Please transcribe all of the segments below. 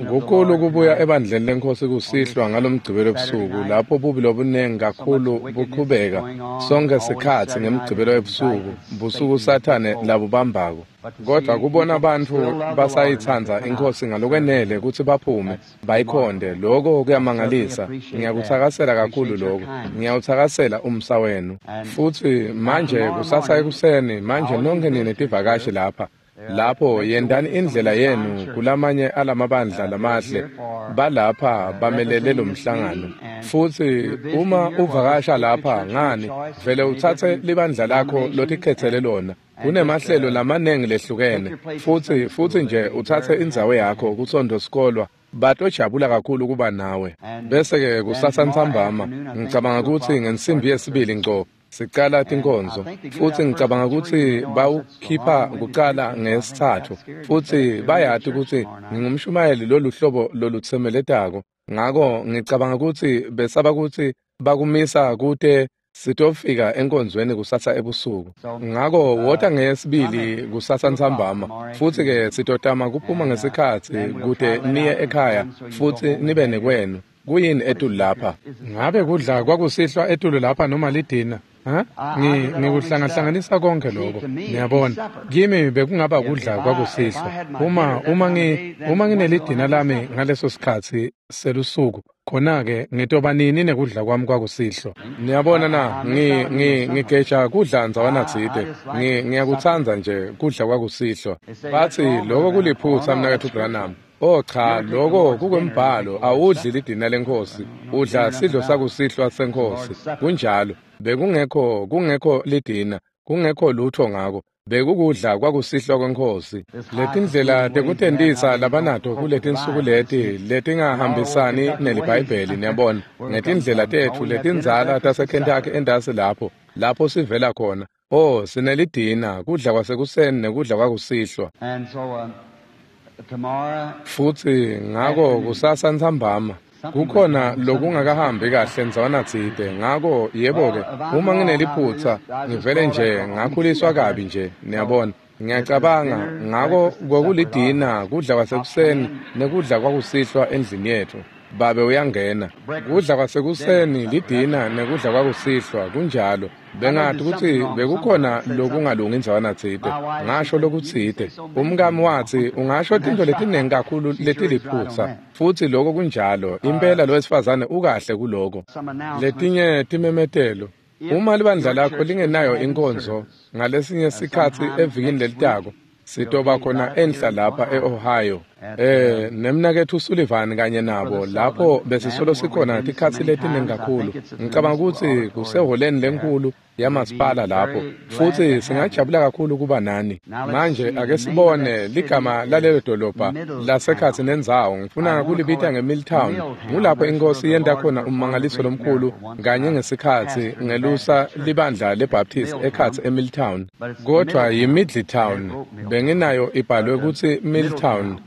Kukhulu kubuya ebandleni lenkosi kusihlwa ngalomgcibelo ebusuku lapho bubi lobunengi kakhulu buqhubeka sonke sikhatsi ngemgcibelo ebusuku, busuku sathane labubambako. Kodwa kubona abantu basayitsandza inkosi ngalokwenele kutsi baphume bayikhonde, lokho kuyamangalisa. Ngiyakutsakasela kakhulu lokho, ngiyawutsakasela umsa wenu. Futsi manje kusasa ekuseni, manje nonke nine tivakashi lapha, lapho yendani indlela yenu kulamanye alamabandla lamahle balapha bamelele lo mhlangano. Futsi uma uvakasha lapha ngani vele utsatse libandla lakho lotikhetsele lona. Kunemahlelo lamanengi lehlukene, futsi nje utsatse indzawo yakho kuSondo Sikolwa, batojabula kakhulu kuba nawe. Bese-ke kusasa ntsambama ngicabanga kutsi ngensimbi yesibili ngco sicala tinkonzo, futsi ngicabanga kutsi bawukhipha kucala ngesithathu, futsi bayati kutsi ngingumshumayeli loluhlobo lolutsemeletako, ngako ngicabanga kutsi besaba kutsi bakumisa kute sitofika enkonzweni kusasa ebusuku. Ngako wota ngesibili kusasa ntsambama, futsi-ke sitotama kuphuma ngesikhatsi kute niye ekhaya futsi nibe nekwenu. Kuyini etulu lapha? Ngabe kudla kwakusihlwa etulu lapha noma lidina? Ngikuhlangahlanganisa konke lokho. Niyabona, kimi bekungaba kudla kwakusihlwa. Uma nginelidina lami ngaleso sikhatsi selusuku, khona-ke ngitoba nini nekudla kwami kwakusihlwa? Niyabona na, ngigeja kudla ndzawana tsite. Ngiyakutsandza nje kudla kwakusihlwa. Batsi lokho kuliphutsa mnaketfu Branham. Oh cha, lokho kukwembhalo, awudli lidina lenkosi, udla sidlo sakusihlwa senkosi. Kunjalo, bekungekho lidina, kungekho lutho ngako. Bekukudla kwakusihlwa kwenkosi. Letindlela tekutentisa labanato kuletinsuku leti letingahambisani neliBhayibheli, niyabona, ngetindlela tetfu letindzala taseKentucky endasi lapho sivela khona. Oh, sinelidina, kudla kwasekuseni nekudla kwakusihlwa. Futsi ngako kusasa ntsambama kukhona lokungakahambi kahle ndzawana tsite. Ngako yebo-ke, uma ngineliphutsa ngivele nje ngakhuliswa kabi nje, niyabona. Ngiyacabanga ngako kwakulidina, kudla kwasekuseni nekudla kwakusihlwa endlini yetfu. Babe uyangena. Kudla kwasekuseni, lidina nekudla kwakusihlwa, kunjalo. Bengathi kutsi bekukhona lokungalungi ndzawana tsite. Ngasho lokutsite. Umkami watsi ungasho tintfo letinengi kakhulu letiliphutsa, futsi lokho kunjalo. Impela lo wesifazane ukahle kuloko. Letinye timemetelo. Uma libandla lakho lingenayo inkonzo ngalesinye sikhatsi evikini lelitako, sitoba khona enhla lapha e-Ohio. Nemnaketfu Sullivan kanye nabo lapho besisolo sikhona tikhatsi letinengi kakhulu. Ngicabanga kutsi kuseholeni lenkulu yamasipala lapho, futsi singajabula kakhulu kuba nani. Manje ake sibone ligama lalelo dolobha lasekhatsi nendzawo. Ngifuna kulibita ngeMilltown. Ngulapho inkosi yenta khona ummangaliso lomkhulu kanye ngesikhatsi ngelusa libandla leBaptist ekhatsi eMilltown. Kodwa yiMiddletown, benginayo ibhalwe kutsi Milltown,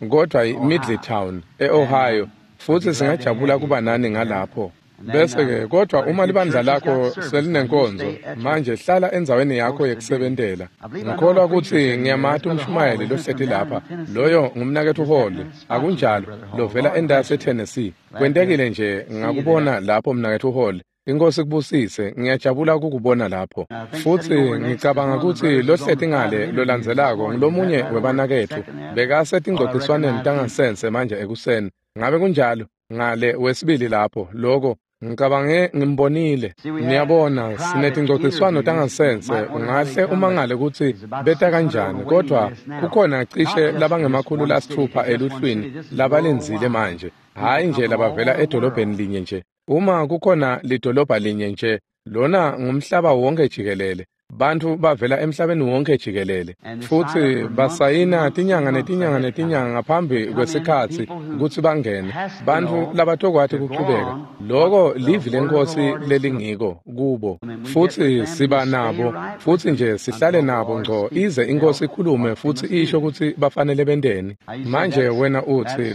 kodwa yiMiddletown e-Ohio, futsi singajabula kuba nani ngalapho. Bese-ke kodwa uma libandla lakho selinenkonzo, manje hlala endzaweni yakho yekusebentela. Ngikholwa kutsi ngiyamati umshumayeli lohleti lapha, loyo ngumnaketfu Hall, akunjalo, lovela endasi eTennessee. Kwentekile nje ngakubona lapho mnaketfu Hall. Inkosi kubusise, ngiyajabula ukukubona lapho. Futsi ngicabanga kutsi lohleti ngale lolandzelako ngulomunye webanaketfu, bekasetingcogciswaneni tangasense manje ekuseni. Ngabe kunjalo? Ngale wesibili lapho, lokho ngicabange ngimbonile. Niyabona, sinetingcogciswano tangasense, ungahle umangale kutsi beta kanjani, kodwa kukhona cishe labangema-600 eluhlwini labalindzile manje, hhayi nje labavela edolobheni linye nje. Uma kukhona lidolobha linye nje, lona ngumhlaba wonke jikelele. Bantfu bavela emhlabeni wonke jikelele, futsi basayina tinyanga netinyanga netinyanga ngaphambi kwesikhatsi kutsi bangene. Bantfu labatokwati kuchubeka, loko livi lenkosi lelingiko kubo, futsi siba nabo, futsi nje sihlale nabo ngco ize inkosi ikhulume futsi isho kutsi bafanele benteni. Manje wena utsi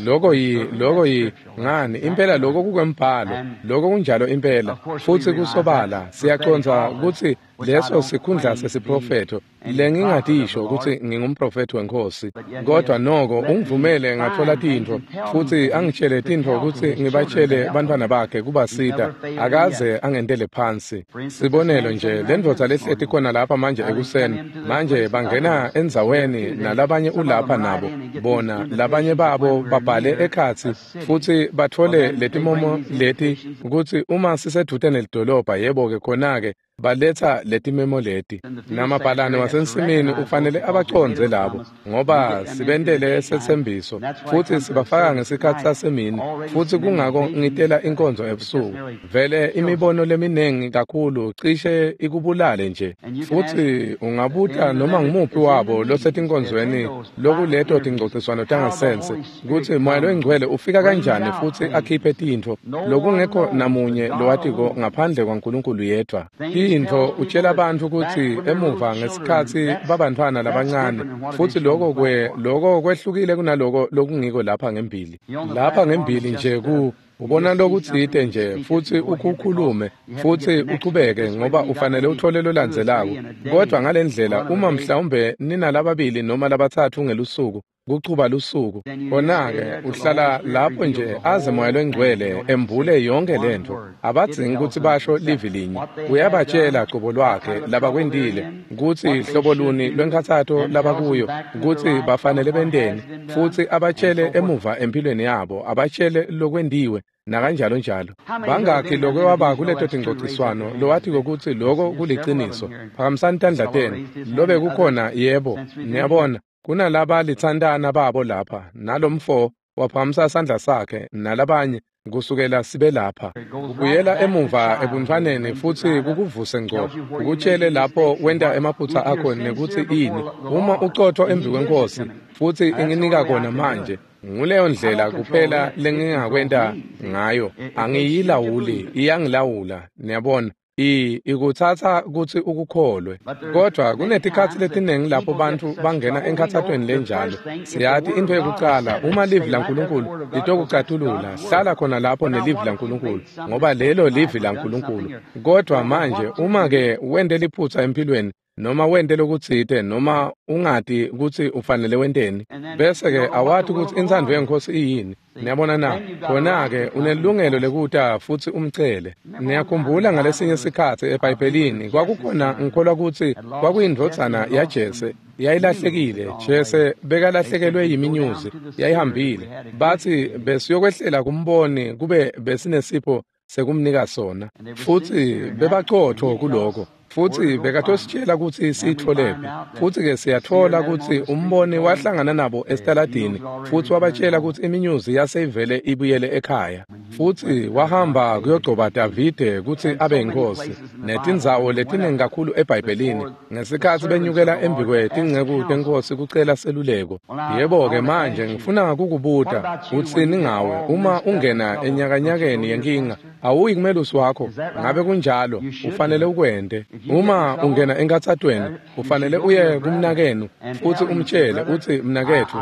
loko yi ngani? Impela loko kukwembhalo, loko kunjalo impela, futsi kusobala siyacondza kutsi leso sikhundla sesiprofetho Lengingatisho kutsi ngingumprofethi wenkosi, kodwa noko ungivumele ngathola tintfo futsi angitshele tintfo kutsi ngibatshele bantfwana bakhe kubasita, akaze angentele phansi. Sibonelo nje, lendvodza lehleti khona lapha manje ekuseni, manje bangena endzaweni nalabanye ulapha nabo, bona labanye babo babhale ekhatsi futsi batfole letimomo leti kutsi uma sisedvute nelidolobha, yebo-ke khona-ke baletha letimemo leti. Namabhalane wasensimini ufanele abacondze labo, ngoba sibentele setsembiso futsi sibafaka ngesikhatsi sasemini, futsi kungako ngitela inkonzo ebusuku. Vele imibono leminingi kakhulu cishe ikubulale nje, futsi ungabuta noma ngumuphi wabo losetinkonzweni lokuleto tingcociswano tangasense kutsi Moya loyiNgcwele ufika kanjani futsi akhiphe tintfo lokungekho namunye lowatiko ngaphandle kwaNkulunkulu yedwa. Intfo utshela bantfu kutsi emuva ngesikhatsi babantfwana labancane, futsi lokho kwehlukile kunaloko lokungiko lapha ngembili. Lapha ngembili nje ku ubona lokutsite nje futsi ukukhulume futsi uchubeke, ngoba ufanele uthole lolandzelako. Kodwa ngalendlela, uma mhlawumbe ninalababili noma labatsatfu ngelusuku, kuchuba lusuku, khona-ke uhlala lapho nje aze Moya loyiNgcwele embule yonke lentfo. Abadzingi kutsi basho livi linye, uyabatshela cobo lwakhe labakwentile, kutsi hlobo luni lwenkhatsato labakuyo, kutsi bafanele benteni, futsi abatshele emuva empilweni yabo, abatshele lokwentiwe nakanjalo njalo. Bangakhi lokwe waba kuleto tingcociswano lowatiko kutsi loko kuliciniso? Phakamisani tandla tenu. Lobe kukhona, yebo, niyabona. Kunalaba litsantana babo lapha, nalomfo waphakamisa sandla sakhe nalabanye kusukela sibe lapha. Kubuyela emuva ebuntfwaneni futsi kukuvuse ngco, kukutshele lapho wenta emaphutsa akho nekutsi ini. Uma ucotfo embi kwenkosi futsi inginika kona manje, nguleyo ndlela kuphela lengingakwenta ngayo. Angiyilawuli, iyangilawula, niyabona. Ikutsatsa kutsi ukukholwe. Kodwa kunetikhatsi letiningi lapho bantfu bangena enkhatsatweni lenjalo. Siyati intfo yekucala, uma livi laNkulunkulu litokucatulula, hlala khona lapho nelivi laNkulunkulu, ngoba lelo livi laNkulunkulu. Kodwa manje uma-ke wente liphutsa empilweni, noma wente lokutsite, noma ungati kutsi ufanele wenteni, bese-ke awati kutsi intsandvo yenkosi iyini. Niyabona na? Khona-ke unelungelo lekuta futsi umcele. Niyakhumbula ngalesinye sikhatsi eBhayibhelini kwakukhona, ngikholwa kutsi kwakuyindvodzana yaJese, yayilahlekile. Jese bekalahlekelwe yiminyuzi, yayihambile. Batsi besiyokwehlela kumboni kube besinesipho sekumnika sona, futsi bebacotfo kuloko. Futsi bekatositshela kutsi siyitfolephi. Futsi-ke siyatfola kutsi umboni wahlangana nabo esitaladini futsi wabatshela kutsi iminyuzi yaseyivele ibuyele ekhaya. Futsi wahamba kuyogcoba Davide kutsi abe yinkosi. Netindzawo letiningi kakhulu eBhayibhelini ngesikhatsi benyukela embikwetinceku tenkosi kucela seluleko. Yebo-ke manje ngifuna kukubuta, utsini ngawe uma ungena enyakanyakeni yenkinga? Awuyi kumelusi wakho? Ngabe kunjalo? Ufanele ukwente. Uma ungena enkhatsatweni, ufanele uye kumnakenu futsi umtshele utsi, mnaketfu,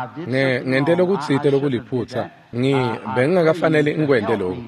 ngente lokutsite lokuliphutsa. Bengingakafanele ngikwente lokhu.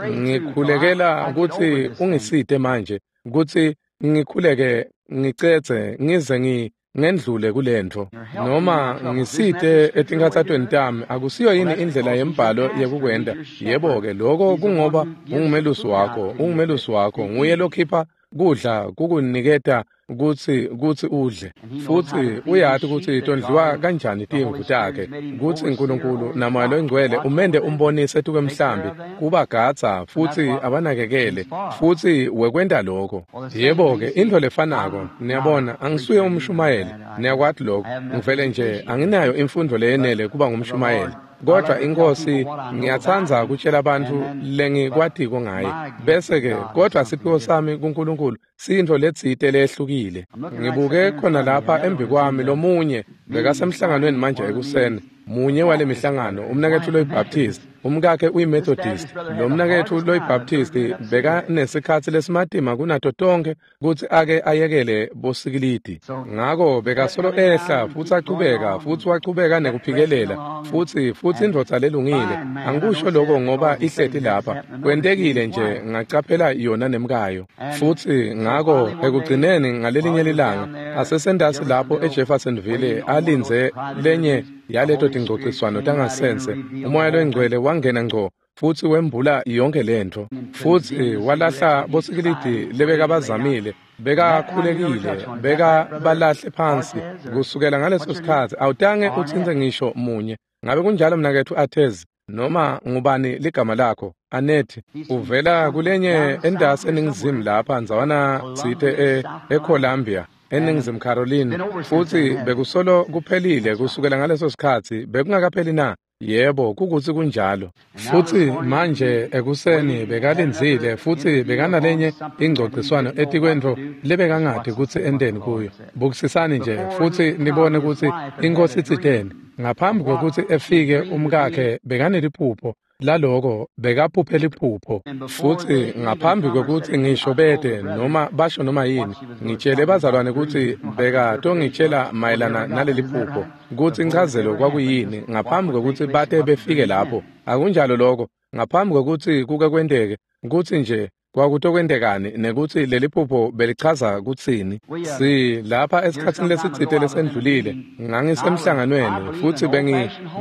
Ngikhulekela kutsi ungisite manje, kutsi ngikhuleke ngicedze ngize ngendlule kulentfo, noma ngisite etinkhatsatweni tami. Akusiyo yini indlela yembhalo yekukwenta? Yebo-ke, lokho kungoba ungumelusi wakho, ungumelusi wakho, nguye lokhipha kudla kukuniketa kutsi udle, futsi uyati kutsi tondliwa kanjani timvu takhe, kutsi Nkulunkulu naMoya loyiNgcwele umende umbonise etukwemhlambi kubagadza futsi abanakekele, futsi wekwenta lokho. Yebo-ke, intfo lefanako, niyabona, angisuye umshumayeli, niyakwati lokho, ngivele nje anginayo imfundvo leyenele kuba ngumshumayeli. Kodwa inkosi, ngiyatsandza kutshela bantfu lengikwatiko ngaye. Bese-ke, kodwa siphiwo sami kuNkulunkulu siyintfo letsite leyehlukile. Ngibuke khona lapha embikwami lomunye bekasemhlanganweni manje ekuseni, munye wale mihlangano, umnaketfu loyiBaptist. Umkakhe uyiMethodist. Lo mnaketfu loyiBaptist bekanesikhatsi lesimatima kunato tonkhe kutsi ake ayekele bosikilidi. Ngako bekasolo ehla futsi achubeka futsi wachubeka nekuphikelela futsi indvodza lelungile. Angikusho lokho ngoba ihleti lapha. Kwentekile nje ngacaphela yona nemkayo. Futsi ngako ekugcineni ngalelinye lilanga asesendasi lapho eJeffersonville alindze lenye yaleto tingcociswano tangasense, umoya loyingcwele wangena ngco futsi wembula yonke lentfo, futsi walahla bosikilidi lebekabazamile, bekakhulekile, bekabalahle phansi. Kusukela ngaleso sikhatsi awutange utsintse ngisho munye. Ngabe kunjalo mnaketfu Atez, noma ngubani ligama lakho? Anethi, uvela kulenye endasi eningizimu lapha ndzawana tsite eColumbia, eNingizimu Carolina, futsi bekusolo kuphelile kusukela ngaleso sikhatsi. Bekungakapheli na? Yebo, kukutsi kunjalo. Futsi manje ekuseni bekalindzile futsi bekanalenye ingcociswano etikwentfo lebekangati kutsi enteni kuyo. Bukisisani nje futsi nibone kutsi iNkhosi itsiteni. Ngaphambi kwekutsi efike umkakhe bekaneliphupho laloko, bekaphuphe liphupho. Futsi ngaphambi kwekutsi ngisho bete noma basho noma yini, ngitshele bazalwane kutsi bekatongitshela mayelana naleli phupho, kutsi inchazelo kwakuyini ngaphambi kwekutsi bate befike lapho. Akunjalo lokho, ngaphambi kwekutsi kuke kwenteke, kutsi nje kwakutokwentekani nekutsi leli phupho belichaza kutsini. Si lapha esikhatsini lesitsite lesendlulile ngangisemhlanganweni futsi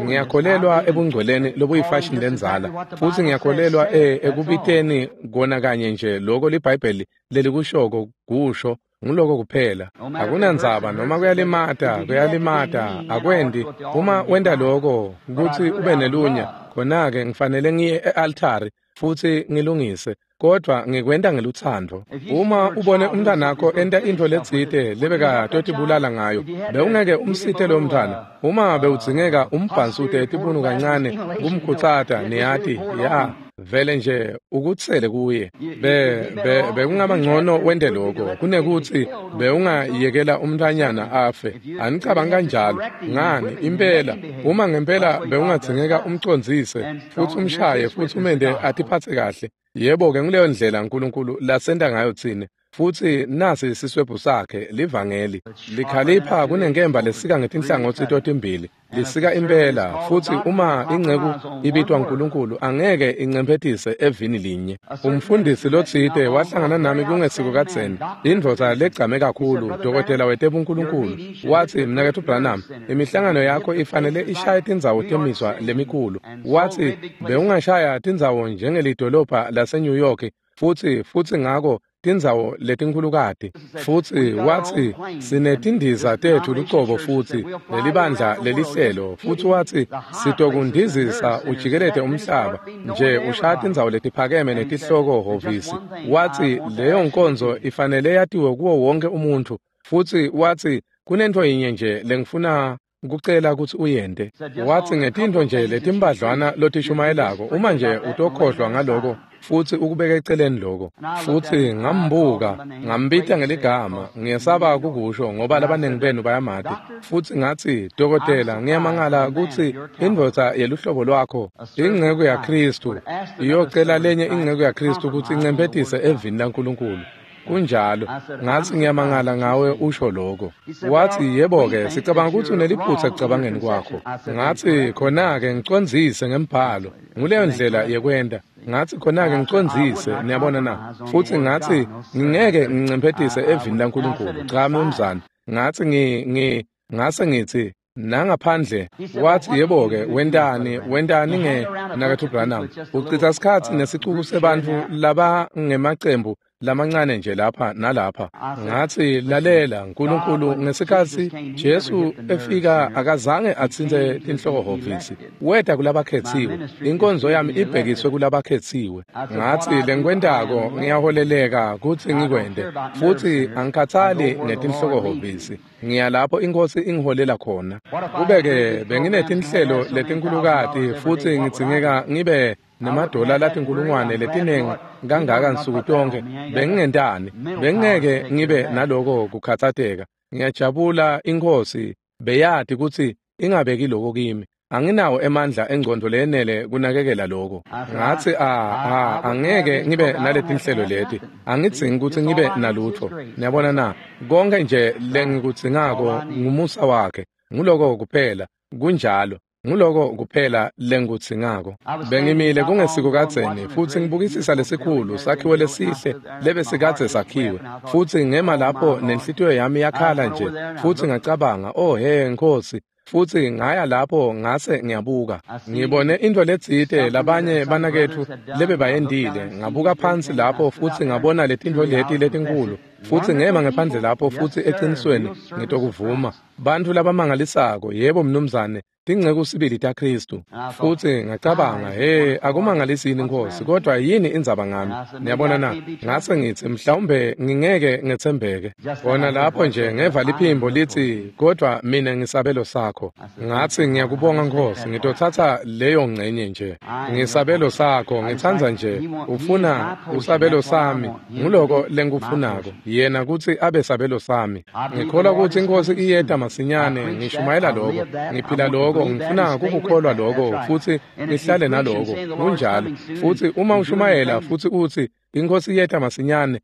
ngiyakholelwa ebungcweleni lobuyifashini lendzala, futsi ngiyakholelwa ekubiteni kona kanye nje loko liBhayibheli lelikushoko kusho nguloko kuphela. Akunandzaba noma kuyalimata, kuyalimata, akwendi. Uma wenta loko kutsi ube nelunya, khona-ke ngifanele ngiye e-altari futsi ngilungise, kodvwa ngikwenta ngelutsandvo. Uma ubone umntwanakho enta intfo letsite lebekatotibulala ngayo, bewungeke umsite lowo mntwana. Uma bewudzingeka umbhansute etibunu kancane kumkhutsata, niyati, ya vele nje ukutsele kuye. Bekungaba ngcono wente lokho kunekutsi bewungayekela umntfwanyana afe. Anicabangi kanjalo? Ngani, impela, uma ngempela bewungadzingeka umcondzise futsi umshaye futsi umente atiphatse kahle. Yebo-ke, nguleyo ndlela uNkulunkulu lasenta ngayo tsine. Futsi nasi siswebhu sakhe, livangeli. Likhalipha kunenkemba lesika ngetinhlangotsi totimbili, lisika impela. Futsi uma inceku ibitwa uNkulunkulu, angeke incemphetise evini linye. Umfundisi lotsite wahlangana nami kungesiko kadzeni, indvodza legcame kakhulu, dokotela wetebunkulunkulu. Watsi, mnaketfu Branham, imihlangano yakho ifanele ishaye tindzawo temizwa lemikhulu. Watsi, bewungashaya tindzawo njengelidolobha laseNew York, futsi ngako tindzawo letinkhulukati. Futsi watsi, sinetindiza tetfu lucobo futsi lelibandla lelihlelo. Futsi watsi, sitokundizisa ujikelete umhlaba nje ushaya tindzawo letiphakeme netihloko hhovisi. Watsi, leyo nkonzo ifanele yatiwe kuwo wonke umuntfu. Futsi watsi, kunentfo yinye nje lengifuna kucela kutsi uyente. Watsi, ngetintfo nje letimbadlwana lotishumayelako, uma nje utokhohlwa ngaloko futsi ukubeke eceleni lokho. Futsi ngambuka, ngambita ngeligama, ngiyesaba kukusho ngoba labaningi benu bayamati. Futsi ngatsi, dokotela, ngiyamangala kutsi indvodza yeluhlobo lwakho, inceku yaKhristu, iyocela lenye inceku yaKhristu kutsi incemphetise evini laNkulunkulu. Kunjalo. Ngatsi, ngiyamangala ngawe usho lokho. Watsi, yebo-ke, sicabanga kutsi uneliphutsa ekucabangeni kwakho. Ngatsi, khona-ke ngicondzise ngembhalo. Nguleyo ndlela yekwenta. Ngatsi, khona-ke ngicondzise, niyabona na? Futsi ngatsi, ngingeke ngincemphetise evini laNkulunkulu. Cha, mnumzane. Ngatsi, ngase ngitsi, nangaphandle. Watsi, yebo-ke, wentani nge mnaketfu Branham? Ucitsa sikhatsi nesicuku sebantfu labangemacembu lamancane nje lapha nalapha. Ngatsi, lalela, uNkulunkulu ngesikhatsi Jesu efika akazange atsintse tinhloko-hhovisi. Weta kulabakhetsiwe. Inkonzo yami ibhekiswe kulabakhetsiwe. Ngatsi, lengikwentako ngiyaholeleka kutsi ngikwente, futsi angikhatsali ngetinhloko-hhovisi. Ngiya lapho iNkhosi ingiholela khona. Kube-ke benginetinhlelo letinkhulukati futsi ngidzingeka ngibe nemadola latinkulungwane letinengi kangaka nsuku tonke, bengingentani? Bengingeke ngibe naloko kukhatsateka. Ngiyajabula iNkhosi beyati kutsi ingabeki loko kimi. Anginawo emandla engcondo leyenele kunakekela lokho. Ngathi angeke ngibe naletinhlelo leti. Angidzingi ukuthi ngibe nalutho. Niyabona na? Konke nje lengikudzingako ngumusa wakhe. Nguloko kuphela. Kunjalo. Nguloko kuphela lengikudzingako. Bengimile kungesiko kadzeni futhi ngibukisisa lesikhulu sakhiwo lesihle lebesikadze sakhiwe, futhi ngema lapho nenhlitiyo yami yakhala nje, futhi ngacabanga, oh he Nkosi. Futhi ngaya lapho ngase ngiyabuka, ngibone into letsite labanye banaketfu lebebayendile. Ngabuka phansi lapho futhi ngabona letintfo leti letinkulu, futhi ngema ngephandle lapho futhi eqinisweni ngitokuvuma, bantfu labamangalisako, yebo mnumzane, tinceku sibili taKhristu. Futhi ngacabanga, hey, akumangalisi yini Nkosi, kodwa yini indzaba ngami? Niyabona na? Ngase ngithi mhlawumbe ngingeke ngetsembeke. Kona lapho nje ngeva liphimbo lithi, kodwa mina ngisabelo sakho. Ngathi ngiyakubonga Nkosi, ngitothatha leyo ngcenye nje. Ngisabelo sakho, ngitsandza nje ufuna usabelo sami, nguloko lengikufunako, yena kutsi abe sabelo sami. Ngikholwa kutsi iNkosi iyeta masinyane, ngishumayela lokho, ngiphila lokho, ngifuna kukukholwa lokho futhi ngihlale naloko. Kunjalo. Futhi uma ushumayela futhi uthi iNkosi iyeta masinyane,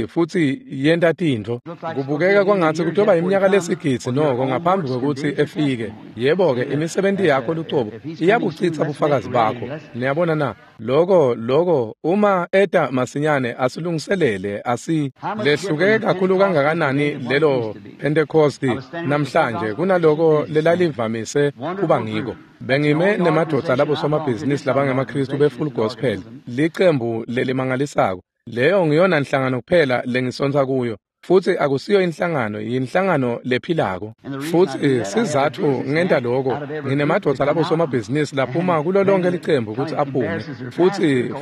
futhi yenta tintfo, kubukeka kwangathi kutoba iminyaka lesigidzi noko ngaphambi kwekutsi efike. Yebo-ke, imisebenti yakho lucobo iyabuchitsa bufakazi bakho. Niyabona na? Loko uma eta masinyane asilungiselele. Asi lehluke kakhulu kangakanani lelo Pentecosti namhlanje kunaloko lelalivamise kuba ngiko. Bengime nemadvodza labo somabhizinisi labangemaKhristu be-Full Gospel, licembu lelimangalisako. Leyo ngiyona inhlangano kuphela lengisontsa kuyo, futhi akusiyo inhlangano, yinhlangano lephilako. Futhi sizathu ngenta lokho, nginemadvodza labo somabhizinisi laphuma kulo lonke licembu ukuthi aphume,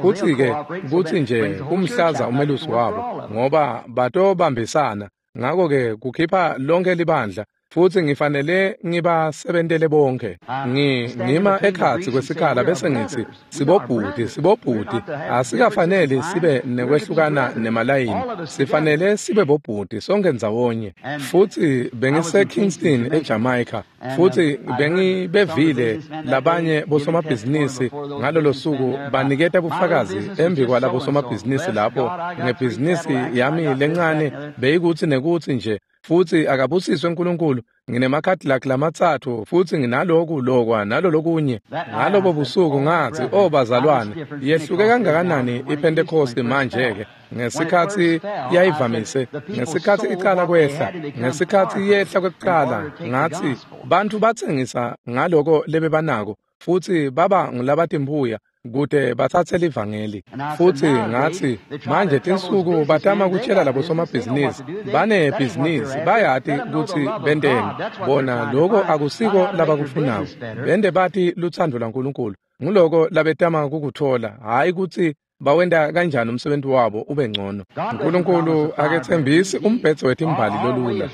futhi-ke kutsi nje kumhlaza umelusi wabo, ngoba batobambisana. Ngakho-ke kukhipha lonke libandla, futhi ngifanele ngibasebentele bonke. Ngima ekhatsi kwesikhala bese ngithi, sibobhuti, asikafanele sibe nekwehlukana nemalayini, sifanele sibe bobhuti sonke ndzawonye. Futhi bengise Kingston eJamaica, futhi bengibevile labanye bosomabhizinisi ngalolo suku baniketa bufakazi embi kwalabo somabhizinisi lapho ngebhizinisi yami lencane beyikuthi nekuthi nje, futhi akabusiswe uNkulunkulu, nginemaCadillac lamatsatfu futhi nginaloku lokwa nalolokunye. Ngalobo busuku ngathi, oh bazalwane, yehluke kangakanani iPentecost manje-ke. Ngesikhathi yayivamise, ngesikhathi icala kwehla, ngesikhathi yehla kwekuqala, ngathi bantfu batsengisa ngaloko lebebanako futhi baba ngulabatimbuya kute batsatse livangeli. Futhi ngathi manje tinsuku batama kutshela labo somabhizinisi banebhizinisi, bayati kutsi benteni bona, loko akusiko labakufunako. Bende bati lutsandvo lwaNkulunkulu, nguloko labetama kukuthola, hhayi kutsi bawenta kanjani umsebenzi wabo ube ngcono. uNkulunkulu aketsembisi umbhedze wetimbali lolula.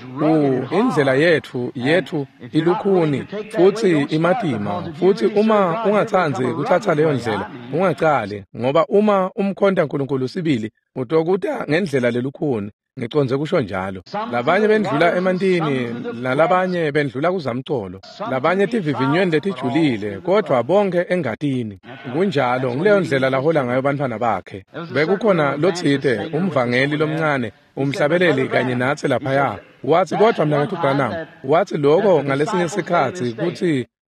Indlela yethu ilukhuni futhi imatima, futhi uma ungatsandzi kutsatsa leyo ndlela ungacali, ngoba uma umkhonta uNkulunkulu sibili utokuta ngendlela lelukhuni. Ngicondze kusho njalo. Labanye bendlula emantini, nalabanye bendlula kuzamcolo, labanye tivivinyweni letijulile, kodwa bonke engatini. Kunjalo, ngileyo ndlela lahola ngayo bantfwana bakhe. Bekukhona lotsite, umvangeli lomncane, umhlabeleli kanye natsi laphaya. Wathi, kodwa mnaketfu Branham, wathi lokho ngalesinye sikhatsi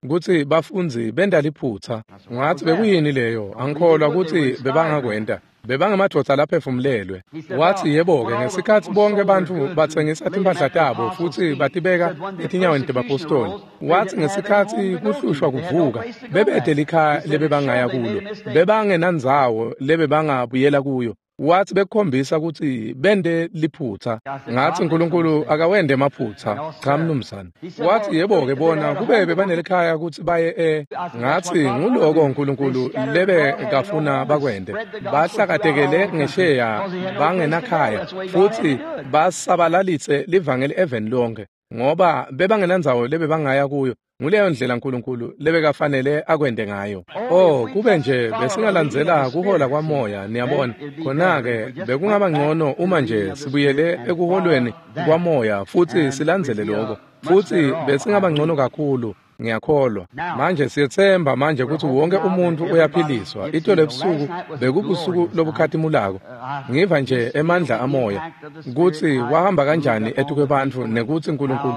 kutsi bafundzi benta liphutsa. Ngathi bekuyini leyo? Angikholwa kutsi bebangakwenta. Bebangemadvodza laphefumulelwe. Wathi yebo-ke, ngesikhatsi bonke bantfu batsengisa timphahla tabo futhi batibeka etinyaweni tebapostoli, wathi ngesikhatsi kuhlushwa kuvuka, bebete likhaya lebebangaya kulo, bebangenandzawo lebebangabuyela kuyo. Wathi bekukhombisa kutsi bente liphutsa. Ngathi uNkulunkulu akawende emaphutsa. Cha mnumzane. Wathi yebo-ke bona kube bebanelikhaya kutsi baye Ngathi nguloko uNkulunkulu lebe kafuna bakwente. Bahlakatekele ngesheya bangenakhaya futhi basabalalitse livangeli eveni lonke, ngoba bebangenandzawo lebebangaya kuyo. Nguleyo ndlela uNkulunkulu lebekafanele akwente ngayo. Oh, kube nje besingalandzela kuhola kwamoya, niyabona. Khona-ke bekungaba ngcono uma nje sibuyele ekuholweni kwamoya futhi silandzele lokho. Futhi besingaba ngcono kakhulu, Ngiyakholwa. Manje siyetsemba manje ukuthi wonke umuntu uyaphiliswa. Itolo ebusuku bekubusuku lobukhatimulako. Ngiva nje emandla amoya kutsi wahamba kanjani etukwebantfu nekutsi uNkulunkulu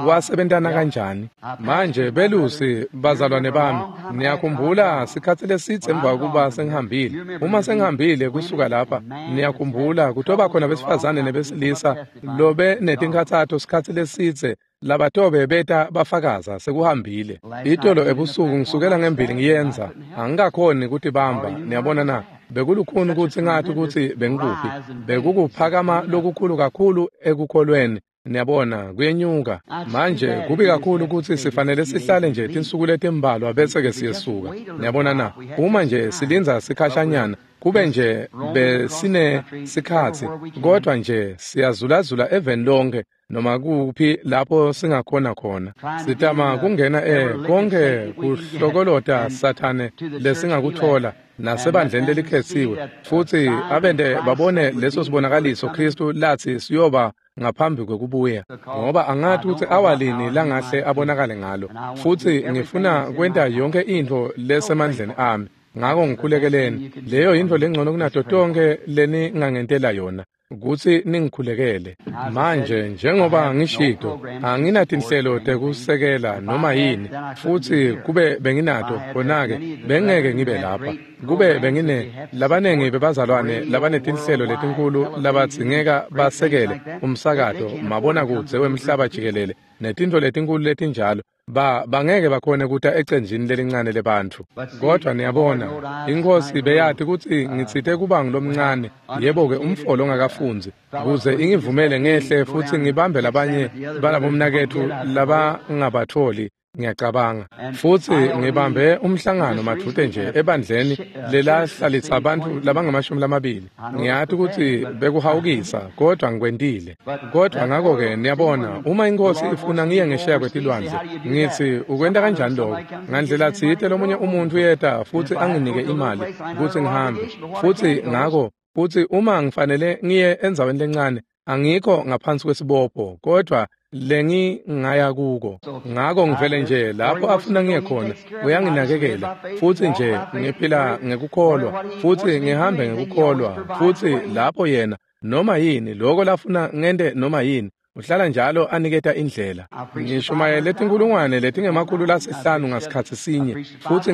wasebentana kanjani. Manje belusi bazalwane bami, niyakhumbula sikhatsi lesitse emva kuba sengihambile. Uma sengihambile kusuka lapha, niyakhumbula kutoba khona besifazane nebesilisa lobe netinkhatsato sikhatsi lesitse labatobe beta bafakaza sekuhambile. Itolo ebusuku ngisukela ngembili ngiyenza, angikakhoni kutibamba. Niyabona na? Bekulukhuni kutsi ngathi kutsi bengikuphi. Bekukuphakama lokukhulu kakhulu ekukholweni. Niyabona, kuyenyuka. Manje kubi kakhulu kutsi sifanele sihlale nje tinsuku letimbalwa bese ke siyesuka. Niyabona na? Uma nje silindza sikhashanyana, kube nje besine sikhatsi, kodwa nje siyazulazula eveni lonke noma kuphi lapho singakhona khona. Sitama kungena konke kuhlokolota Sathane lesingakuthola nasebandleni lelikhetsiwe, futsi abende babone leso sibonakaliso Kristu lathi siyoba ngaphambi kwekubuya, ngoba angathi ukuthi awalini langahle abonakale ngalo. Futsi ngifuna kwenta yonke intfo lesemandleni ami. Ngako ngikhulekeleni. Leyo yintfo lengcono kunato tonke leningangentela yona, kutsi ningikhulekele. Manje njengoba ngishito, anginatinhlelo tekusekela noma yini, futsi kube benginato khona-ke bengeke ngibe lapha. Kube bengine labanengi bebazalwane labanetinhlelo letinkulu labadzingeka basekele umsakato, mabonakudze wemhlaba jikelele netintfo letinkulu letinjalo, bangeke bakhone kuta ecenjini lelincane lebantfu. Kodwa niyabona, iNkhosi beyati kutsi ngitsite kuba ngulomncane, yebo-ke umfolo ongakafundzi, kuze ingivumele ngehle futsi ngibambe labanye balabomnaketfu labangabatholi. Ngiyacabanga. Futsi ngibambe umhlangano madvute nje ebandleni lelahlalisa abantu labangamashumi. Ngiyati kutsi bekuhawukisa, kodwa ngikwentile. Kodwa ngako-ke niyabona, uma iNkhosi ifuna ngiye ngesheya kwetilwandle, ngitsi ukwenta kanjani lokho? Ngandlela tsite lomunye umuntu uyeta futsi anginike imali kutsi ngihambe. Futsi ngako, futsi uma ngifanele ngiye endzaweni lencane, angikho ngaphansi kwesibopho, kodwa lengingaya kuko. Ngako ngivele nje lapho afuna ngiye khona, uyanginakekela. Futsi nje ngiphila ngekukholwa, futsi ngihambe ngekukholwa, futsi lapho yena noma yini lokho lafuna ngente noma yini, uhlala njalo aniketa indlela. Ngishumayele tinkulungwane letingama-500 ngasikhatsi sinye, futsi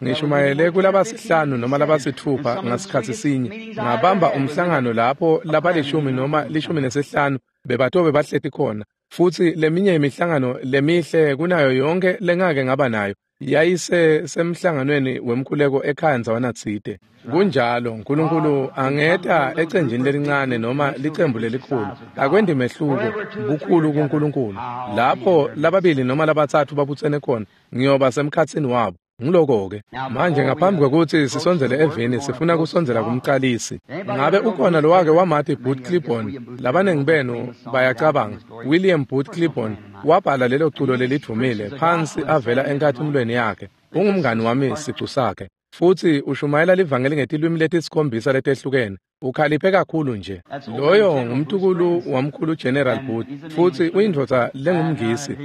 ngishumayele kulabasihlanu noma labasithupha ngasikhatsi sinye. Ngabamba umhlangano lapho labalishumi noma 15 bebatobe bahleti khona, futsi leminye imihlangano lemihle kunayo yonke lengake ngaba nayo yayise semhlanganweni wemkhuleko ekhaya ndzawana tsite. Kunjalo, uNkulunkulu angeta ecenjini lelincane noma licembu lelikhulu, akwendi mehluko bukhulu kuNkulunkulu. Lapho lababili noma labatsatfu babutsene khona, ngiyoba semkhatsini wabo. Ngiloko-ke. Manje ngaphambi kwekutsi sisondzele evini, sifuna kusondzela kumcalisi. Ngabe ukhona lowake wamati Booth Clibborn? Labanengi benu bayacabanga. William Booth Clibborn wabhala lelo culo lelidvumile phansi avela enkathimulweni yakhe. Ungumngani wami sicu sakhe. Futsi ushumayela livangeli ngetilwimi letisikhombisa letehlukene. Ukhaliphe kakhulu nje. Loyo ngumtukulu wamkhulu General Booth, futsi uyindvodza lengumngisi,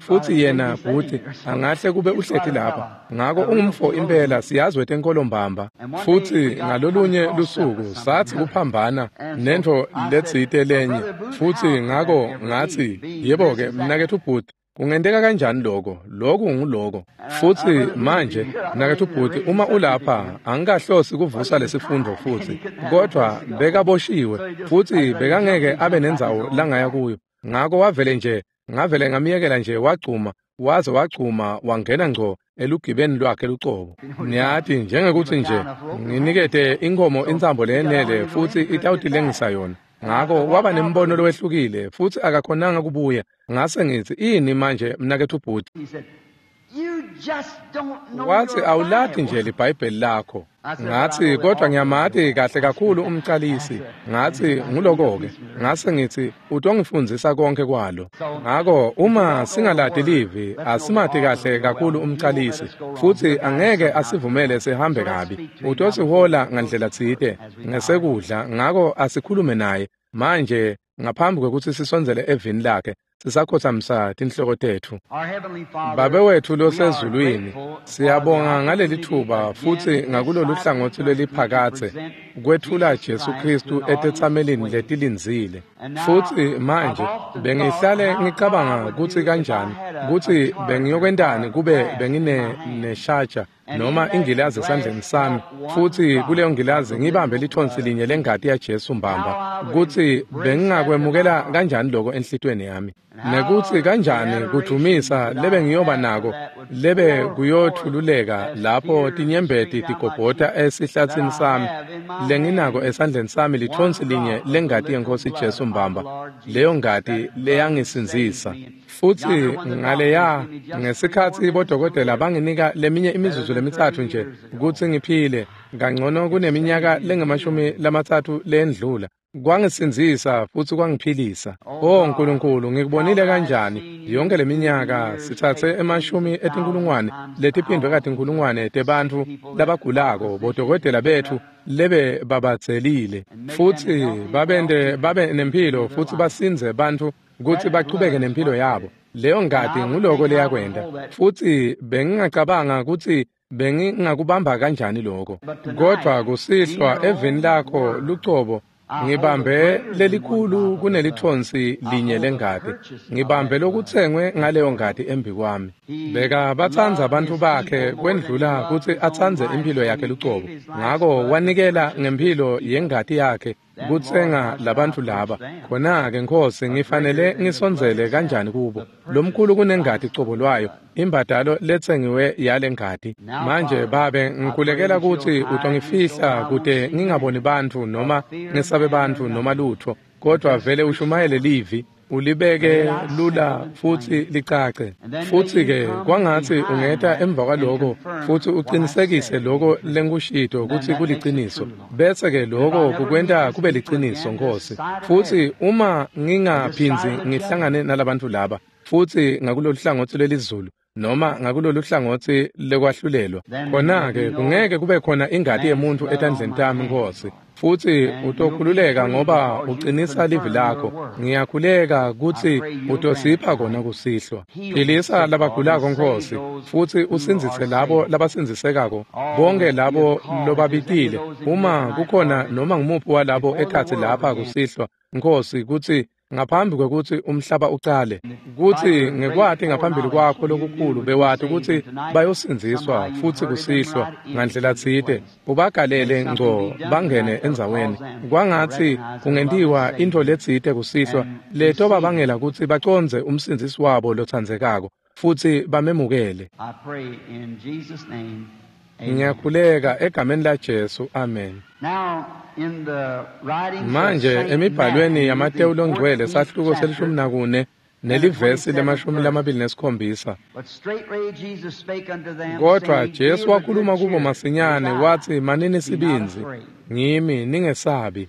futsi yena Booth angahle kube uhleti lapha. Ngako ungumfo impela, siyazi wetenkolo mbamba. Futsi ngalolunye lusuku sathi kuphambana nentfo letsite lenye, futsi ngako ngatsi, yebo-ke mnaketfu Booth, kungenteka kanjani lokho? Lokhu nguloko. Futsi manje mnaketfu Booth, uma ulapha, angikahlosi kuvusa lesifundo futsi, kodwa bekaboshiwe futsi bekangeke abe nendzawo langaya kuyo. Ngako wavele nje, ngavele ngamyekela nje wagcuma, waze wagcuma wangena ngco elugibeni lwakhe lucobo. Niyati, njengekuthi nje nginikete inkomo intsambo leyenele futsi itawutilengisa yona. Ngako waba nembono lowehlukile futsi akakhonanga kubuya. Ngase ngithi, ini manje mnaketfu Booth? Wathi, awulati nje liBhayibheli lakho. Ngathi, kodwa ngiyamati kahle kakhulu umcalisi. Ngathi, nguloko-ke. Ngase ngithi, utongifundzisa konke kwalo. Ngako uma singalati livi, asimati kahle kakhulu umcalisi, futsi angeke asivumele sihambe kabi. Utosihola ngandlela tsite ngesekudla, ngako asikhulume naye. Manje ngaphambi kwekutsi sisondzele evini lakhe, Sisakhothamisa tinhloko tetfu. Babe wetfu losezulwini, siyabonga ngaleli thuba futsi ngakulolu hlangotsi lweliphakatse kwetfula Jesu Khristu etetsamelini letilindzile. Futsi manje bengihlale ngicabanga kutsi kanjani, kutsi bengiyokwentani kube bengine neshaja noma ingilazi esandleni sami, futsi kuleyo ngilazi ngibambe lithonsi linye lengati yaJesu mbamba, kutsi bengingakwemukela kanjani lokho enhlitiyweni yami, nekutsi kanjani kudvumisa lebe ngiyoba nako lebe kuyothululeka lapho tinyembeti tigobhota esihlatsini sami lenginako esandleni sami lithonsi linye lengati yeNkhosi Jesu mbamba, leyo ngati leyangisindzisa. Futsi ngaleya ngesikhatsi bodokotela banginika leminye imizuzu lemitsatfu nje kutsi ngiphile kangcono kuneminyaka lengamashumi-lamtsatfu lendlula, kwangisindzisa futsi kwangiphilisa. O Nkulunkulu, ngikubonile kanjani yonke leminyaka sitsatse emashumi etinkulungwane letiphindwe katinkulungwane tebantfu labagulako, bodokotela betfu lebe babatselile, futsi babente babe nemphilo futsi basindze bantfu kutsi bachubeke nemphilo yabo. Leyo ngati nguloko leyakwenta. Futsi bengingacabanga kutsi bengingakubamba kanjani lokho. Kodvwa kusihlwa eveni lakho lucobo ngibambe lelikhulu kunelithonsi linye lengati. Ngibambe lokutsengwe ngaleyo ngati embikwami. Beka batsandza bantfu bakhe kwendlula kutsi atsandze imphilo yakhe lucobo. Ngako wanikela ngemphilo yengati yakhe kutsenga labantfu laba. Khona-ke Nkhosi, ngifanele ngisondzele kanjani kubo? Lomkhulu kunengati cobo lwayo, imbadalo letsengiwe yale ngati. Manje Babe, ngikhulekela kutsi utongifihla kute ngingaboni bantfu noma ngesabe bantfu noma lutfo, kodvwa vele ushumayele livi, ulibeke lula futsi licace. Futsi-ke kwangatsi ungeta emva kwaloko futsi uqinisekise loko lengikushito kutsi kuliciniso, bese-ke loko kukwenta kube liciniso, Nkhosi. Futsi uma ngingaphindzi ngihlangane nalabantfu laba futsi ngakulolu hlangotsi lwelizulu noma ngakulolu hlangotsi lekwahlulelwa, khona-ke kungeke kube khona ingati yemuntfu etandleni tami, Nkhosi. Futsi utokhululeka ngoba uqinisa livi lakho. Ngiyakhuleka kutsi utosipha kona kusihlwa. Philisa labagulako, Nkhosi, futsi usindzise labo labasindzisekako, bonke labo lobabitile. Uma kukhona noma ngumuphi walabo ekhatsi lapha kusihlwa, Nkhosi, kutsi ngaphambi kwekutsi umhlaba ucale, kutsi ngekwati ngaphambili kwakho lokukhulu bewati kutsi bayosindziswa futsi kusihlwa ngandlela tsite ubagalele ngco bangene endzaweni. Kwangatsi kungentiwa intfo letsite kusihlwa letobabangela kutsi bacondze umsindzisi wabo lotsandzekako futsi bamemukele. Ngiyakhuleka egameni laJesu, amen. Manje emibhalweni yaMatewu longcwele sahluko se-14 nelivesi le-27. Kodvwa Jesu wakhuluma kubo masinyane watsi, manini sibindzi, ngimi, ningesabi.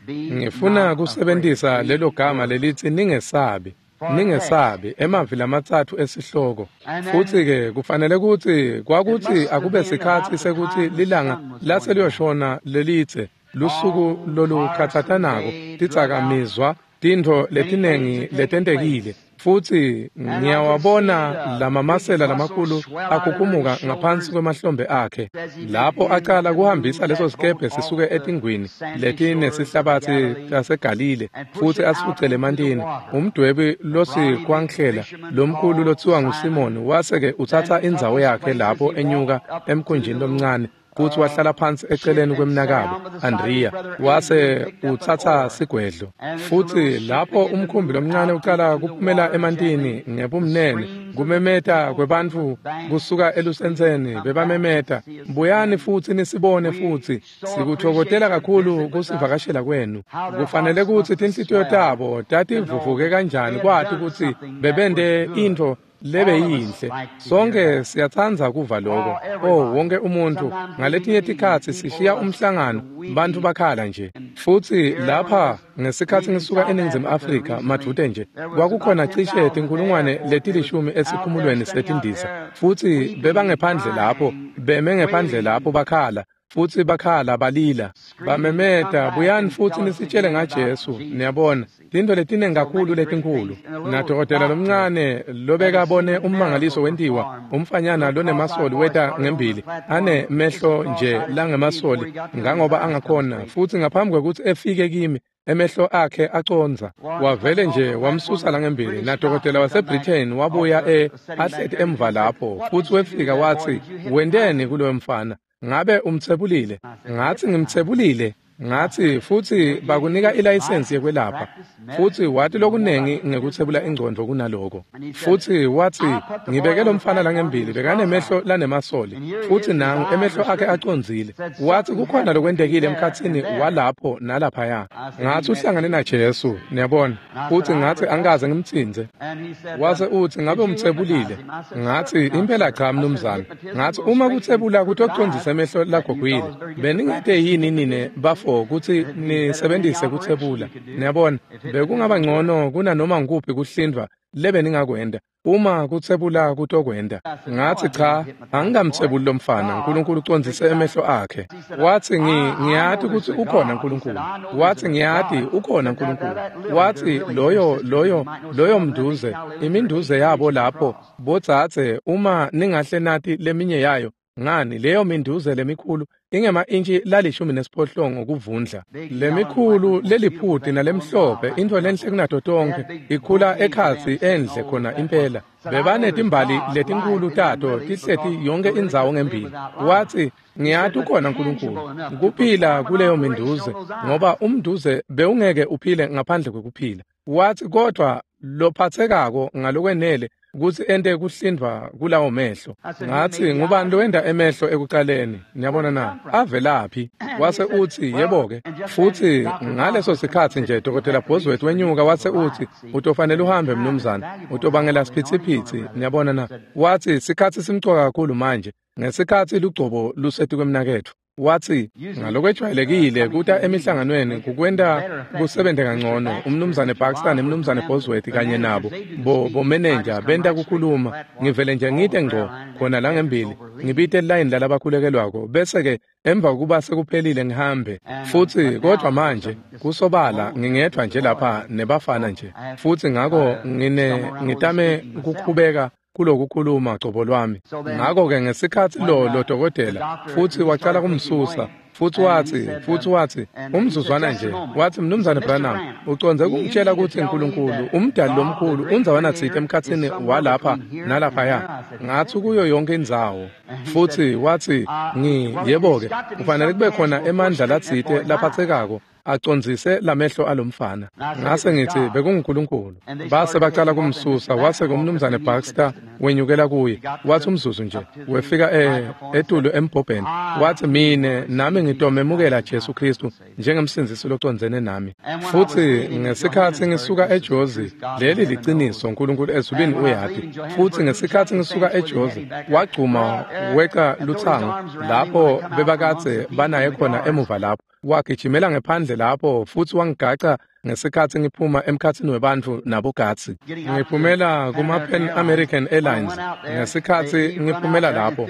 Ngifuna kusebentisa lelo gama lelitsi ningesabi. Ningesabi, emavi lamatsatfu esihloko. Futsi-ke kufanele kutsi kwakutsi akube sikhatsi sekutsi lilanga laseliyoshona lelitse, lusuku lolukhatsatanako, tidzakamizwa, tintfo letinengi letentekile. Futsi ngiyawabona lamamasela lamakhulu akhukhumuka ngaphansi kwemahlombe akhe lapho acala kuhambisa leso sikebhe sisuke etingwini letinesihlabatsi taseGalile futsi asifucele emantini. Umdwebi losikwankhlela lomkhulu lotsiwa nguSimoni wase-ke utsatsa indzawo yakhe lapho enyuka emkhunjini lomncane futsi wahlala phansi eceleni kwemnakabo Andrea, wase utsatsa sigwedlo. Futsi lapho umkhumbi lomncane ucala kuphumela emantini ngebumnene, kumemeta kwebantfu kusuka elusentseni, bebamemeta, buyani futsi nisibone futsi, sikutfokotela kakhulu kusivakashela kwenu. Kufanele kutsi tinhlitiyo tabo tativuvuke kanjani kwati kutsi bebente intfo lebe yinhle. Sonke siyatsandza kuva lokho. Oh, wonke umuntu ngaletinye tikhatsi sishiya umhlangano bantfu bakhala nje. Futsi lapha ngesikhatsi ngisuka eNingizimu Afrika madvute nje, kwakukhona cishe 10,000 esikhumulweni setindiza, futsi bebangephandle lapho, beme ngephandle lapho bakhala. Futsi bakhala balila, bamemeta, buyani futsi nisitshele ngaJesu. Niyabona, tintfo letiningi kakhulu letinkhulu. Nadokotela lomncane lobekabone ummangaliso wentiwa, umfanyana lonemasoli weta ngembili, ane mehlo nje langemasoli ngangoba angakhona, futsi ngaphambi kwekutsi efike kimi, emehlo akhe acondza. Wavele nje wamsusa langembili. Nadokotela waseBritain wabuya ahleti emva lapho, futsi wefika watsi, wenteni kuloyo mfana? Ngabe umtsebulile? Ngathi ngimtsebulile. Ngathi futsi bakunika ilayisensi yekwelapha, futsi wathi lokunengi ngekutsebula ingcondvo kunaloko. Futsi wathi, ngibeke lo mfana langembili bekanemehlo lanemasoli, futsi nangu emehlo akhe acondzile. Wathi kukhona lokwentekile emkhatsini walapho nalaphaya. Ngathi uhlangane naJesu, niyabona. Futsi ngathi angikaze ngimtsintse. Wase uthi ngabe umtsebulile? Ngathi impela cha mnumzane. Ngathi uma kutsebula kutocondzisa emehlo lagogwile, beningete yini nine bafo kutsi nisebenzise kutsebula? Niyabona, bekungaba ngcono kunanoma ngikuphi kuhlindvwa lebeningakwenta uma kutsebula kutokwenta. Ngathi cha, angikamtsebuli lomfana, uNkulunkulu ucondzise emehlo akhe. Wathi ngiyati kutsi ukhona uNkulunkulu. Wathi ngiyati ukhona uNkulunkulu. Wathi loyo mnduze, iminduze yabo lapho botsatse, uma ningahle nati leminye yayo, ngani leyo minduze lemikhulu ingema-intshi la-18 kuvundla. Lemikhulu leliphuti nalemhlophe, intfo lenhle kunato tonkhe, ikhula ekhatsi endle khona impela. Bebanetimbali letinkhulu tato tihleti yonke indzawo ngembili. Wathi ngiyati ukhona uNkulunkulu, kuphila kuleyo minduze, ngoba umnduze bewungeke uphile ngaphandle kwekuphila. Wathi kodwa lophathekako ngalokwenele kutsi ente kuhlindvwa kulawo mehlo. Ngathi ngubani lowenta emehlo ekucaleni? Niyabona na? Avelaphi? Wase uthi yebo-ke. Futsi ngaleso sikhatsi nje Dr. Bosworth wenyuka wase uthi utofanele uhambe mnumzane, utobangela siphithiphithi. Niyabona na? Wathi sikhatsi simcoka kakhulu manje, ngesikhatsi lugcobo lusetukwemnaketfu. Wathi ngalokwejwayelekile kuta emihlanganweni kukwenta kusebente kangcono. Umnumzane Baxter nemnumzane Bosworth kanye nabo bomenenja benta kukhuluma. Ngivele nje ngite ngco khona la ngembili, ngibite line lalabakhulekelwako, bese-ke emva kokuba sekuphelile ngihambe. Futsi kodwa manje kusobala ngingedwa nje lapha nebafana nje, futsi ngako ngitame kukhubeka kulokukhuluma cobo lwami. Ngakho-ke ngesikhatsi lo dokotela futsi wacala kumsusa, futsi wathi umzuzwana nje, wathi mnumzane Branham, ucondze kungitshela kutsi uNkulunkulu umdali lomkhulu undzawana tsite emkhatsini walapha nalaphaya? Ngathi kuyo yonke indzawo. Futsi wathi yebo-ke, kufanele kube khona emandla latsite laphathekako acondzise lamehlo alomfana. Ngase ngithi bekunguNkulunkulu. Base bacala kumsusa, wase kumnumzane Baxter wenyukela kuye. Wathi umzuzu nje, wefika etulu embhobheni. Wathi mine nami ngitomemukela Jesu Kristu njengemsindzisi locondzene nami. Futsi ngesikhatsi ngisuka eJozi, leli liciniso, uNkulunkulu ezulwini uyati. Futsi ngesikhatsi ngisuka eJozi, wagcuma weca lutsango lapho bebakadze banaye khona emuva lapho. Wagijimela ngephandle lapho futsi wangigaca ngesikhatsi ngiphuma emkhatsini webantfu nabogatsi. Ngiphumela kuma-Pan American Airlines. Ngesikhatsi ngiphumela lapho,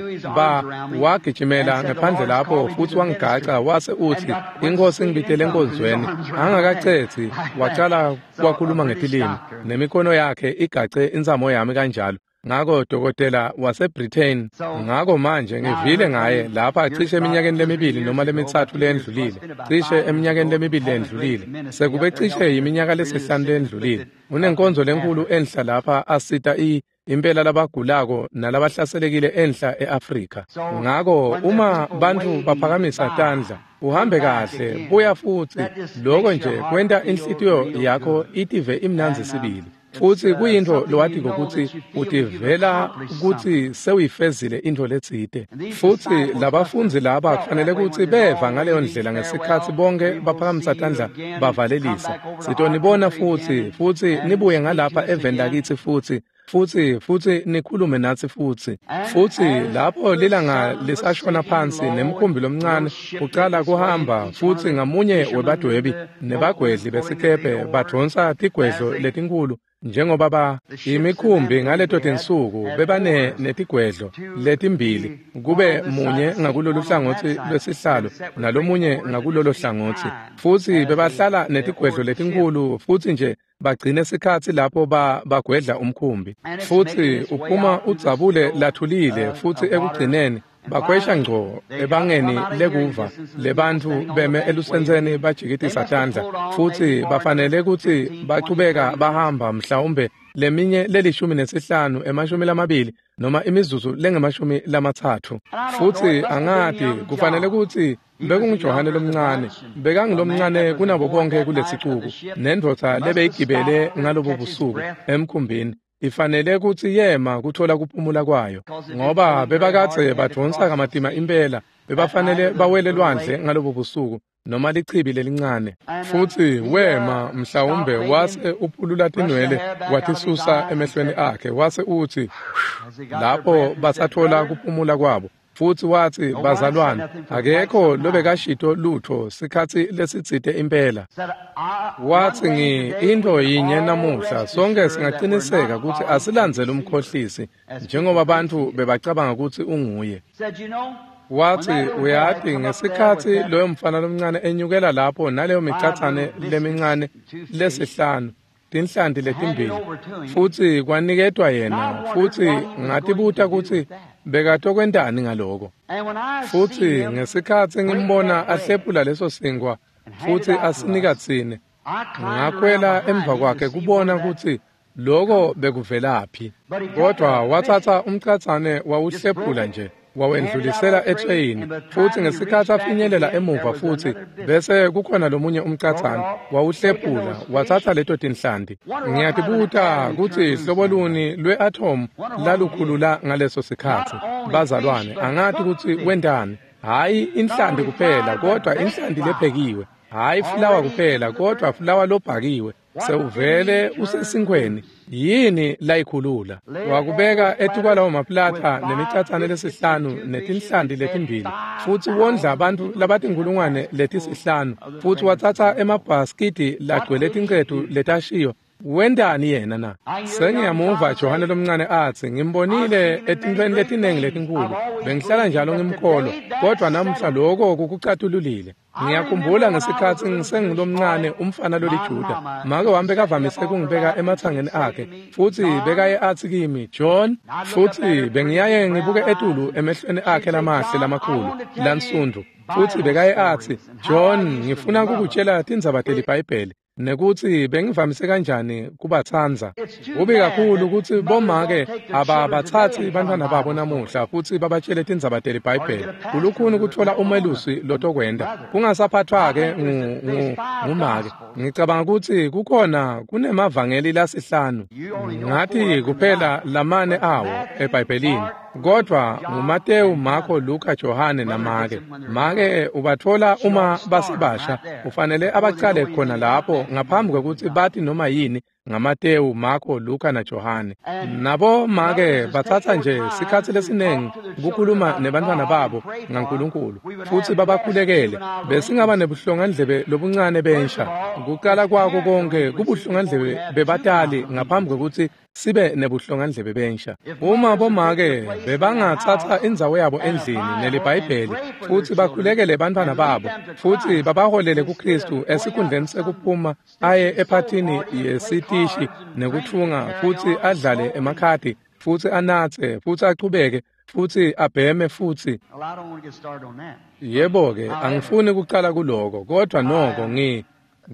wagijimela ngephandle lapho futsi wangigaca wase uthi inkosi ngibitele enkonzweni. Angakacetsi wacala wakhuluma ngetilimi, nemikhono yakhe igace intsamo yami kanjalo. Ngako dokotela waseBritain. Ngako manje ngivile ngaye lapha cishe eminyakeni lemibili noma lemitsatfu lendlulile, cishe eminyakeni lemibili lendlulile, sekube cishe iminyaka lesihlanu lendlulile. Unenkonzo lenkulu enhla lapha asita impela labagulako nalabahlaselekile enhla eAfrika. Ngako uma bantfu baphakamisa tandla, uhambe kahle, buya futsi. Lokho nje kwenta inhlitiyo yakho itive imnandzi sibili. Futsi kuyintfo lowatiko kutsi utivela kutsi sewuyifezile intfo letsite. Futsi labafundzi laba kufanele kutsi beva ngaleyo ndlela ngesikhatsi bonke baphakamisa tandla bavalelisa. Sitonibona futsi, futsi nibuye ngalapha eveni lakitsi futsi. futsi nikhulume natsi futsi. Futsi lapho lilanga lisashona phansi nemkhumbi lomncane ucala kuhamba, futsi ngamunye webadwebi nebagwedli besikebhe badvonsa tigwedlo letinkhulu njengoba imikhumbi ngaleto tinsuku bebane netigwedlo letimbili, kube munye ngakulolu hlangotsi lwesihlalo nalomunye ngakulolo hlangotsi, futsi bebahlala netigwedlo letinkhulu futsi nje bagcine sikhatsi lapho bagwedla umkhumbi. Futsi uphuma udzabule lathulile, futsi ekugcineni bakhwesha ngco ebangeni lekuva lebantfu beme elusentseni bajikitisa tandla, futsi bafanele kutsi bachubeka bahamba mhlawumbe leminye le15 20 noma imizuzu lengama-30. Futsi angati, kufanele kutsi bekunguJohane lomncane, bekangilomncane kunabo bonke kulesicuku, nendvodza lebeyigibele ngalobo busuku emkhumbini ifanele kutsi yema kuthola kuphumula kwayo, ngoba bebakadze badvonsa kamatima impela, bebafanele bawele lwandle ngalobo busuku noma lichibi lelincane. Futsi wema mhlawumbe wase uphulula tinwele watisusa emehlweni akhe, wase utsi lapho basathola kuphumula kwabo. Futsi watsi, bazalwane, akekho lobekashito lutho sikhatsi lesitsite impela. Watsi, into yinye namuhla sonke singaqiniseka kutsi asilandzele umkhohlisi njengoba bantfu bebacabanga kutsi unguye. Watsi, uyati, ngesikhatsi loyo mfana lomncane enyukela lapho naleyo micatsane lemincane lesihlanu, tinhlanti letimbili, futsi kwaniketwa yena, futsi ngatibuta kutsi bekatokwentani ngaloko. Futsi ngesikhatsi ngimbona ahlephula leso sinkwa futsi asinika tsine, ngakhwela emva kwakhe kubona kutsi loko bekuvelaphi. Kodwa watsatsa umcatsane wawuhlephula nje, wawendlulisela etreyini, futsi ngesikhatsi afinyelela emuva futsi bese kukhona lomunye umcatsane wawuhlephula watsatsa leto tinhlanti. Ngiyatibuta kutsi hlobo luni lwe-atom lalukhulula ngaleso sikhatsi. Bazalwane, angati kutsi wentani. Hhayi inhlanti kuphela, kodwa inhlanti lephekiwe. Hhayi fulawa kuphela, kodwa fulawa lobhakiwe. Sewuvele usesinkhweni. Yini layikhulula? Wakubeka etukwalawo maplatha nemicatsane lesihlanu netinhlanti letimbili, futsi wondla abantu labatinkhulungwane letisihlanu, futsi watsatsa emabhaskidi lagcwele tincetu letashiyo. Wentani yena na? Sengiyamuva Johane lomncane atsi, ngimbonile etintfweni letinengi letinkhulu, bengihlala njalo ngimkholwa, kodwa namuhla loko kukucatululile. Ngiyakhumbula ngesikhatsi ngisengulomncane umfana loliJuda, make wami bekavamise kungibeka ematsangeni akhe, futsi bekaye atsi kimi, John, futsi bengiyaye ngibuke etulu emehlweni akhe lamahle lamakhulu lansundvu, futsi bekaye atsi, John, ngifuna kukutshela tindzaba teliBhayibheli nekutsi bengivamise kanjani kubatsandza. Kubi kakhulu kutsi bomake ababathatsi bantfwana babo namuhla futsi babatshele tindzaba teliBhayibheli. Kulukhuni kutfola umelusi lotokwenta kungasaphathwa-ke ngumake. Ngicabanga kutsi kukhona kunemavangeli lasihlanu, ngathi kuphela lamane awo eBhayibhelini, kodwa nguMateyu, Marko, Luka, Johane namake. Make ubatfola uma basebasha, ufanele abacale khona lapho ngaphambi kwekutsi bati noma yini ngaMateyu, Marko, Luka naJohane. Nabo make batsatsa nje sikhatsi lesinengi kukhuluma nebantfwana babo ngaNkulunkulu futsi babakhulekele. Besingaba nebuhlongandlebe lobuncane bensha. Kuqala kwako konke kubuhlongandlebe bebatali ngaphambi kwekutsi sibe nebuhlongandlebe bensha. Uma bomake bebangatsatsa indzawo yabo endlini neliBhayibheli futsi bakhulekele bantfwana babo futsi babaholele kuKhristu esikhundleni sekuphuma aye ephathini yesitishi nekutfunga futsi adlale emakhadi futsi anatse futsi achubeke futsi abheme futsi. Yebo-ke, angifuni kucala kuloko, kodwa noko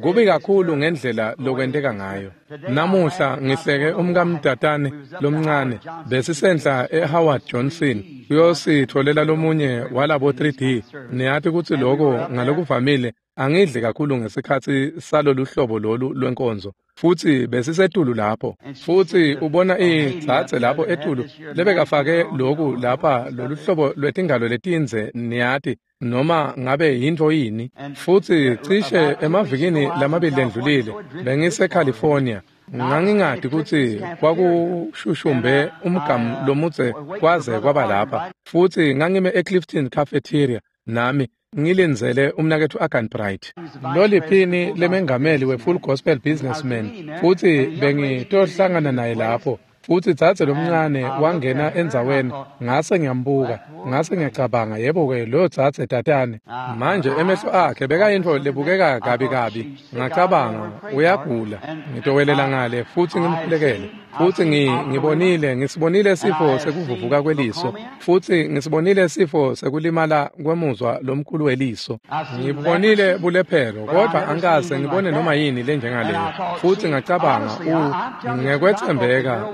kubi kakhulu ngendlela lokwenteka ngayo. Namuhla ngihleke umkamdatane lomncane besisenhla eHoward Johnson kuyositholela lomunye walabo 3D. Niyati kutsi loko ngalokuvamile angidli kakhulu ngesikhatsi salolu hlobo lolu lwenkonzo. Futsi besisetulu lapho, futsi ubona idzadze lapho etulu lebekafake loku lapha loluhlobo lwetingalo letindze, niyati, noma ngabe yintfo yini. Futsi cishe emavikini lamabili lendlulile bengiseCalifornia. Ngangingati kutsi kwakushushumbe umgamu lomudze kwaze kwaba lapha. Futsi ngangime eClifton Cafeteria nami ngilindzele umnaketfu Agan Bright, loliphini lemengameli we-Full Gospel Businessman, futsi bengitohlangana naye lapho. Futsi dzadze lomncane wangena endzaweni, ngase ngiyambuka, ngase ngiyacabanga, yebo-ke, lo dzadze tatane. Manje emehlo akhe bekayintfo lebukeka kabi kabi. Ngacabanga, uyagula, ngitowelela ngale futsi ngimkhulekele. Futsi ngibonile, ngisibonile sifo sekuvuvuka kweliso, futsi ngisibonile sifo sekulimala kwemuzwa lomkhulu weliso. Ngibonile bulephero, kodvwa angikaze ngibone noma yini lenjengaleyo. Futsi ngacabanga, ngekwetsembeka,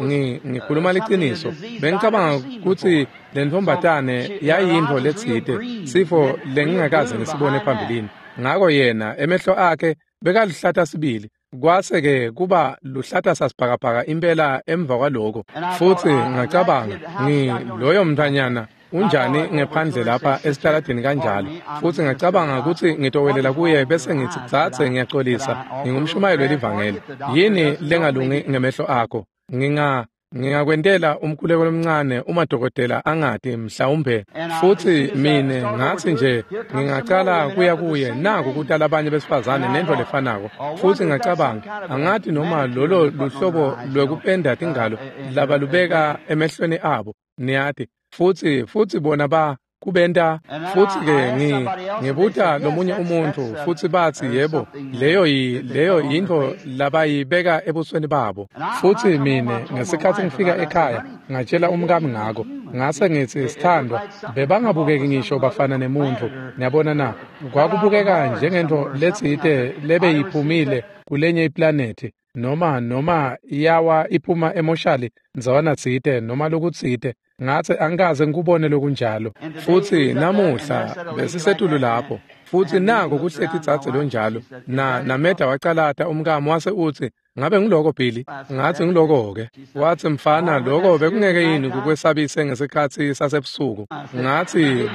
ngikhuluma liciniso, bengicabanga kutsi lentfombatane yayintfo letsite, sifo lengingakaze ngisibone phambilini. Ngako yena emehlo akhe bekaluhlata sibili, kwase-ke kuba luhlata sasibhakabhaka impela emva kwaloko. Futsi ngacabanga, loyo mntfwanyana unjani ngephandle lapha esitaladini kanjalo. Futsi ngacabanga kutsi ngitowelela kuye bese ngitsi, dzadze, ngiyacolisa, ngingumshumayeli welivangeli. Yini lengalungi ngemehlo akho? Ngingakwentela umkhuleko lomncane uma dokotela angati mhlawumbe. Futsi mine ngatsi nje ngingacala kuya kuye, naku kuta labanye besifazane nentfo lefanako. Futsi ngacabanga, angati noma lolo luhlobo lwekupenda tingalo labalubeka emehlweni abo, niyati. Futsi bona ba kubenta. Futsi-ke ngibuta lomunye umuntfu, futsi batsi, yebo, leyo yintfo labayibeka ebusweni babo. Futsi mine ngesikhatsi ngifika ekhaya ngatshela umkami ngako, ngase ngitsi, sithandwa, bebangabukeki ngisho bafana nemuntfu. Niyabona na? Kwakubukeka njengentfo letsite lebeyiphumile kulenye iplanethi, noma yawa iphuma emoshali ndzawana tsite noma lokutsite. Ngatsi angikaze ngikubone lokunjalo. Futsi namuhla besisetulu lapho, futsi nako kuhleti dzadze lonjalo. Nameda wacalata umkami wase utsi, ngabe ngiloko Billy? Ngatsi ngiloko-ke. Watsi, mfana, loko bekungeke yini kukwesabise ngesikhatsi sasebusuku? Ngatsi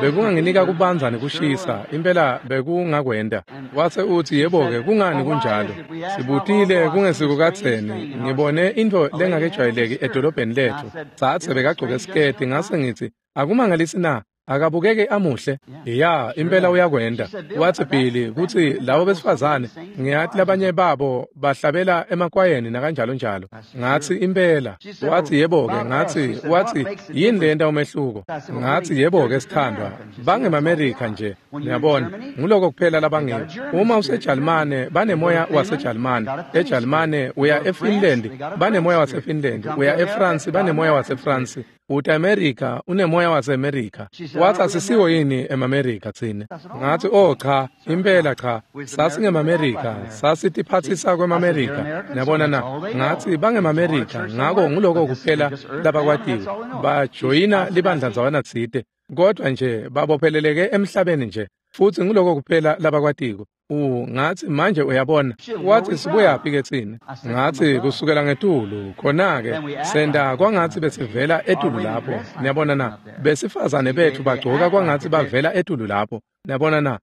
bekunganginika kubanza nekushisa, impela bekungakwenta. Wase utsi, yebo-ke, kungani kunjalo? Sibutile kungesiko kadzeni, ngibone intfo lengakejwayeleki edolobheni letfu. Dzadze bekagcoke siketi, ngase ngitsi, akumangalisi na? Akabukeke amuhle? Ya, impela uyakwenta. Watsi, Billy, kutsi labo besifazane, ngiyati labanye babo bahlabela emakwayeni nakanjalo njalo. Ngatsi impela. Watsi, yebo-ke. Ngatsi, watsi, yini lenta umehluko? Ngatsi, yebo-ke, sithandwa, bangemaMerika nje, niyabona, nguloko kuphela labangiko. Uma useJalimane, banemoya waseJalimane. EJalimane uya eFinland, banemoya waseFinland. Uya eFrance, banemoya waseFrance. Uta America, unemoya waseAmerica. Watsi, asisiwo yini emaMerika tsine? Ngatsi, oh cha, impela cha, sasingemaMerika, sasitiphatsisa kwemaMerika. Niyabona na? Ngatsi bangemaMerika, ngako nguloko kuphela labakwatiwe. Bajoyina libandla ndzawana tsite, kodvwa nje babopheleleke emhlabeni nje, futsi nguloko kuphela labakwatiko. Ngatsi manje uyabona. Watsi, sibuyaphi ke tsine? Ngatsi kusukela ngetulu, khona-ke senta kwangatsi besivela etulu lapho. Niyabona na? Besifazane betfu bagcoka kwangatsi bavela etulu lapho. Niyabona na?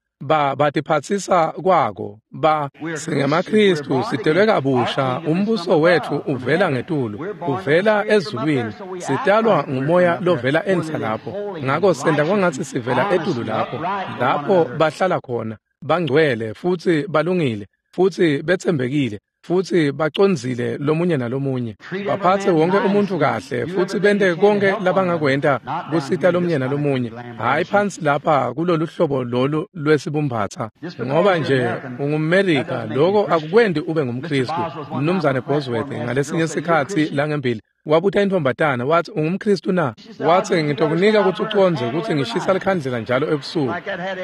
Batiphatsisa kwako. SingemaKhristu, sitelwe kabusha, umbuso wetfu uvela ngetulu, uvela ezulwini, sitalwa ngumoya lovela enhla lapho. Ngako senta kwangatsi sivela etulu lapho, lapho bahlala khona. Bangcwele futsi balungile futsi betsembekile futsi bacondzile lomunye nalomunye, baphatse wonke umuntfu kahle futsi bente konke labangakwenta kusita lomunye nalomunye, hhayi phansi lapha kulolu hlobo lolu lwesibumbatsa. Ngoba nje ungumMerika, loko akukwenti ube ngumKhristu. Mnumzane Bosworth ngalesinye sikhatsi langembili wabuta intfombatana, watsi, ungumKhristu na? Watsi, ngitokunika kutsi ucondze kutsi ngishisa likhandlela njalo ebusuku.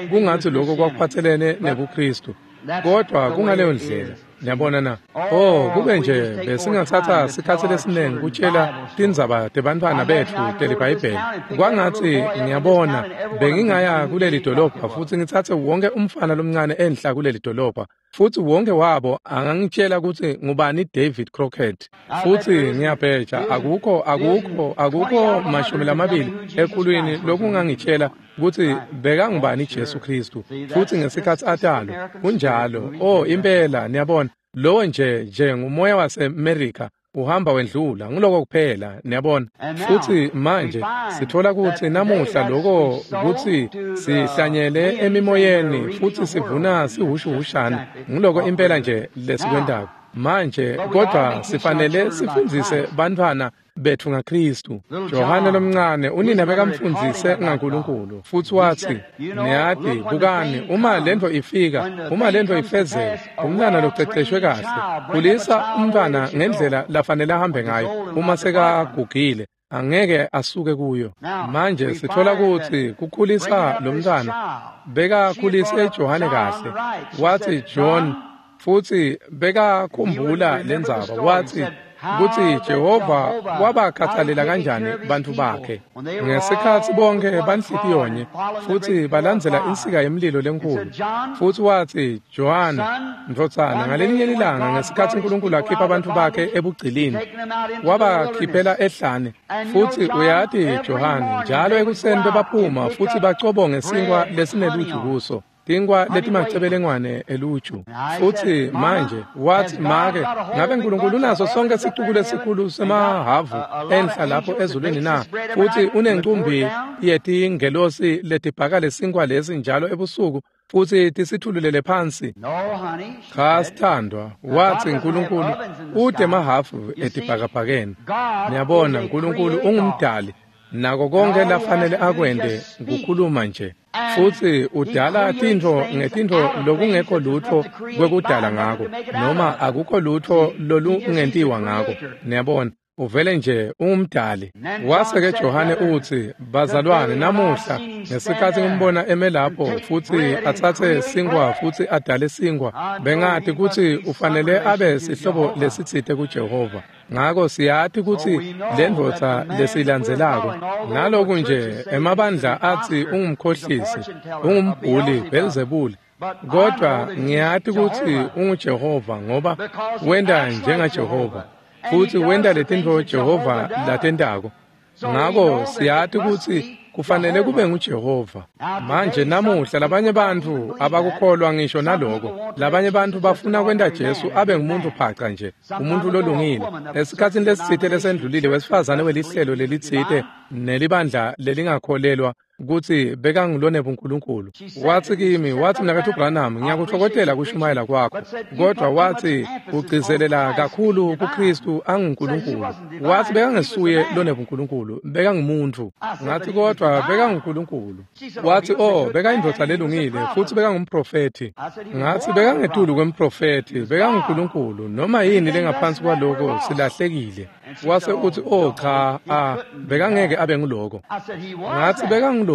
Kungatsi loko kwakuphatselene nebuKhristu, kodvwa kungaleyo ndlela. Niyabona na? Oh, kube nje besingatsatsa sikhatsi lesiningi kutshela tindzaba tebantfwana betfu teliBhayibheli. Kwangatsi ngiyabona bengingaya kuleli dolobha futsi ngitsatse wonke umfana lomncane enhla kuleli dolobha. Futsi wonke wabo angangitshela kutsi ngubani David Crockett. Futsi ngiyabheja akukho 20 ekhulwini lokungangitshela kutsi bekangubani Jesu Kristu. Futsi ngesikhatsi atalwa kunjalo. Oh impela niyabona lowo nje ngumoya waseMerica uhamba wendlula nguloko kuphela niyabona. Futsi manje sithola kutsi namuhla lokho kutsi sihlanyele emimoyeni futsi sivuna sihushuhushana nguloko impela nje lesikwentako manje. Kodwa sifanele sifundzise bantfwana betfu ngaKristu. Johane lomncane unina bekamfundzise ngaNkulunkulu futsi watsi niyati bukani uma lento ifika uma lento ifezeka umntwana loceceshwe kahle khulisa umntwana ngendlela lafanele ahambe ngayo uma sekagugile angeke asuke kuyo. Manje sithola kutsi kukhulisa lo mntwana bekakhulise Johane kahle. Watsi John futsi bekakhumbula lendzaba watsi kutsi Jehova wabakhathalela kanjani bantfu bakhe ngesikhatsi bonke banhlitiyonye futsi balandzela insika yemlilo lenkulu. Futsi watsi Johane ndvodzana ngalelinye lilanga ngesikhatsi uNkulunkulu akhipha bantfu bakhe ebugcilini wabakhiphela ehlane. Futsi uyati Johane njalo ekuseni bebaphuma futsi bacobonge sinkwa lesineluju kuso tinkwa letimacebelengwane eluju. Futsi manje wathi make ngabe uNkulunkulu unaso sonke sicuku lesikhulu semahavu enhla lapho ezulwini na? Futsi unencumbi yetingelosi letibhaka lesinkwa lesi njalo ebusuku futsi tisithululele phansi. Cha sithandwa, wathi uNkulunkulu ude emahafu etibhakabhakeni. Niyabona uNkulunkulu ungumdali nako konke lafanele akwente kukhuluma nje. Futsi udala tintfo ngetintfo lokungekho lutho kwekudala ngako noma akukho lutho lolungentiwa ngako. Niyabona uvele nje ungumdali. Wase-ke Johane utsi bazalwane namuhla ngesikhatsi ngimbona eme lapho futsi atsatse sinkwa futsi adale sinkwa bengati kutsi ufanele abe sihlobo lesitsite kuJehova. Ngako siyati kutsi lendvodza lesilandzelako naloku nje emabandla atsi ungumkhohlisi ungumbhuli Belzebuli kodwa ngiyati kutsi unguJehova ngoba wenta njengaJehova futsi wenta letintfo Jehova latentako. Ngako siyati kutsi kufanele kube nguJehova. Manje namuhla labanye bantfu abakukholwa ngisho naloko. Labanye bantfu bafuna kwenta Jesu abe ngumuntu phaca nje, umuntu lolungile. Esikhatsini lesitsite lesendlulile wesifazane welihlelo lelitsite nelibandla lelingakholelwa kutsi bekangulone buNkulunkulu. Watsi kimi, watsi mnaketfu Branham, ngiyakutfokotela kushumayela kwakho, kodwa watsi ugcizelela kakhulu kuKristu anguNkulunkulu. Watsi bekangesuye lone buNkulunkulu, bekangumuntu. Ngathi kodwa bekanguNkulunkulu. Watsi oh, bekayindvodza lelungile futsi bekangumprofethi. Ngathi bekangetulu kwemprofethi, bekanguNkulunkulu. Noma yini lengaphansi kwaloko silahlekile. Wase uthi oh cha, bekangeke abe nguloko. Ngathi bekanguloko.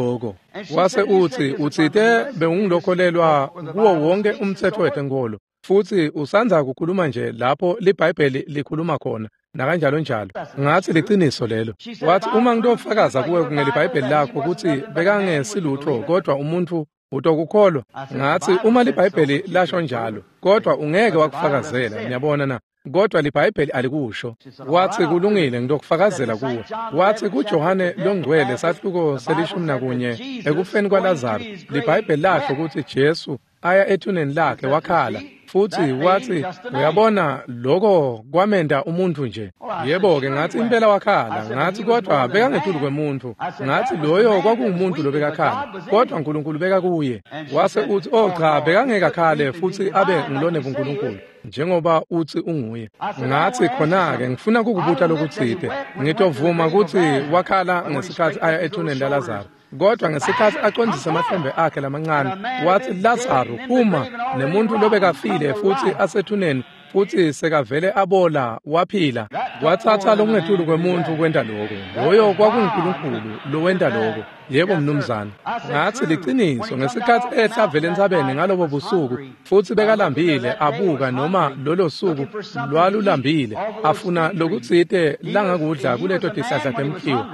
Wase uthi utsite bewungilokholelwa kuwo wonke umtsetfo wetenkolo futsi usandza kukhuluma nje lapho liBhayibheli likhuluma khona nakanjalo njalo. Ngathi liciniso lelo. Wathi uma ngitofakaza kuwe ngeliBhayibheli lakho kutsi bekangesilutho kodwa umuntu utokukholwa. Ngathi uma liBhayibheli lasho njalo kodwa ungeke wakufakazela. Niyabona na? Kodwa liBhayibheli alikusho. Wathi kulungile ngitokufakazela kuwe. Wathi kuJohane longcwele sahluko se-11 ekufeni kwaLazaro liBhayibheli lasho kutsi Jesu aya ethuneni lakhe wakhala. Futsi wathi uyabona lokho kwamenda umuntu nje. Yebo-ke ngathi impela wakhala. Ngathi kodwa bekangetulu kwemuntu. Ngathi loyo kwakungumuntu lobekakhala kodwa uNkulunkulu bekakuye. Wase uthi oh cha, bekangeke akhale futsi abe ngulone buNkulunkulu njengoba uthi unguye. Ngathi khona-ke ngifuna kukubuta lokutsite. Ngitovuma kutsi wakhala ngesikhatsi aya ethuneni laLazaro, kodwa ngesikhatsi acondzise amahlombe akhe lamancane wathi Lazaro phuma, nemuntu lobekafile futsi asethuneni futsi sekavele abola waphila. Wathatha lokungetulu kwemuntu kwenta lokho. Loyo kwakunguNkulunkulu lowenta lokho. Yebo mnumzane. Ngathi liciniso ngesikhathi ehla vele entsabeni ngalobo busuku futsi bekalambile abuka noma lolo suku lwalulambile afuna lokutsite langakudla kuleto tihlahla temkhiwa.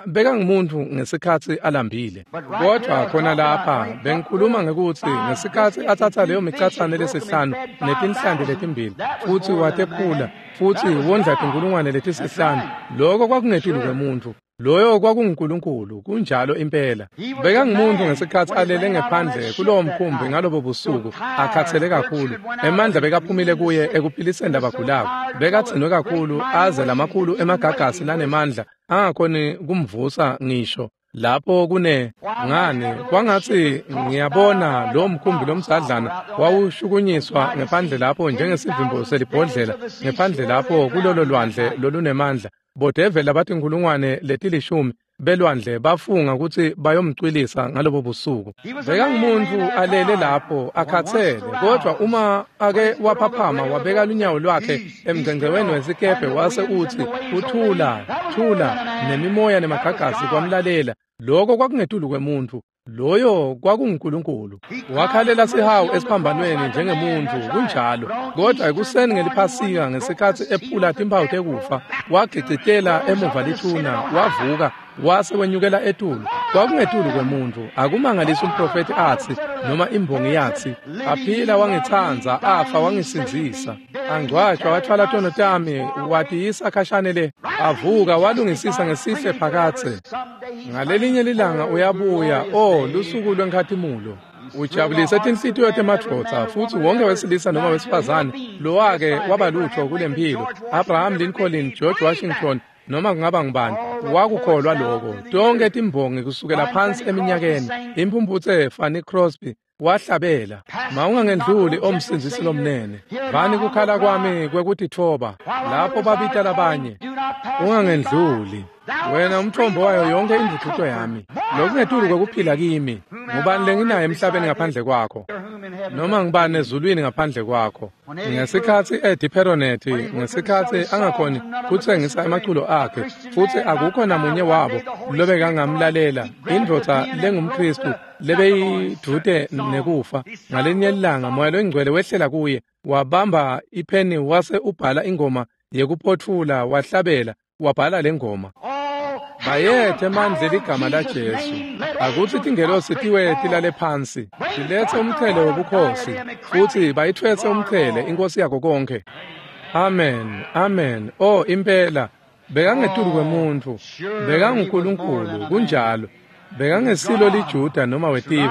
Beka ngumuntu ngesikhathi alambile. Kodwa khona lapha bengikhuluma ngekutsi ngesikhathi athatha leyo micatsane lesihlanu netinhlanti letimbili futsi watephula futsi wondla tinkulungwane letisihlanu, lokho kwakungetulu kwemuntfu. Loyo kwakunguNkulunkulu, kunjalo impela. Bekangumuntu ngesikhathi alele ngephandle kulowo mkhumbi ngalobo busuku, akhathele kakhulu. Emandla bekaphumile kuye ekuphiliseni labagulako. Bekadzinwe kakhulu aze lamakhulu emagagasi lanemandla angakhoni kumvusa ngisho. Lapho kune ngani kwangatsi ngiyabona lo mkhumbi lomdzadlana wawushukunyiswa ngephandle lapho njengesivimbo selibhodlela ngephandle lapho kulolo lwandle lolunemandla. Bodeveli abatinkulungwane letilishumi belwandle bafunga kutsi bayomcwilisa ngalobo busuku. Bekangumuntu alele lapho akhathele, kodwa uma ake waphaphama wabeka lunyawo lwakhe emngcengcemeni wesikebhe wase utsi uthula thula, nemimoya nemagagasi kwamlalela. Lokho kwakungetulu kwemuntfu, loyo kwakunguNkulunkulu. Wakhalela sihawu esiphambanweni njengemuntfu, kunjalo. Kodwa ekuseni ngeliphasika ngesikhathi ephula timphawu tekufa, wagicitela emuva lithuna, wavuka wase wenyukela etulu. Kwakungetulu kwemuntfu. Akumangalisi umprofethi atsi noma imbongi yatsi, aphila wangitsandza, afa wangisindzisa, angcwatshwa wathwala tono tami watiyisa khashane le, avuka walungisisa ngesihle phakatse. Ngalelinye lilanga uyabuya, oh lusuku lwenkhatimulo. Ujabulise tinhlitiyo temadvodza futsi wonke wesilisa noma wesifazane lowake wabalutho kulempilo, Abraham Lincoln, George Washington, noma kungaba ngubani, wakukholwa lokho. Tonke timbongi kusukela phansi eminyakeni, imphumphutse Fanny Crosby wahlabela, "Mawungangendluli omsindzisi lomnene, vani kukhala kwami kwekutitfoba lapho babita labanye. Ungangendluli wena umthombo wayo yonke indvudvuto yami, lokungetulu kwekuphila kimi. Ngubani lenginaye emhlabeni ngaphandle kwakho, noma ngubani ezulwini ngaphandle kwakho?" Ngesikhathi Eddie Perronet, ngesikhathi angakhoni kutsengisa emaculo akhe futsi akukho namunye wabo lobekangamlalela, indvodza lengumKhristu lebeyidvute nekufa, ngalinye ilanga Moya loNgcwele wehlela kuye, wabamba ipheni wase ubhala ingoma yekuphotfula, wahlabela wabhala le ngoma. Bayethe emandla ligama laJesu. Akutsi tingelosi tiwe tilale phansi, tilethe umchele wobukhosi, futhi bayithwese umchele inkosi yako konke. Amen, amen. Oh impela, bekangetulu kwemuntfu, bekanguNkulunkulu, kunjalo. Bekangesilo liJuda noma wetive,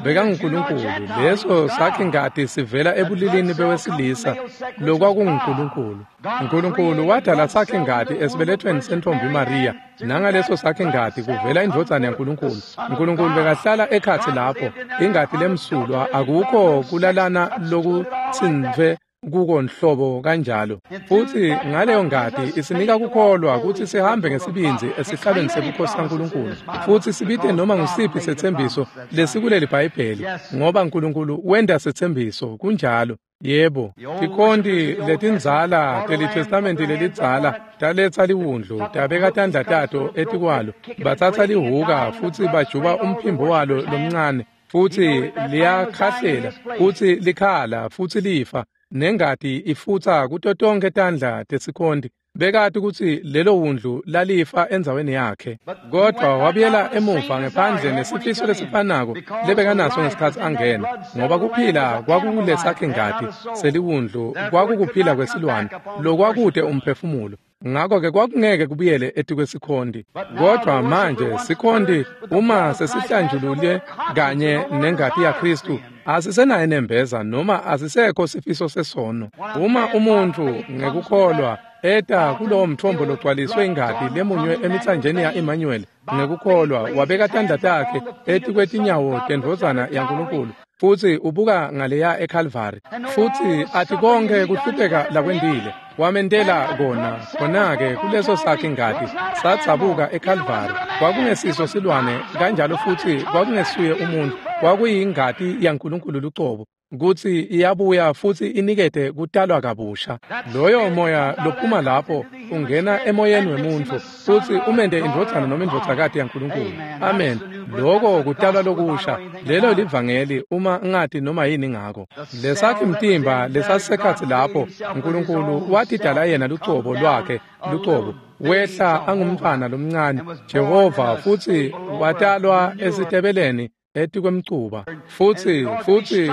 bekanguNkulunkulu. Leso sakhe ngati sivela ebulilini bewesilisa lokwakunguNkulunkulu. Nkulunkulu wadala sakhe ngati esibelethweni sentombi Maria, nangaleso sakhe ngati kuvela indvodzana yaNkulunkulu. Nkulunkulu bekahlala ekhatsi lapho, ingati lemsulwa, akukho kulalana lokutsintfwe kuko nhlobo kanjalo. Futhi ngaleyo ngati isinika kukholwa kutsi sihambe ngesibindzi esihlalweni sebukhosi saNkulunkulu futhi sibite noma ngusiphi setsembiso lesikuleli Bhayibheli, ngoba Nkulunkulu wenta setsembiso. Kunjalo. Yebo, tikhonti letindzala teliTestamenti lelidzala taletsa liwundlu, tabeka tandla tato etikwalo, batsatsa lihuka futsi bajuba umphimbo walo lomncane, futsi liyakhahlela futsi likhala futsi lifa, nengati ifutsa kuto tonke tandla tesikhonti. Bekati kutsi lelo wundlu lalifa endzaweni yakhe. Kodwa wabuyela emuva ngephandle nesifiso lesifanako lebekanaso ngesikhathi angena, ngoba kuphila kwakukulesakhe ngati seliwundlu kwakukuphila kwesilwane lokwakude umphefumulo. Ngakho-ke kwakungeke kubuyele etikwesikhonti. Kodwa manje sikhonti uma sesihlanjulule kanye nengati yaKhristu, asisenaye nembeza noma asisekho sifiso sesono. Uma umuntfu ngekukholwa eta kulowo mthombo logcwaliswe ingati lemunywe emitsanjeni ya-Emmanuel, ngekukholwa wabeka tandla takhe etikwetinyawo tendvodzana yaNkulunkulu, futsi ubuka ngaleya eKalvari futsi athi konke kuhlupheka lakwentile wamentela kona, khona-ke kuleso sakhe ngati sadzabuka eKalvari. Kwakungesiso silwane kanjalo futsi kwakungesuye umuntu, kwakuyingati yaNkulunkulu lucobo kutsi iyabuya futsi inikete kutalwa kabusha. Loyo moya lophuma lapho ungena emoyeni wemuntfu futsi umente indvodzana noma indvodzakati yaNkulunkulu. Amen. Loko kutalwa lokusha, lelo livangeli uma ngati noma yini ngako. Lesakhi mtimba lesasekhatsi lapho Nkulunkulu watidala yena lucobo lwakhe lucobo, wehla angumntfwana lomncane Jehova futsi watalwa esitebeleni etikwemcuba, futsi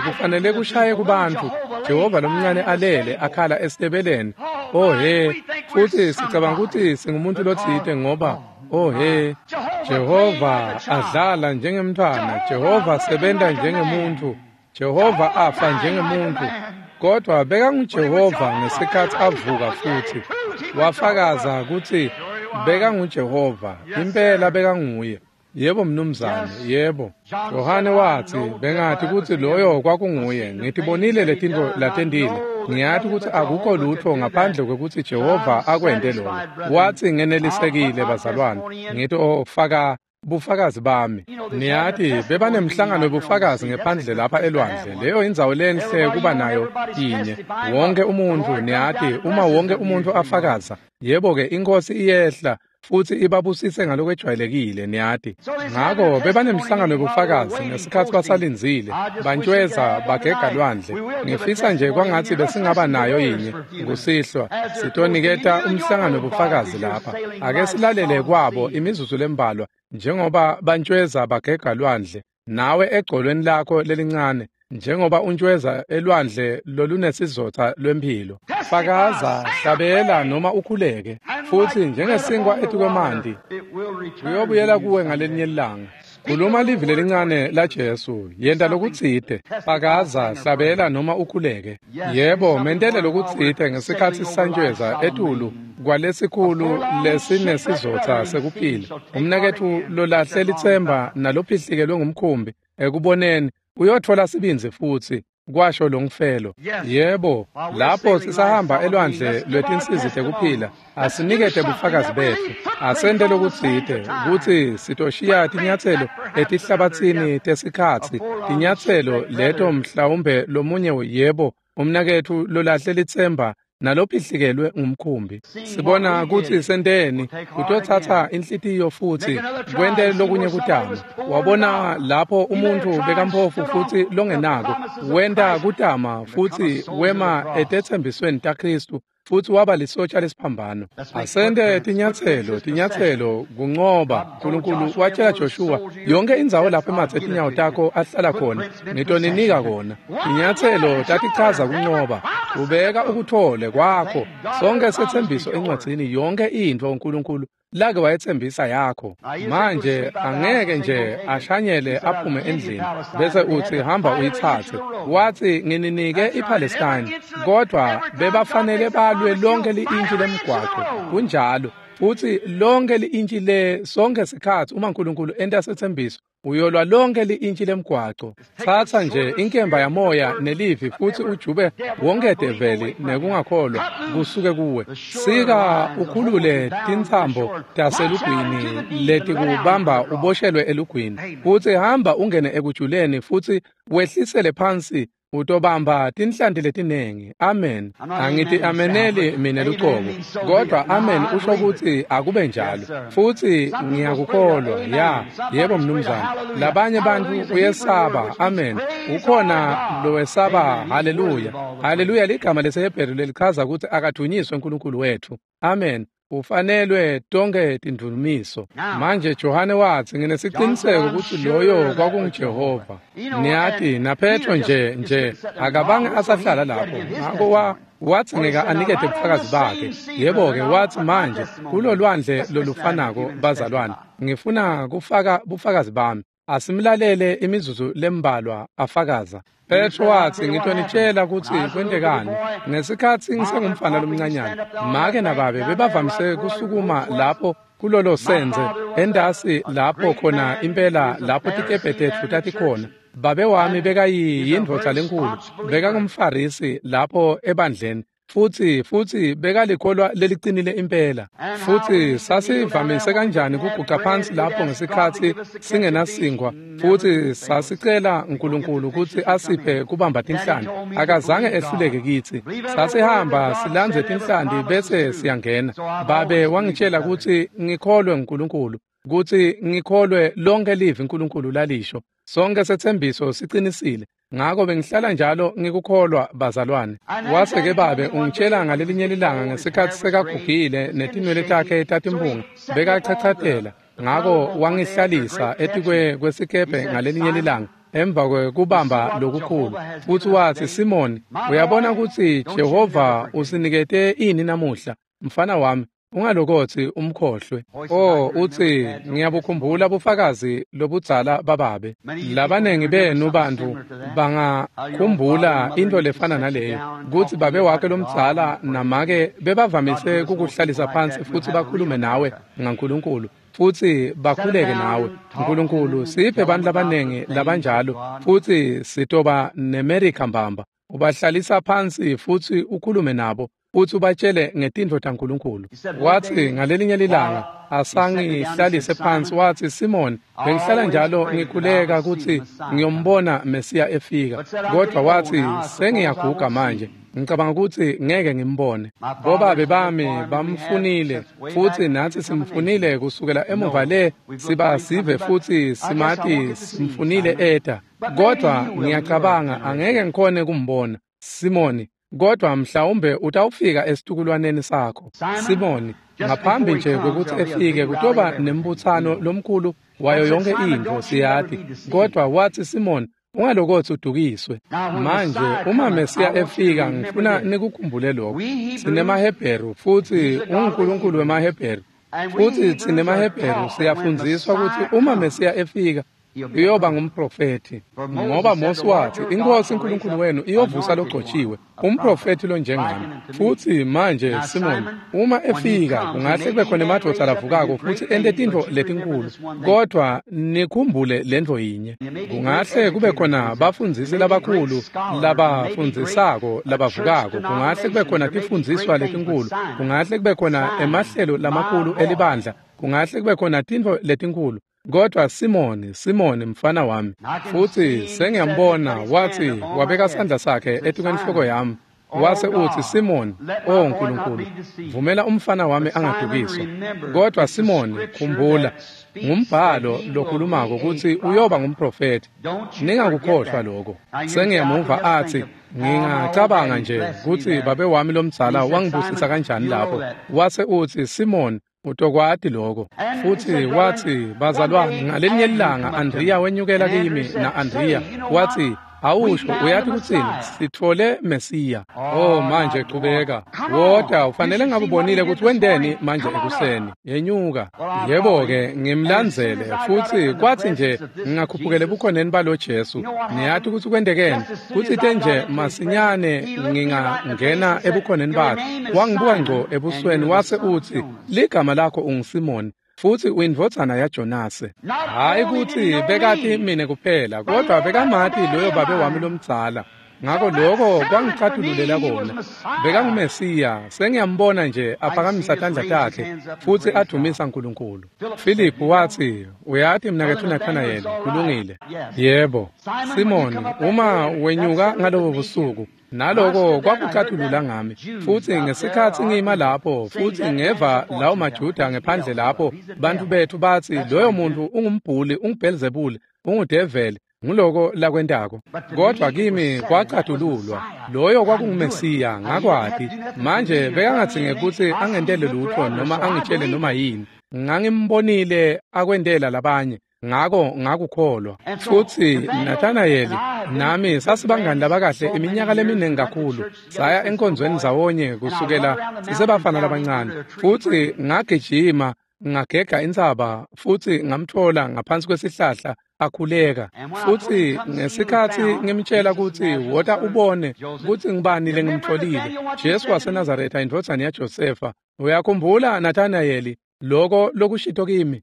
kufanele kushaye kubantfu. Jehova lomncane alele akhala esitebeleni. Oh he, futhi sicabanga ukuthi singumuntu lotsite ngoba oh he, Jehova adlala njengemntfwana, Jehova sebenta njengemuntu, Jehova afa njengemuntu, kodwa bekanguJehova ngesikhathi avuka futhi wafakaza ukuthi bekanguJehova, impela bekanguye. Yebo mnumzane, yebo. Yohane watsi, bengathi kutsi loyo kwakunguye, ngitibonile letintfo latentile. Ngiyati kutsi akukho lutho ngaphandle kwekutsi Jehova akwente lokho. Watsi ngenelisekile bazalwane, ngitofaka bufakazi bami. Niyati bebanemhlangano webufakazi ngephandle lapha elwandle. Leyo indzawo lenhle kuba nayo inye. Wonke umuntu, niyati, uma wonke umuntu afakaza, yebo-ke inkosi iyehla futsi ibabusise ngalokwejwayelekile, niyati. Ngako bebanemhlangano webufakazi ngesikhatsi basalindzile, bantjweza bagega lwandle. Ngifisa nje kwangatsi besingaba nayo yinye kusihlwa, sitoniketa umhlangano webufakazi lapha. Ake silalele kwabo imizuzu lembalwa njengoba bantjweza bagega lwandle, nawe egcolweni lakho lelincane, njengoba untjweza elwandle lolunesizotha lwemphilo. Fakaza, hlabela noma ukhuleke, futhi njengesinkwa etikwemanti uyobuyela kuwe ngalelinye ilanga. Khuluma livi lelincane la Jesu, yenta lokutsite, fakaza, hlabela noma ukhuleke. Yebo, mentele lokutsite ngesikhatsi santjweza etulu kwalesikhulu lesinesizotha sekuphila. Umnaketfu lolahle litsemba nalophihlikelwe ngumkhumbi ekuboneni uyotfola sibindzi futsi, kwasho longifelo. Yebo, lapho sisahamba elwandle lwetinsizi tekuphila, asinikete bufakazi betfu, asente lokutsite kutsi sitoshiya tinyatselo etihlabatsini tesikhatsi, tinyatselo leto mhlawumbe lomunye, yebo, umnaketfu lolahle litsemba nalophihlikelwe ngumkhumbi. Sibona kutsi senteni, kutotsatsa inhlitiyo futsi kwente lokunye kutama. Wabona lapho umuntfu bekamphofu futsi longenako, wenta kutama futsi wema etetsembisweni taKhristu futsi waba lisotsha lesiphambano. Asente tinyatselo, tinyatselo kuncoba. Nkulunkulu watshela Joshua, yonke indzawo lapho ematse tinyawo takho ahlala khona, ngitoninika kona. Tinyatselo tatichaza kuncoba. Ubeka ukuthole kwakho sonke setsembiso encwadzini, yonke intfo uNkulunkulu lake wayetsembisa yakho. Manje angeke nje ashanyele aphume endlini bese utsi hamba uyitsatse. Watsi ngininike iPalestine, kodwa bebafanele balwe lonke li-intshi lemgwaco. Kunjalo, futsi lonke li-intshi le sonke sikhatsi uma uNkulunkulu enta setsembiso uyolwa lonke li-intshi lemgwaco. Tsatsa nje inkemba yamoya nelivi futsi ujube wonke develi nekungakholwa kusuke kuwe. Sika ukhulule tintsambo taselugwini letikubamba uboshelwe elugwini, futsi hamba ungene ekujuleni futsi wehlisele phansi, utobamba tinhlanti letinengi. Amen. Angithi ameneli mina lucobo, kodwa amen usho ukuthi akube njalo, futhi ngiyakukholwa. Ya, yebo mnumzane. Labanye bantfu uyesaba amen, ukhona lowesaba haleluya. Haleluya ligama lesiHebheru lelichaza ukuthi akathunyiswe uNkulunkulu wethu. Amen. Ufanelwe tonke tindvumiso. Manje Johane watsi, nginesiqiniseko ukuthi loyo kwakunguJehova. Niyati, naPetro nje akabange asahlala lapho. Ngakho wathi ngeke anikete ubufakazi bakhe. Yebo-ke, wathi manje kulolwandle lolufanako bazalwane, ngifuna kufaka bufakazi bami. Asimlalele imizuzu lembalwa afakaza. Petro watsi, ngitonitshela kutsi kwentekani. Ngesikhatsi ngisengumfana lomncanyana, make nababe bebavamise kusukuma lapho kulolo senze endasi lapho khona impela lapho tikebhe tetfu tatikhona. Babe wami bekayindvodza lenkulu, bekangumfarisi lapho ebandleni. Futsi bekalikholwa leliqinile impela. Futsi sasivamise kanjani kuguqa phansi lapho ngesikhatsi singenasinkwa, futsi sasicela uNkulunkulu kutsi asiphe kubamba tinhlanti. Akazange ehluleke kitsi. Sasihamba silandze tinhlanti bese siyangena. Babe wangitshela kutsi ngikholwe uNkulunkulu, kutsi ngikholwe lonke livi uNkulunkulu lalisho. Sonke setsembiso siqinisile. Ngako bengihlala njalo ngikukholwa bazalwane. Wase-ke babe ungitshela ngalelinye ilanga ngesikhatsi sekagugile netinwele takhe tatimpunga bekachachatela. Ngako wangihlalisa etikwe kwesikebhe ngalelinye ilanga emva kwekubamba lokukhulu. Futsi watsi, Simoni, uyabona kutsi Jehova usinikete ini namuhla, mfana wami? Ungalokotsi umkhohlwe. Oh, utsi, ngiyabukhumbula bufakazi lobudzala bababe. Labanengi benu bantu bangakhumbula into lefana naleyo, kutsi babe wakhe lomdzala namake bebavamise kukuhlalisa phansi futsi bakhulume nawe ngaNkulunkulu, futsi bakhuleke nawe. Nkulunkulu, siphe bantu labanengi labanjalo, futsi sitoba neMerica mbamba. Ubahlalisa phansi futsi ukhulume nabo, futsi ubatshele ngetintfo taNkulunkulu. Watsi ngalelinye lilanga asangihlalise phansi, watsi, Simon, bengihlala njalo ngikhuleka kutsi ngiyombona Mesiya efika, kodwa watsi sengiyaguga manje, ngicabanga kutsi ngeke ngimbone. Bobabe bami bamfunile, futsi natsi simfunile kusukela emuva le siba sive futsi simati simfunile eta, kodwa ngiyacabanga angeke ngikhone kumbona Simoni, kodwa mhlawumbe utawufika esitukulwaneni sakho. Simoni, ngaphambi nje kwekutsi efike kutoba nembutsano lomkhulu wayo yonke intfo, siyati. Kodwa watsi, Simoni, ungalokotsi udukiswe. Manje uma Mesiya efika, ngifuna nikukhumbule lokho. SinemaHebheru, futsi unguNkulunkulu wemaHebheru. Futsi sinemaHebheru siyafundziswa kutsi uma Mesiya efika uyoba ngumprofethi, ngoba Mose wathi, iNkosi uNkulunkulu wenu iyovusa logcotshiwe, umprofethi lonjengami. Futsi manje Simoni, uma efika kungahle kube khona emadvodza lavukako futsi ente tintfo letinkulu, kodwa nikhumbule lentfo yinye. Kungahle kube khona bafundzisi labakhulu labafundzisako labavukako, kungahle kube khona tifundziswa letinkulu, kungahle kube khona emahlelo lamakhulu elibandla, kungahle kube khona tintfo letinkulu. Kodwa Simoni, Simoni mfana wami, futsi sengiyambona, watsi wabeka sandla sakhe etikwenhloko yami, wase utsi, Simoni, oh Nkulunkulu, vumela umfana wami angadukiswa. Kodwa Simoni, khumbula, ngumbhalo lokhulumako kutsi uyoba ngumprofethi. Ningakukhohlwa lokho. Sengiyamuva atsi, ngingacabanga nje kutsi babe wami lomdzala wangibusisa kanjani lapho. Wase utsi, Simoni, utokwati lokho. Futsi watsi, bazalwane, ngalinye ilanga Andrea wenyukela kimi, na Andrea watsi, awusho, uyati kutsini, sithole Mesiya. Oh, manje qhubeka. Wota, ufanele ngabe ubonile ukuthi wendeni manje ekuseni. Yenyuka. Yebo-ke, ngimlandzele, futsi kwathi nje ngingakhuphukela ebukhoneni balo Jesu. Niyati ukuthi kwendekeni, kutsite nje masinyane ngingangena ebukhoneni bakhe. Wangibuka ngco ebusweni wase utsi, ligama lakho unguSimoni, futsi uyindvodzana yaJonase. Hayi kutsi bekati mine kuphela, kodwa bekamati loyo babe wami lomdzala. Ngako lokho kwangicatululela kona. BekanguMesiya, sengiyambona nje aphakamisa tandla takhe futsi adumisa uNkulunkulu. Philip watsi, uyati mnaketfu Nathanayeli, kulungile. Yebo. Simoni, uma wenyuka ngalobo busuku, naloko kwakucatulula ngami. Futsi ngesikhatsi ngima lapho, futsi ngeva lawo maJuda ngephandle lapho, bantu bethu batsi, loyo muntu ungumbhuli, unguBhelzebule, ungudeveli, nguloko lakwentako. Kodwa kimi kwacatululwa, loyo kwakunguMesiya, ngakwati. Manje bekangadzinge kutsi angentele lutho noma angitshele noma yini. Ngangimbonile akwentela labanye, ngako ngakukholwa. Futsi Nathanayeli nami sasibangani labakahle iminyaka leminingi kakhulu. Saya enkonzweni ndzawonye kusukela sisebafana labancane. Futsi ngagijima ngagega intsaba futsi ngamthola ngaphansi kwesihlahla akhuleka. Futsi ngesikhatsi ngimtshela kutsi wota ubone kutsi ngibani lengimtholile, Jesu waseNazaretha indvodzana yaJosefa. Uyakhumbula Nathanayeli, Loko lokushito kimi.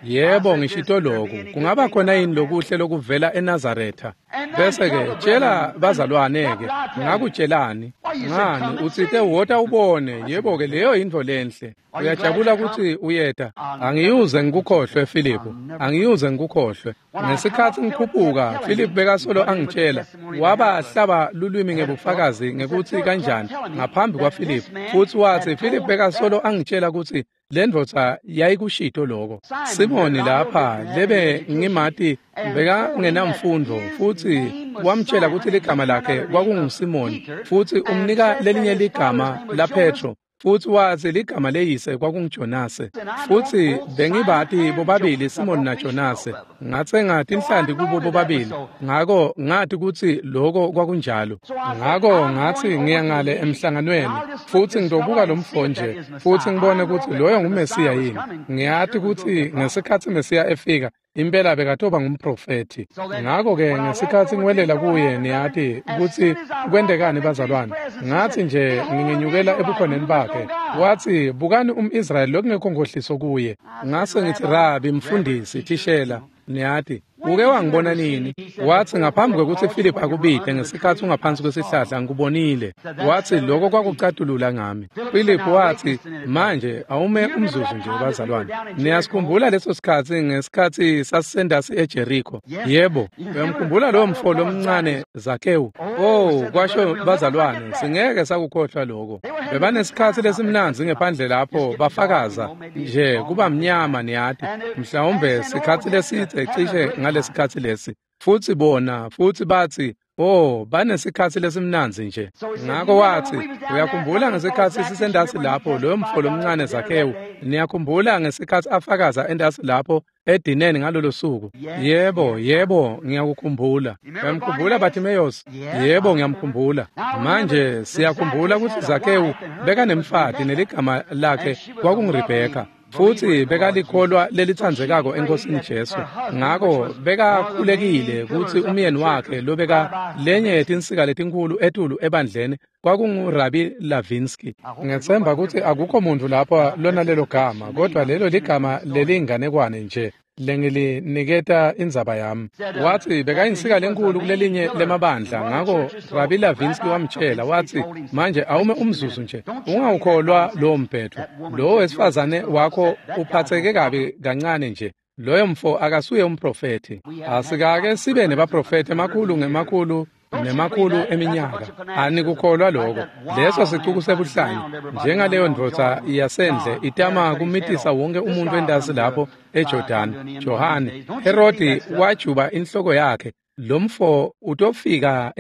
Yebo, ngishito lokhu. Kungaba khona yini lokuhle lokuvela eNazaretha? Bese-ke tshela bazalwane-ke, ngakutshelani? Ngani, utsite wota ubone. Yebo-ke, leyo yintfo lenhle. Uyajabula ukuthi uyeta. Angiyuze ngikukhohlwe, Philip. Angiyuze ngikukhohlwe. Ngesikhathi ngikhuphuka, Philip bekasolo angitshela, wabahlaba lulwimi ngebufakazi ngekuthi kanjani ngaphambi kwaPhilip. Futhi wathi Philip bekasolo angitshela ukuthi le ndvodza yayikushito lokho. Simoni lapha lebe ngimati bekangenamfundo, futhi wamtshela ukuthi ligama lakhe kwakunguSimoni, futhi umnika lelinye ligama la Petro, futhi wathi ligama leyise kwakunguJonase. Futhi bengibati bobabili Simoni naJonase, ngatsenga tinhlanti kubo bobabili, ngako ngathi kutsi lokho kwakunjalo. Ngako ngathi ngiya ngale emhlanganweni futhi ngizobuka lo mfo nje futhi ngibone ukuthi loyo nguMesiya yini. Ngiyati kutsi ngesikhathi Mesiya efika impela bekatoba ngumprofethi. Ngako-ke ngesikhathi ngiwelela kuye, niyati kutsi kwentekani bazalwane. Ngathi nje ngingenyukela ebukhoneni bakhe. Wathi, bukani umIsrayeli lokungekho nkohliso kuye. Ngase ngithi, Rabi, mfundisi, thishela, niyati, uke wangibona nini? Wathi, ngaphambi kwekuthi Philip akubide ngesikhathi ungaphansi kwesihlahla ngikubonile. Wathi, lokho kwakucatulula ngami. Philip wathi, manje awume umzuzu nje bazalwane. Niyasikhumbula leso sikhathi ngesikhathi sasisendasi eJericho? Yebo, uyamkhumbula lowo mfo lomncane Zakewu? Oh, kwasho bazalwane, singeke sakukhohlwa lokho. Bebanesikhathi lesimnandzi ngephandle lapho bafakaza nje kuba mnyama, niyati. Mhlawumbe sikhathi lesithe cishe ngalesikhathi lesi. Futhi bona, futhi bathi, oh, banesikhathi lesimnandzi nje. Ngako wathi, uyakhumbula ngesikhathi sisendasi lapho loyo mfo lomncane Zakewu? Niyakhumbula ngesikhathi afakaza endasi lapho edineni ngalolo suku? Yebo, yebo, ngiyakukhumbula. Uyamkhumbula Bartimaeus? Yebo, ngiyamkhumbula. Manje siyakhumbula ukuthi Zakewu bekanemfati neligama lakhe kwakunguRebheka. Futhi bekalikholwa lelitsandzekako eNkosini Jesu. Ngako bekakhulekile kutsi umyeni wakhe lobeka lenye yetinsika letinkulu etulu ebandleni kwakunguRabi Lavinsky. Ngethemba kutsi akukho muntu lapha lonalelo gama, kodwa lelo ligama lelinganekwane nje lengiliniketa indzaba yami. Wathi bekayinsika lenkulu kulelinye lemabandla. Ngako Rabi Lavinsky wamtshela wathi, manje awume umzuzu nje, ungawukholwa lowo mbhedvo. Lowo wesifazane wakho uphatheke kabi kancane nje. Loyo mfo akasuye umprofethi. Asikake sibe nebaprofethi emakhulu ngemakhulu nemakhulu eminyaka. Anikukholwa lokho. Leso sicuku sebuhlanya njengaleyo ndvodza yasendle itama kumitisa wonke umuntu endasi lapho eJordan. Johane, Herodi wajuba inhloko yakhe. Lo mfo utofika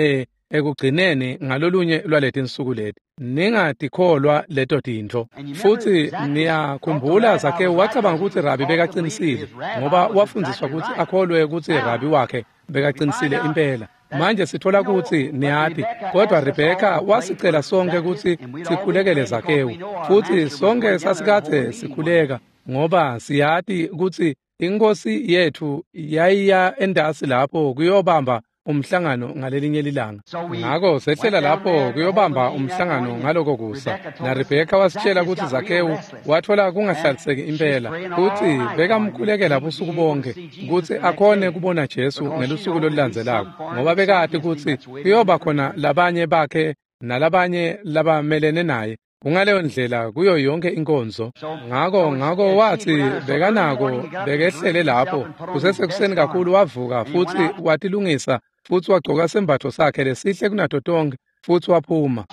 ekugcineni ngalolunye lwaletinsuku leti. Ningatikholwa leto tintfo. Futhi niyakhumbula Zakewu wacabanga ukuthi Rabi bekaqinisile, ngoba wafundziswa ukuthi akholwe ukuthi Rabi wakhe bekaqinisile impela. Manje sithola ukuthi niyati, kodwa Rebheka wasicela sonke ukuthi sikhulekele Zakewu, futhi sonke sasikade sikhuleka ngoba siyati ukuthi inkosi yethu yayiya endasi lapho kuyobamba umhlangano ngalelinye lilanga. Ngako sehlela lapho kuyobamba umhlangano ngaloko kusa. Na Rebheka wasitshela ukuthi Zakewu wathola kungahlaliseki impela, futhi bekamkhulekela busuku bonke ukuthi akhone kubona Jesu ngelusuku lolulandzelako, ngoba bekati ukuthi kuyoba khona labanye bakhe nalabanye labamelene naye. Kungaleyo ndlela kuyo yonke inkonzo. Ngako wathi bekanako bekehlele lapho kusesekuseni kakhulu, wavuka futhi watilungisa futhi wagcoka sembatho sakhe lesihle kunato tonke futhi waphuma.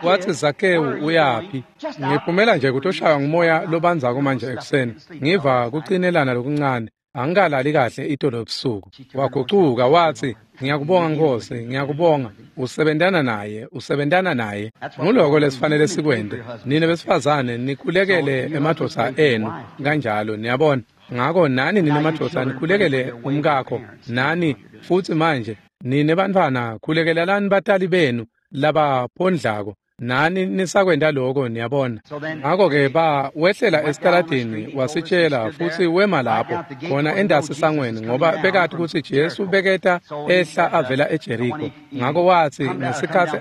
Wathi, Zakewu uyaphi? Ngiphumela nje kutoshaywa ngumoya lobandzako manje ekuseni. Ngiva kucinelana lokuncane. Angikalali kahle itolo ebusuku. Wagucuka wathi, ngiyakubonga Nkosi, ngiyakubonga. Usebentana naye, usebentana naye. Nguloko lesifanele sikwente. Nine besifazane nikhulekele emadvodza enu kanjalo, niyabona. Ngako nani nine madvodza nikhulekele umkakho, nani futhi manje nine bantfwana khulekelelani batali benu labaphondlako. Nani nisakwenta lokho, niyabona. Ngako-ke wehlela esitaladini wasitshela futhi wema lapho khona endasi sangweni, ngoba bekati kutsi Jesu beketa ehla avela eJeriko. Ngako wathi ngesikhathi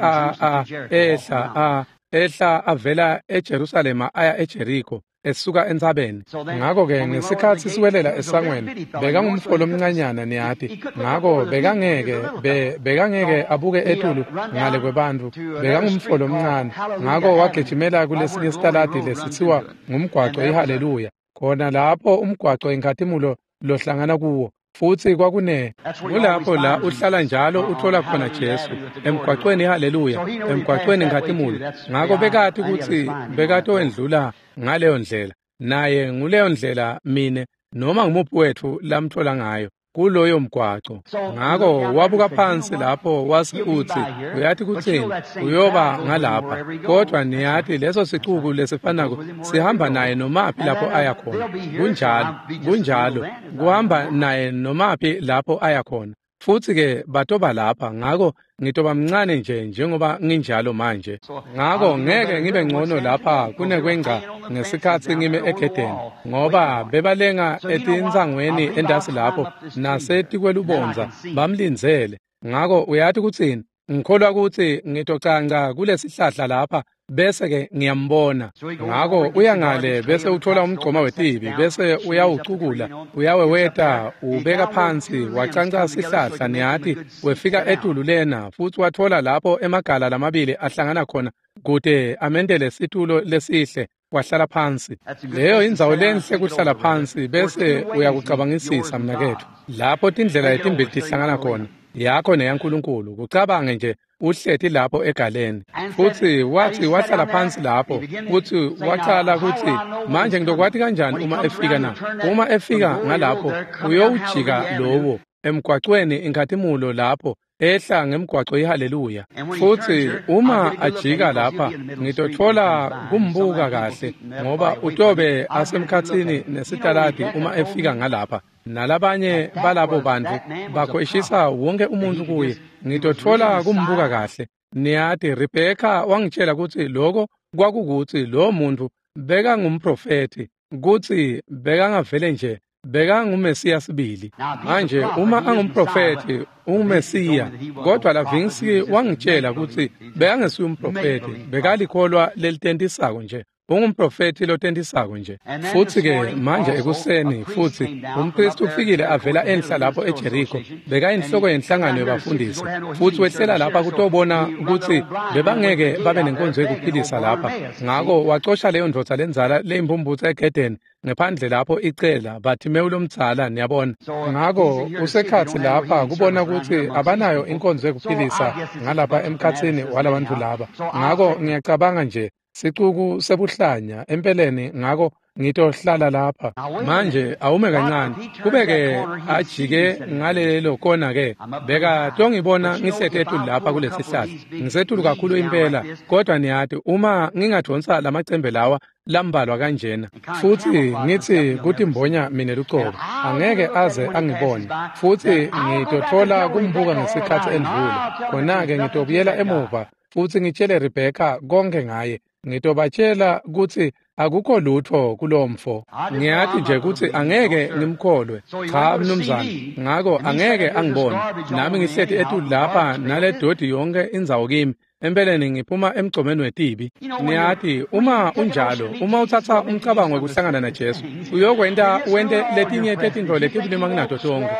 ehla avela eJerusalema aya eJeriko. esuka entsabeni. Ngako-ke ngesikhatsi siwelela esangweni, bekangumfo lomncanyana niyati. Ngako bekangeke abuke etulu ngale kwebantfu, bekangumfo lomncane. Ngako wagijimela kulesinye sitaladi lesitsiwa ngumgwaco iHaleluya. Khona lapho umgwaco inkhatimulo lohlangana kuwo. Futsi kwakune kulapho la uhlala njalo uthola khona Jesu emgwacweni iHaleluya, emgwacweni inkhatimulo. Ngako bekati kutsi bekatowendlula ngaleyo ndlela, naye nguleyo ndlela mine noma ngumuphi wetfu lamthola ngayo kuloyo mgwaco. Ngako wabuka phansi lapho wase utsi, uyati kutsini, uyoba ngalapha. Kodwa niyati leso sicuku lesifanako sihamba naye nomaphi lapho aya khona. Kunjalo, kunjalo, kuhamba naye nomaphi lapho aya khona. Futsi-ke batoba lapha, ngako ngitoba mncane nje njengoba nginjalo manje. Ngako ngeke ngibe ngcono lapha kunekwengca ngesikhatsi ngime egedeni, ngoba bebalenga etintsangweni entasi lapho nasetikwelubondza bamlindzele. Ngako uyati kutsini, ngikholwa kutsi ngitocanca kulesihlahla lapha bese-ke ngiyambona. Ngako uya ngale bese uthola umgcoma wetibi, bese uyawucukula, uyaweweta, ubeka phansi, wacanca sihlahla niyati, wefika etulu lena futsi wathola lapho emagala lamabili ahlangana khona kute amendele situlo lesihle, wahlala phansi. Leyo indzawo lenhle kuhlala phansi bese uyakucabangisisa mnaketfu. Lapho tindlela letimbili tihlangana khona, yakho neyaNkulunkulu, kucabange nje uhleti lapho egaleni. Futsi wathi wahlala phansi lapho, futsi wacala kutsi, manje ngitokwati kanjani uma efika na? Uma efika ngalapho, uyowujika lowo emgwacweni inkhatimulo lapho, ehla ngemgwaco iHaleluya. Futsi uma ajika lapha, ngitotfola kumbuka kahle, ngoba utobe asemkhatsini nesitaladi uma efika ngalapha. Nalabanye balabo bantfu bakhweshisa wonke umuntu kuye, ngitotfola kumbuka kahle. Niyati, Rebheka wangitshela kutsi loko kwakukutsi lo muntu bekangumprofethi, kutsi bekangavele nje bekangumesiya sibili. Manje uma angumprofethi, ungumesiya, kodwa Lavinski wangitshela kutsi bekangesiye umprofethi, bekalikholwa lelitentisako nje. Ungumprofethi lotentisako nje. Futsi-ke manje ekuseni futsi umpristi ufikile avela enhla lapho eJeriko, bekayinhloko yenhlangano yebafundisi, futsi wehlela lapha kutobona kutsi bebangeke babe nenkonzo yekuphilisa lapha. Ngako wacosha leyo ndvodza lendzala leyimpumputse egedeni ngephandle lapho icela Bartimewu lomdzala, niyabona. Ngako usekhatsi lapha kubona kutsi abanayo inkonzo yekuphilisa ngalapha emkhatsini walabantfu laba. Ngako ngiyacabanga nje sicuku sebuhlanya empeleni, ngako ngitohlala lapha. Manje awume kancane, kubeke ajike ngalelo kona ke, beka tongibona ngihleti etulu lapha kulesihlahla. Ngisetulu kakhulu impela, kodwa niyati uma ngingadonsa lamacembe lawa lambalwa kanjena, futsi ngitsi kutimbonya mine lucobo, angeke aze angibone, futsi ngitotfola kumbuka ngesikhatsi endlula. Khona-ke ngitobuyela emuva futsi ngitshele Rebheka konke ngaye. Ngitobatshela kutsi akukho lutho kulomfo. Ngiyati nje kutsi angeke ngimkholwe. Cha mnumzane, ngako angeke angibone. Nami ngihleti etulu lapha nale dodi yonke indzawo kimi. Empeleni ngiphuma emgcomeni wetibi. Niyati uma unjalo, uma utsatsa umcabango wekuhlangana naJesu, uyokwenta wente letinye tetintfo letibulima kunato tonke.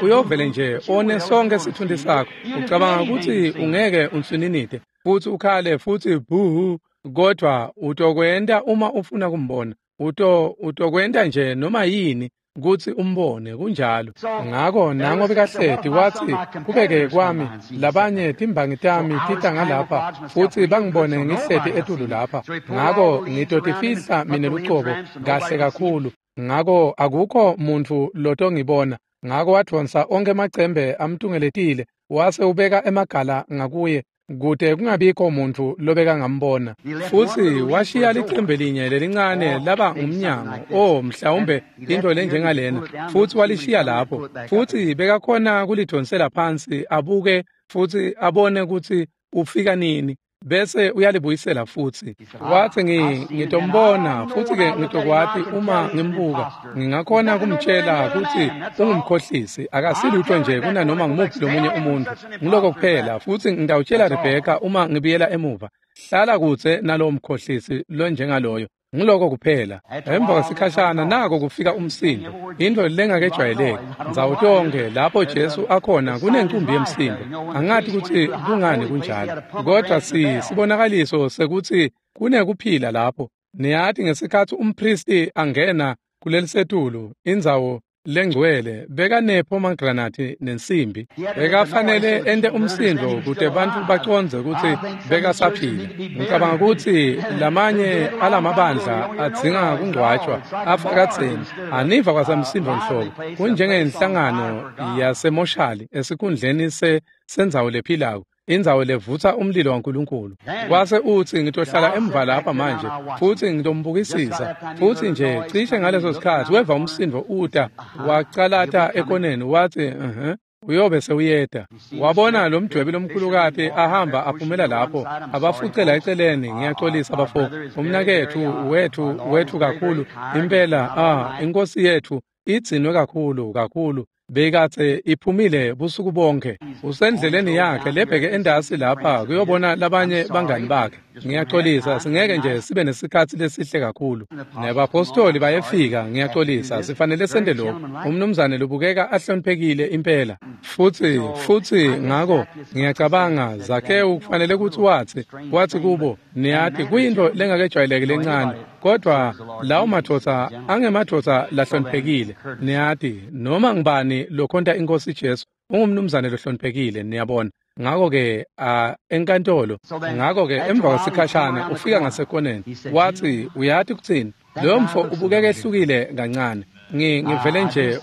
Uyovele nje one sonke sitfunti sakho. Ucabanga kutsi ungeke unswininite futsi ukhale futsi bhuhu, kodwa utokwenta uma ufuna kumbona. Utokwenta nje noma yini kutsi umbone, kunjalo. Ngako nango bekahleti watsi, kubeke kwami labanye timbangi tami tita ngalapha futsi bangibone ngihleti etulu lapha. Ngako ngitotifihla mine lucobo kahle kakhulu. Ngako akukho muntfu lotongibona. Ngako wadvonsa onkhe emacembe amtungeletile, wase ubeka emagala ngakuye kute kungabikho muntfu lobekangambona. Futsi washiya licembe linye lelincane laba ngumnyango, mhlawumbe into lenjengalena, futsi walishiya lapho. Futsi bekakhona kulidonsela phansi abuke futsi abone kutsi ufika nini, bese uyalibuyisela futsi. Watsi ngitombona futsi-ke ngitokwati uma ngimbuka. Ngingakhona kumtshela kutsi ungumkhohlisi, akasilutho nje kunanoma ngumuphi lomunye umuntu. Ngiloko kuphela, futsi ngitawutshela Rebheka uma ngibuyela emuva. Hlala kudze nalowo mkhohlisi lonjengaloyo. Ngiloko kuphela. Emva kwesikhashana nako kufika umsindo, intfo lengakejwayeleki. Ndzawo tonkhe lapho Jesu akhona kunencumbi yemsindo. Angati kutsi kungani kunjalo, kodvwa sibonakaliso sekutsi kunekuphila lapho. Niyati ngesikhatsi umphristi angena kulelisetulu indzawo lengcwele bekanepomegranate nensimbi, bekafanele ente umsindo kute bantfu bacondze kutsi bekasaphila. Ngicabanga kutsi lamanye alamabandla adzinga kungcwatjwa afakadzeni aniva kwasamsindo nhlobo, kunjengenhlangano yasemoshali esikhundleni sendzawo lephilako, indzawo levutsa umlilo waNkulunkulu. Kwase utsi ngitohlala emva lapha manje futsi ngitombukisisa. Futsi nje cishe ngaleso sikhatsi weva umsindo uta wacalata ekoneni, watsi uyobe sewuyeda. Wabona lo mdwebi lomkhulukati ahamba aphumela lapho, abafucela eceleni. Ngiyaxolisa bafo, umnaketfu wethu kakhulu impela, inkosi yethu igcinwe kakhulu kakhulu, bekatse iphumile busuku bonke. Usendleleni yakhe lebheke endasi lapha kuyobona labanye bangani bakhe. Ngiyaxolisa, singeke nje sibe nesikhatsi lesihle kakhulu. Nebapostoli bayefika, ngiyaxolisa, sifanele sente lokhu. Umnumzane lubukeka ahloniphekile impela. Futsi ngako ngiyacabanga Zakewu kufanele kutsi watsi kubo, niyati kuyintfo lengakejwayeleki lencane, kodvwa lawo madvodza angemadvodza lahloniphekile. Niyati noma ngibani lokhonta inkosi Jesu ungumnumzane lohloniphekile, niyabona. Ngako-ke enkantolo, ngako-ke emva kwesikhashana ufika ngasekoneni, watsi uyati kutsini, loyo mfo ubukeka ehlukile kancane. Ngivele nje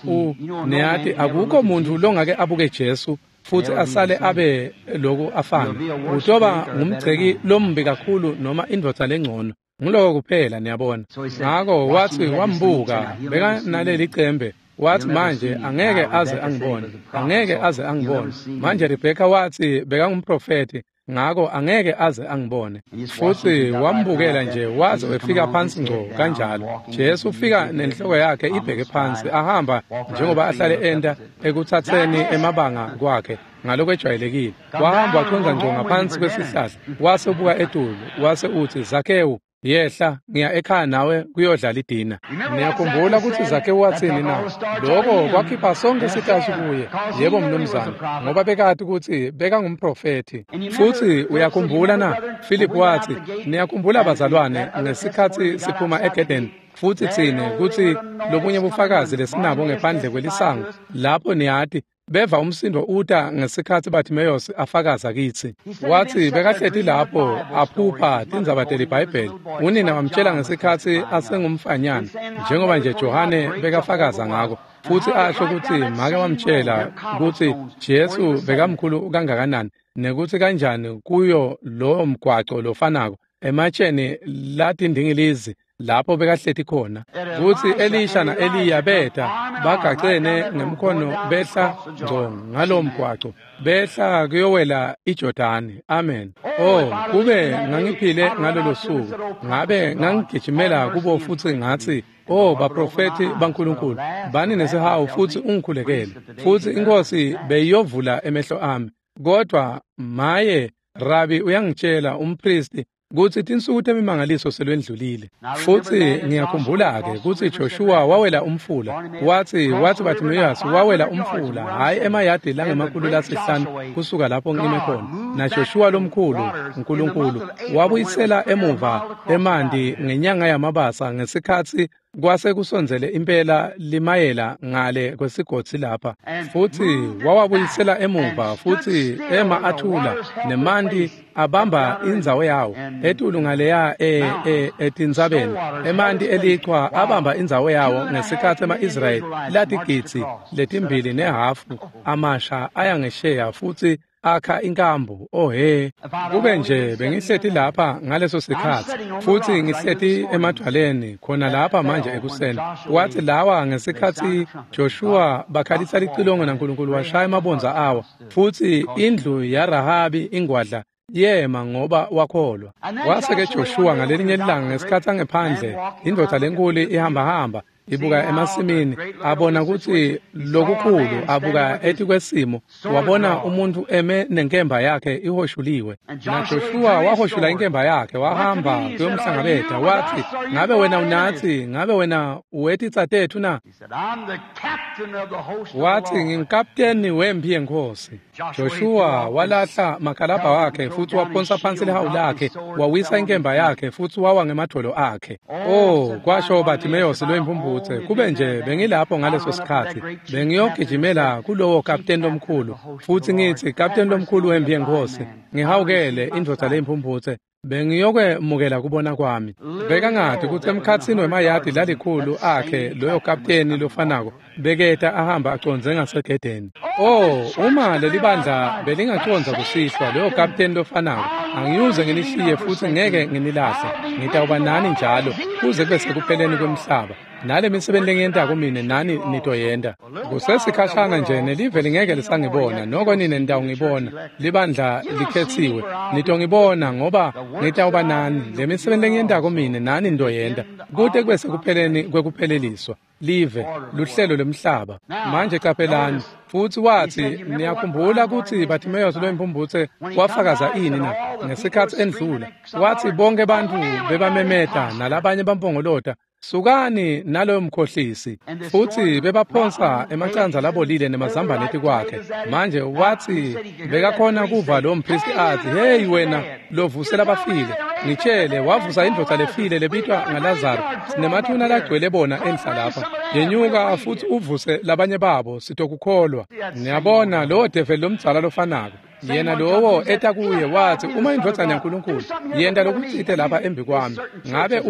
niyati akukho muntu longake abuke Jesu futsi asale abe loku afana. Utoba ngumgceki lombi kakhulu noma indvodza lengcono. Nguloko kuphela, niyabona. Ngako watsi wambuka bekanaleli cembe, watsi manje angeke aze angibone, angeke aze angibone. Manje Rebheka watsi bekangumprofeti, ngako angeke aze angibone. Futsi wambukela nje waze wefika phansi ngco kanjalo. Jesu ufika nenhloko yakhe ibheke phansi, ahamba njengoba ahlale enta ekutsatseni emabanga kwakhe ngalokwejwayelekile. Wahamba wachonza ngco ngaphansi kwesihlahla, wase ubuka etulu, wase utsi Zakewu, yehla, ngiya ekhaya nawe kuyodlala idina. Niyakhumbula kutsi Zakewu watsini na? Lokho kwakhipha sonke sitashi kuye. Yebo mnumzane, ngoba bekati kutsi bekangumprofethi. Futsi uyakhumbula na? Philip watsi, niyakhumbula bazalwane ngesikhatsi siphuma eGedeni, futsi tsine kutsi lobunye bufakazi lesinabo ngephandle kwelisango lapho niyati beva umsindo uta ngesikhatsi Bartimaeus afakaza kitsi. Watsi bekahleti lapho aphupha tindzaba teliBhayibheli. Unina wamtjela ngesikhatsi asengumfanyana, njengoba nje Johane bekafakaza ngako. Futsi asho kutsi make wamtjela kutsi Jesu bekamkhulu kangakanani nekutsi kanjani kuyo lowo mgwaco lofanako ematsheni latindingilizi lapho bekahleti khona, kutsi Elisha na-Eliya beta bagacene ngemkhono behla ngco ngalo mgwaco behla kuyowela iJordani. Amen. Oh, kube ngangiphile ngalolo suku, ngabe ngangigijimela kubo futsi ngatsi, oh baprofethi baNkulunkulu, bani nesihawu futsi ungikhulekele, futsi inkosi beyiyovula emehlo ami. Kodwa maye, Rabi uyangitshela umpristi kutsi tinsuku temimangaliso selwendlulile. Futsi ngiyakhumbula-ke kutsi Joshua wawela umfula. Watsi Bartimaeus wawela umfula, hhayi emayadi langama-500 kusuka lapho ngime khona. Na Joshua lomkhulu, uNkulunkulu, wabuyisela emuva emanti ngenyanga yamabasa ngesikhatsi kwase kusondzele impela limayela ngale kwesigodzi lapha. Futsi wawabuyisela emuva, futsi ema athula, nemanti abamba indzawo yawo etulu ngaleya etintsabeni. Emanti elichwa abamba indzawo yawo ngesikhatsi ema-Israyeli latigidzi 2.5 amasha aya ngesheya futsi akha inkambu. Oh he, kube nje bengihleti lapha ngaleso sikhatsi, futsi ngihleti emadwaleni khona lapha manje ekuseni. Wathi lawa ngesikhatsi Joshua bakhalisa licilongo naNkulunkulu washaya emabondza awo, futsi indlu yaRahabi ingwadla yema ngoba wakholwa. Wase-ke Joshua ngalelinye ilanga ngesikhatsi angephandle, indvodza lenkulu ihambahamba Ibuka emasimini, abona kutsi lokukhulu, abuka etikwesimo, wabona umuntu eme nenkemba yakhe ihoshuliwe. NaJoshua wahoshula inkemba yakhe, wahamba kuyomhlangabeta, wathi, ngabe wena unathi, ngabe wena uwetitsa tethu na? Wathi, ngingikapteni wemphi yenkosi. Joshua walahla makalabha wakhe futhi waphonsa phansi lihawu lakhe, wawisa inkemba yakhe futhi wawa ngemadolo akhe. Oh, kwasho Bartimeus loyimpumputhe, kube nje bengilapho ngaleso sikhathi, bengiyogijimela kulowo kapteni lomkhulu futhi ngithi, kapteni lomkhulu wemphi yenkosi, ngihawukele indvodza leyimpumputhe, bengiyokwemukela kubona kwami. Bekangati kutsi emkhatsini wemayadi lalikhulu akhe loyo kapteni lofanako beketa ahamba acondze ngasegedeni. Oh, uma lelibandla belingacondza kusihlwa loyo kapteni lofanako, angiyuze nginishiye futhi ngeke nginilahle, ngitawuba nani njalo kuze kube sekupheleni kwemhlaba. Nale misebenti lengiyentako mine nani nitoyenta. Kusesikhashana nje nelive lingeke lisangibona, noko nine nitawungibona. Libandla likhetsiwe, nitongibona ngoba ngitawuba nani. Le misebenti lengiyentako mine nani nitoyenta kute kube sekupheleni kwekupheleliswa live, luhlelo lwemhlaba. Manje qaphelani. Futhi wathi, niyakhumbula kutsi Bartimaeus loyimpumputhe wafakaza ini na ngesikhatsi endlula? Wathi bonke bantfu bebamemeta nalabanye bampongolota, sukani naloyo mkhohlisi. Futhi bebaphonsa emacandza labolile nemazambane etikwakhe. Manje wathi bekakhona kuva lo mpristi athi, hey wena lovusela abafile, ngitshele, wavusa indvodza lefile lebitwa ngaLazaro, sinemathuna lagcwele bona enhla lapha, yenyuka futhi uvuse labanye babo, sitokukholwa. Niyabona lowo develi lomdzala lofanako, yena lowo eta kuye wathi, uma indvodzana yaNkulunkulu yenta lokutsite lapha embi kwami, ngabe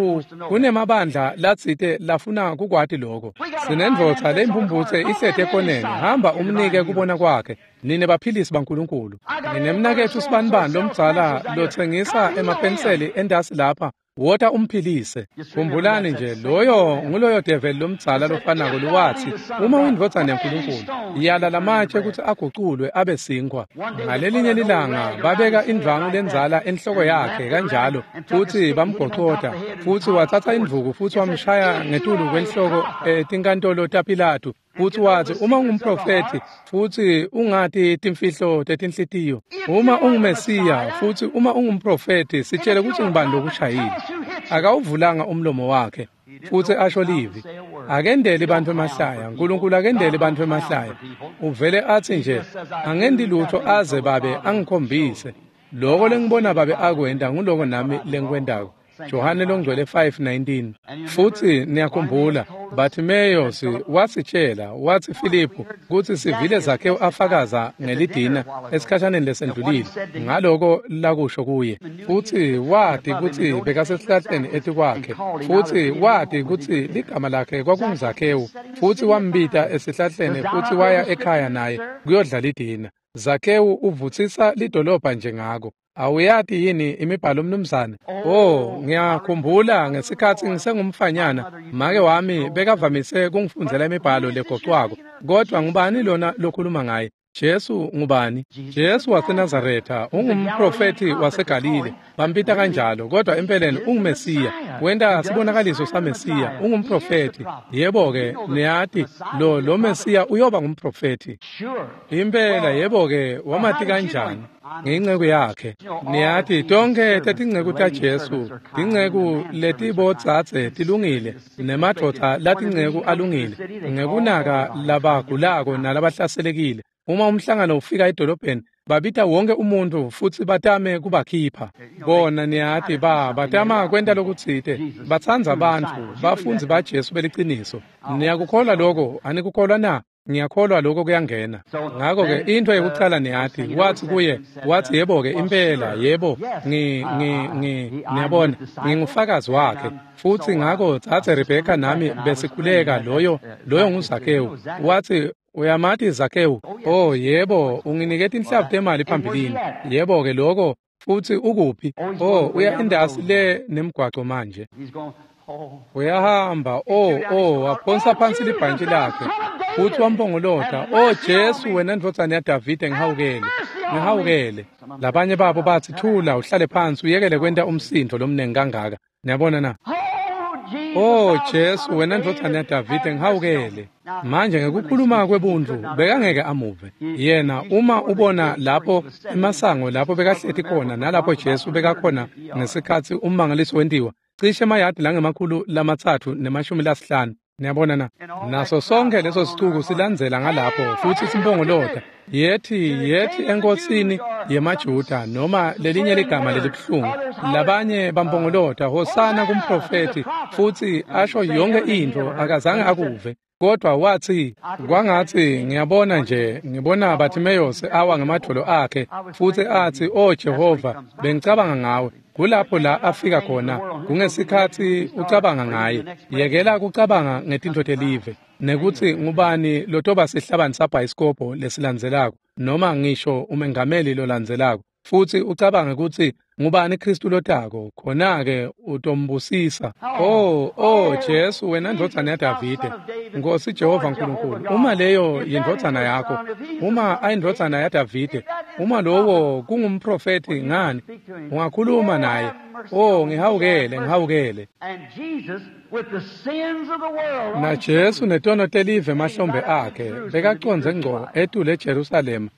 kunemabandla latsite lafuna kukwati lokho. Sinendvodza leyimpumputhe ihleti ekoneni, hamba umnike kubona kwakhe, nine baphilisi baNkulunkulu. Nginemnaketfu sibanibani lomdzala lotsengisa emapenseli entasi lapha, wota umphilise. Khumbulani nje, loyo nguloyo develi lomdzala lofanako lowathi, uma uyindvodzana yaNkulunkulu, yala lamatshe kutsi aguculwe abe sinkhwa. Ngalelinye lilanga babeka indvwangu lendzala enhloko yakhe kanjalo, futhi bamgocota, futhi watsatsa indvuku futhi wamshaya ngetulu kwenhloko etinkantolo taPilatu. Futhi wathi, uma ungumprofethi futhi ungati timfihlo tetinhlitiyo, uma unguMesiya futhi uma ungumprofethi, sitshele kutsi ngubani lokushayile. Akawuvulanga umlomo wakhe futhi asho livi. Akendeli bantfu emahlaya, uNkulunkulu akendeli bantfu emahlaya. Uvele athi nje, angendi lutho aze babe angikhombise. Loko lengibona babe akwenta nguloko nami lengikwentako. Johane longcwele 5:19. Futhi niyakhumbula, Bartimaeus wasitshela, wathi Filiphu, kutsi sivile Zakhewu afakaza ngelidina esikhashaneni lesendlulile, ngaloko lakusho kuye. Futhi wati kutsi bekasesihlahleni etikwakhe, futhi wati kutsi ligama lakhe kwakunguZakhewu, futhi wambita esihlahleni futhi waya ekhaya naye kuyodla lidina. Zakhewu uvutsisa lidolobha nje ngako. Awuyati yini imibhalo mnumzane? Oh, ngiyakhumbula ngesikhatsi ngisengumfanyana, make wami bekavamise kungifundzela imibhalo legocwako. Kodwa ngubani lona lokhuluma ngaye? Jesu ngubani? Jesu waseNazaretha, ungumprofethi waseGalile. Bambita kanjalo, kodwa empeleni unguMesiya. Wenta sibonakaliso saMesiya, ungumprofethi. Yebo-ke, niyati, lo Mesiya uyoba ngumprofethi. Impela, yebo-ke, wamati kanjani? Ngenceku yakhe. Niyati, tonke tetinceku taJesu, tinceku letibodzadze tilungile, nemadvodza latinceku alungile, ngekunaka labagulako nalabahlaselekile. Uma umhlangano ufika edolobheni, babita wonke umuntu futhi batame kubakhipha. Bona niyati batama kwenta lokutsite, batsandza bantfu, bafundzi baJesu beliciniso. Niyakukholwa lokho, anikukholwa na? Ngiyakholwa lokho kuyangena. Ngakho-ke into yekucala niyati, wathi kuye, wathi yebo-ke impela, yebo, niyabona, ngingufakazi wakhe. Futhi ngakho tsatse Rebheka nami besikhuleka loyo nguZakhewu. Wathi, uyamati Zakhewu? Oh yebo, unginiketa inhlavu temali phambilini. Yebo-ke lokho, futhi ukuphi? Oh, uya indasi le nemgwaco manje. Uyahamba, oh, waphonsa phansi libhantshi lakhe. Futhi wampongolota, oh Jesu wena ndvodzana yaDavide, ngihawukele, ngihawukele. Labanye babo bathi, thula uhlale phansi uyekele kwenta umsindo lomnengi kangaka. Niyabona na? "Oh Jesu, wena ndvodzana yaDavide, ngihawukele." Manje ngekukhuluma kwebuntu bekangeke amuve yena. Uma ubona lapho emasango lapho bekahleti khona nalapho Jesu bekakhona ngesikhatsi ummangaliso wentiwa, cishe emayadi lange-350. Niyabona na? Naso sonke leso sicuku silandzela ngalapho futsi simpongolota, "Yethi, yethi enkosini yemaJuda," noma lelinye ligama lelibuhlungu. Labanye bampongolota, "Hosana kumprofethi," futsi asho yonke intfo, akazange akuve. Kodwa watsi, kwangatsi ngiyabona nje, ngibona Bartimeyosi awa ngemadvolo akhe futsi atsi, "Oh Jehova, bengicabanga ngawe." Kulapho la afika khona, kungesikhatsi ucabanga ngaye. Yekela kucabanga ngetintfo telive, nekutsi ngubani lotoba sihlabani sabhayisikobho lesilandzelako, noma ngisho umengameli lolandzelako, futsi ucabange kutsi ngubani Kristu lotako, khona-ke utombusisa. Oh Jesu, wena ndvodzana yaDavide, Nkosi Jehova Nkulunkulu, uma leyo yindvodzana yakho, uma ayindvodzana yaDavide, uma lowo kungumprofethi, ngani ungakhuluma naye? Oh, ngihawukele, ngihawukele. Na Jesu netono telive emahlombe akhe bekacondze ngco etulu eJerusalema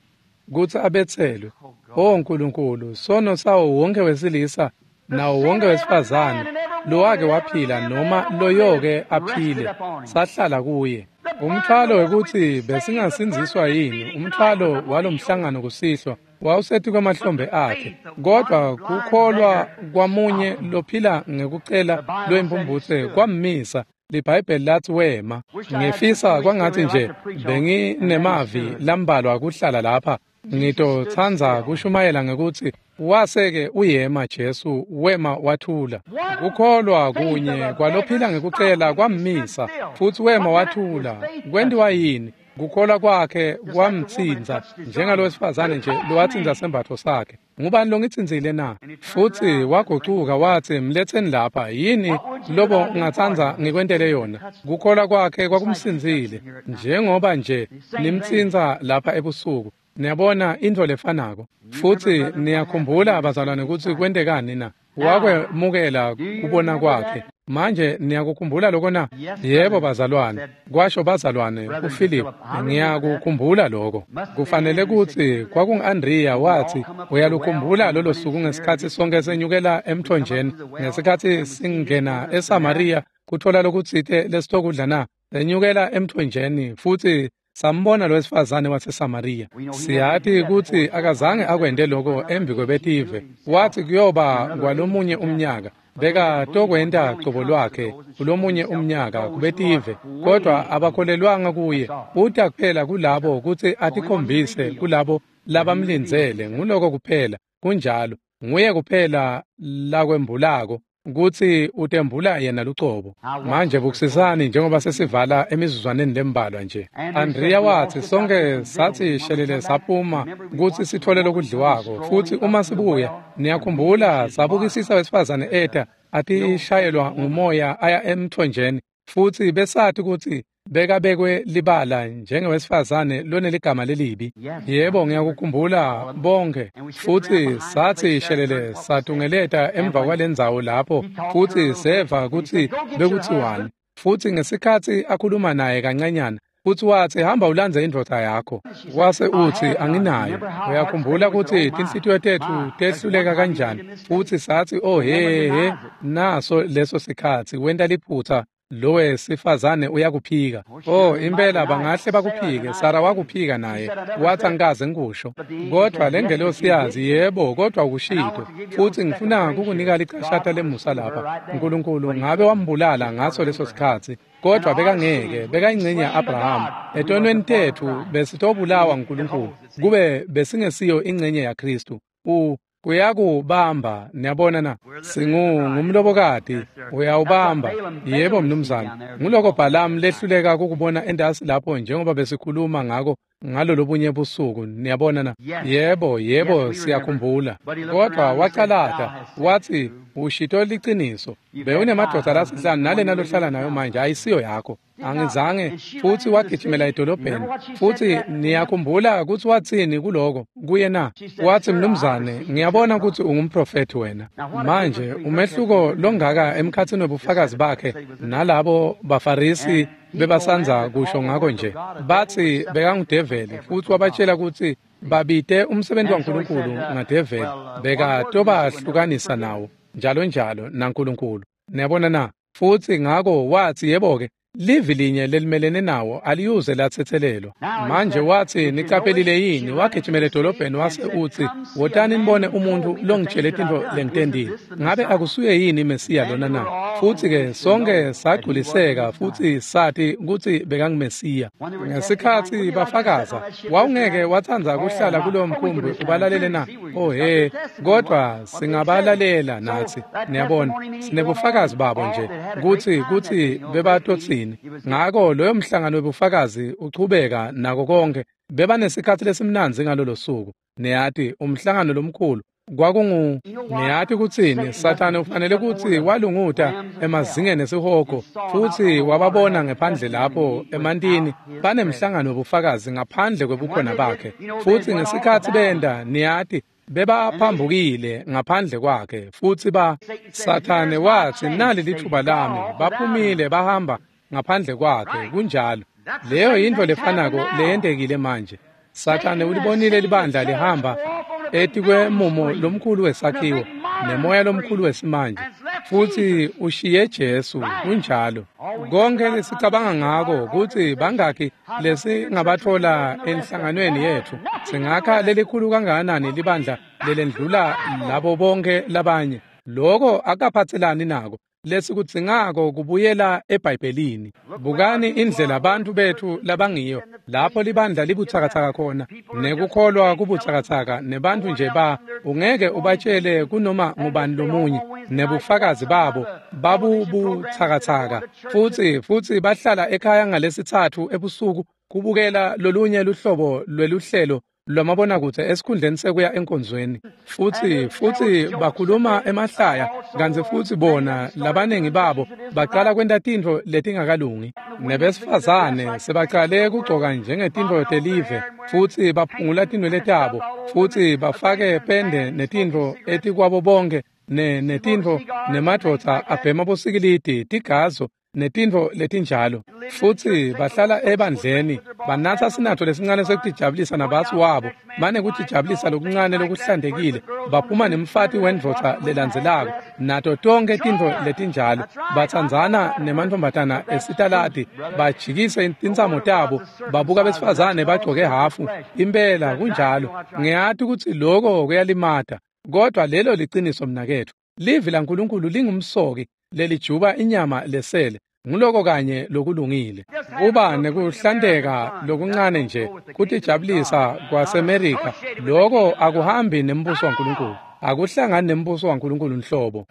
kutsi abetselwe. Oh Nkulunkulu, sono sawo wonke wesilisa nawo wonke wesifazane lowake waphila noma loyoke aphile sahlala kuye. Umthwalo wekutsi besingasindziswa yini, umthwalo walomhlangano kusihlwa wawusetikwe kwemahlombe akhe. Kodwa kukholwa kwamunye lophila ngekucela loyimpumphutse kwammisa. LiBhayibheli lathi wema. Ngifisa kwangatsi nje benginemavi lambalwa kuhlala lapha. Ngitotsandza kushumayela ngekutsi wase-ke uyema Jesu, wema wathula. Kukholwa kunye kwalophila ngekucela kwammisa, futsi wema wathula. Kwentiwa yini? Kukholwa kwakhe kwamtsintsa, njengalowesifazane nje lowatsintsa sembatfo sakhe. Ngubani longitsintsile na? Futsi wagucuka watsi, "Mletseni lapha. Yini lobo ngingatsandza ngikwentele yona?" Kukholwa kwakhe kwakumsindzile, njengoba nje nimtsintsa lapha ebusuku. Niyabona intfo lefanako. Futsi niyakhumbula bazalwane kutsi kwentekani na? Wakwemukela kubona kwakhe. Manje niyakukhumbula lokho na? Yebo bazalwane, kwasho bazalwane kuFilip, ngiyakukhumbula lokho. Kufanele kutsi kwakungu-Andrea wathi, "Uyalukhumbula lolo suku ngesikhatsi sonke senyukela emthonjeni, ngesikhatsi singena eSamariya kuthola lokutsite lesitokudla na? Senyukela emthonjeni futsi sambona lowesifazane waseSamariya." Siyati kutsi akazange akwente loko embi kwebetive. Wathi kuyoba kwalomunye umnyaka, bekatokwenta cobo lwakhe kulomunye umnyaka kubetive, kodwa abakholelwanga kuye. Uta kuphela kulabo kutsi atikhombise kulabo labamlindzele. Nguloko kuphela, kunjalo. Nguye kuphela lakwembulako kutsi utembula yena lucobo. Manje bukisisani njengoba sesivala emizuzwaneni lembalwa nje. Andrea wathi, "Sonke sathi shelele saphuma kutsi sithole lokudliwako, futsi uma sibuya, niyakhumbula sabukisisa wesifazane eta atishayelwa ngumoya aya emthonjeni, futsi besati kutsi bekabekwe libala njengewesifazane loneligama lelibi." Yebo, ngiyakukhumbula bonke. Futsi sathi shelele satungeleta emva kwalendzawo lapho, futsi seva kutsi bekutsiwani. Futsi ngesikhatsi akhuluma naye kancanyana, futsi watsi, "Hamba ulandze indvodza yakho." Wase utsi, "Anginayo." Uyakhumbula kutsi tinhlitiyo tetfu tehluleka kanjani? Futsi satsi, "Oh he he, naso leso sikhatsi wenta liphutsa. Lowe sifazane uyakuphika." Oh, impela bangahle bakuphike. Sara wakuphika naye. Wathi, "Angikaze ngikusho." Kodwa lengelosi yazi, "Yebo, kodwa ukushito. Futsi ngifuna kukunika licashata lemusa lapha. Nkulunkulu ngabe wambulala ngaso leso sikhatsi, kodwa bekangeke, bekayingcenye ya-Abrahama. Etonweni tetfu besitobulawa nguNkulunkulu, kube besingesiyo ingcenye yaKhristu. Kuyakubamba, niyabona na? Singumlobokati, uyawubamba." Yebo mnumzane. Nguloko Balamu lehluleka kukubona entasi lapho njengoba besikhuluma ngako ngalolobunye busuku, niyabona na? Yebo, yebo, siyakhumbula. Kodwa wacalata, wathi, ushito liciniso. Bewunemadvodza lasihlanu nalena lohlala nayo manje ayisiyo yakho. Angizange. Futhi wagijimela edolobheni. Futhi niyakhumbula ukuthi wathini kuloko kuye na? Wathi, mnumzane, ngiyabona ukuthi ungumprofethi wena. Manje umehluko longaka emkhathini wobufakazi bakhe nalabo baFarisi bebasanza kusho ngako nje. Bathi bekangudeveli futhi wabatshela ukuthi babite umsebenzi waNkulunkulu ngadeveli, bekatobahlukanisa nawo njalo njalo naNkulunkulu. Niyabona na? Futhi ngako wathi, yebo-ke, livi linye lelimelene nawo aliyuze lathethelelwa. Manje wathi, niqaphelile yini? Wagijimela edolobheni wase uthi, wotani nibone umuntu longitshele tintfo lengitendile. Ngabe akusuye yini Mesiya lona na? Futhi-ke sonke sagculiseka futhi sathi ukuthi bekanguMesiya. Ngesikhathi bafakaza, wawungeke watsandza kuhlala kulowo mkhumbi ubalalele na? Oh he, kodwa singabalalela nathi. Niyabona, sinebufakazi babo nje ukuthi bebatotsini. Ngako loyo mhlangano webufakazi uchubeka nako konke. Bebanesikhathi lesimnandzi ngalolo suku. Niyati umhlangano lomkhulu kwakungu, niyati kutsini, Sathane ufanele kutsi walunguta emazingeni esihogo futhi wababona ngephandle lapho emantini banemhlangano wobufakazi ngaphandle kwebukhona bakhe. Futhi ngesikhathi benda, niyati, bebaphambukile ngaphandle kwakhe. Futhi ba Sathane wathi, nali lithuba lami. Baphumile bahamba ngaphandle kwakhe. Kunjalo. Leyo yintfo lefanako leyentekile manje. Sathane ulibonile libandla lihamba etikwemumo lomkhulu wesakhiwo nemoya lomkhulu wesimanje, futhi ushiye Jesu. Kunjalo. Konke lesicabanga ngako ukuthi bangakhi lesingabathola enhlanganweni yethu, singakha lelikhulu kangakanani libandla lelendlula labo bonke labanye. Lokho akaphathelani nako. Lesikudzingako kubuyela eBhayibhelini. Bukani indlela abantu bethu labangiyo lapho libandla libutsakatsaka khona, nekukholwa kubutsakatsaka, nebantu nje ba ungeke ubatshele kunoma ngubani lomunye, nebufakazi babo babubutsakatsaka. Futhi bahlala ekhaya ngalesithathu ebusuku kubukela lolunye luhlobo lweluhlelo lwamabonakudze esikhundleni sekuya enkonzweni. Futhi bakhuluma emahlaya, kantsi futhi bona labaningi babo baqala kwenta tintfo letingakalungi. Nebesifazane sebaqale kugcoka njengetintfo telive, futhi baphungula tinwele tabo, futhi bafake pende netintfo etikwabo bonke, netintfo, nemadvodza abhema bosikilidi, tigazo, netintfo letinjalo. Futhi bahlala ebandleni banatsa sinatho lesincane sekutijabulisa nabatsi wabo, banekutijabulisa lokuncane lokuhlantekile, baphuma nemfati wendvodza lelandzelako nato tonke tintfo letinjalo. Batsandzana nemantfombatana esitaladi, bajikise tintsamo tabo, babuka besifazane bagcoke hafu. Impela kunjalo. Ngiyati kutsi loko kuyalimata, kodwa lelo liciniso mnaketfu. Livi laNkulunkulu lingumsoki lelijuba inyama lesele. Nguloko kanye lokulungile. Kuba nekuhlanteka lokuncane nje kutijabulisa kwaseMerika, loko akuhambi nembuso waNkulunkulu. Akuhlangani nembuso waNkulunkulu nhlobo.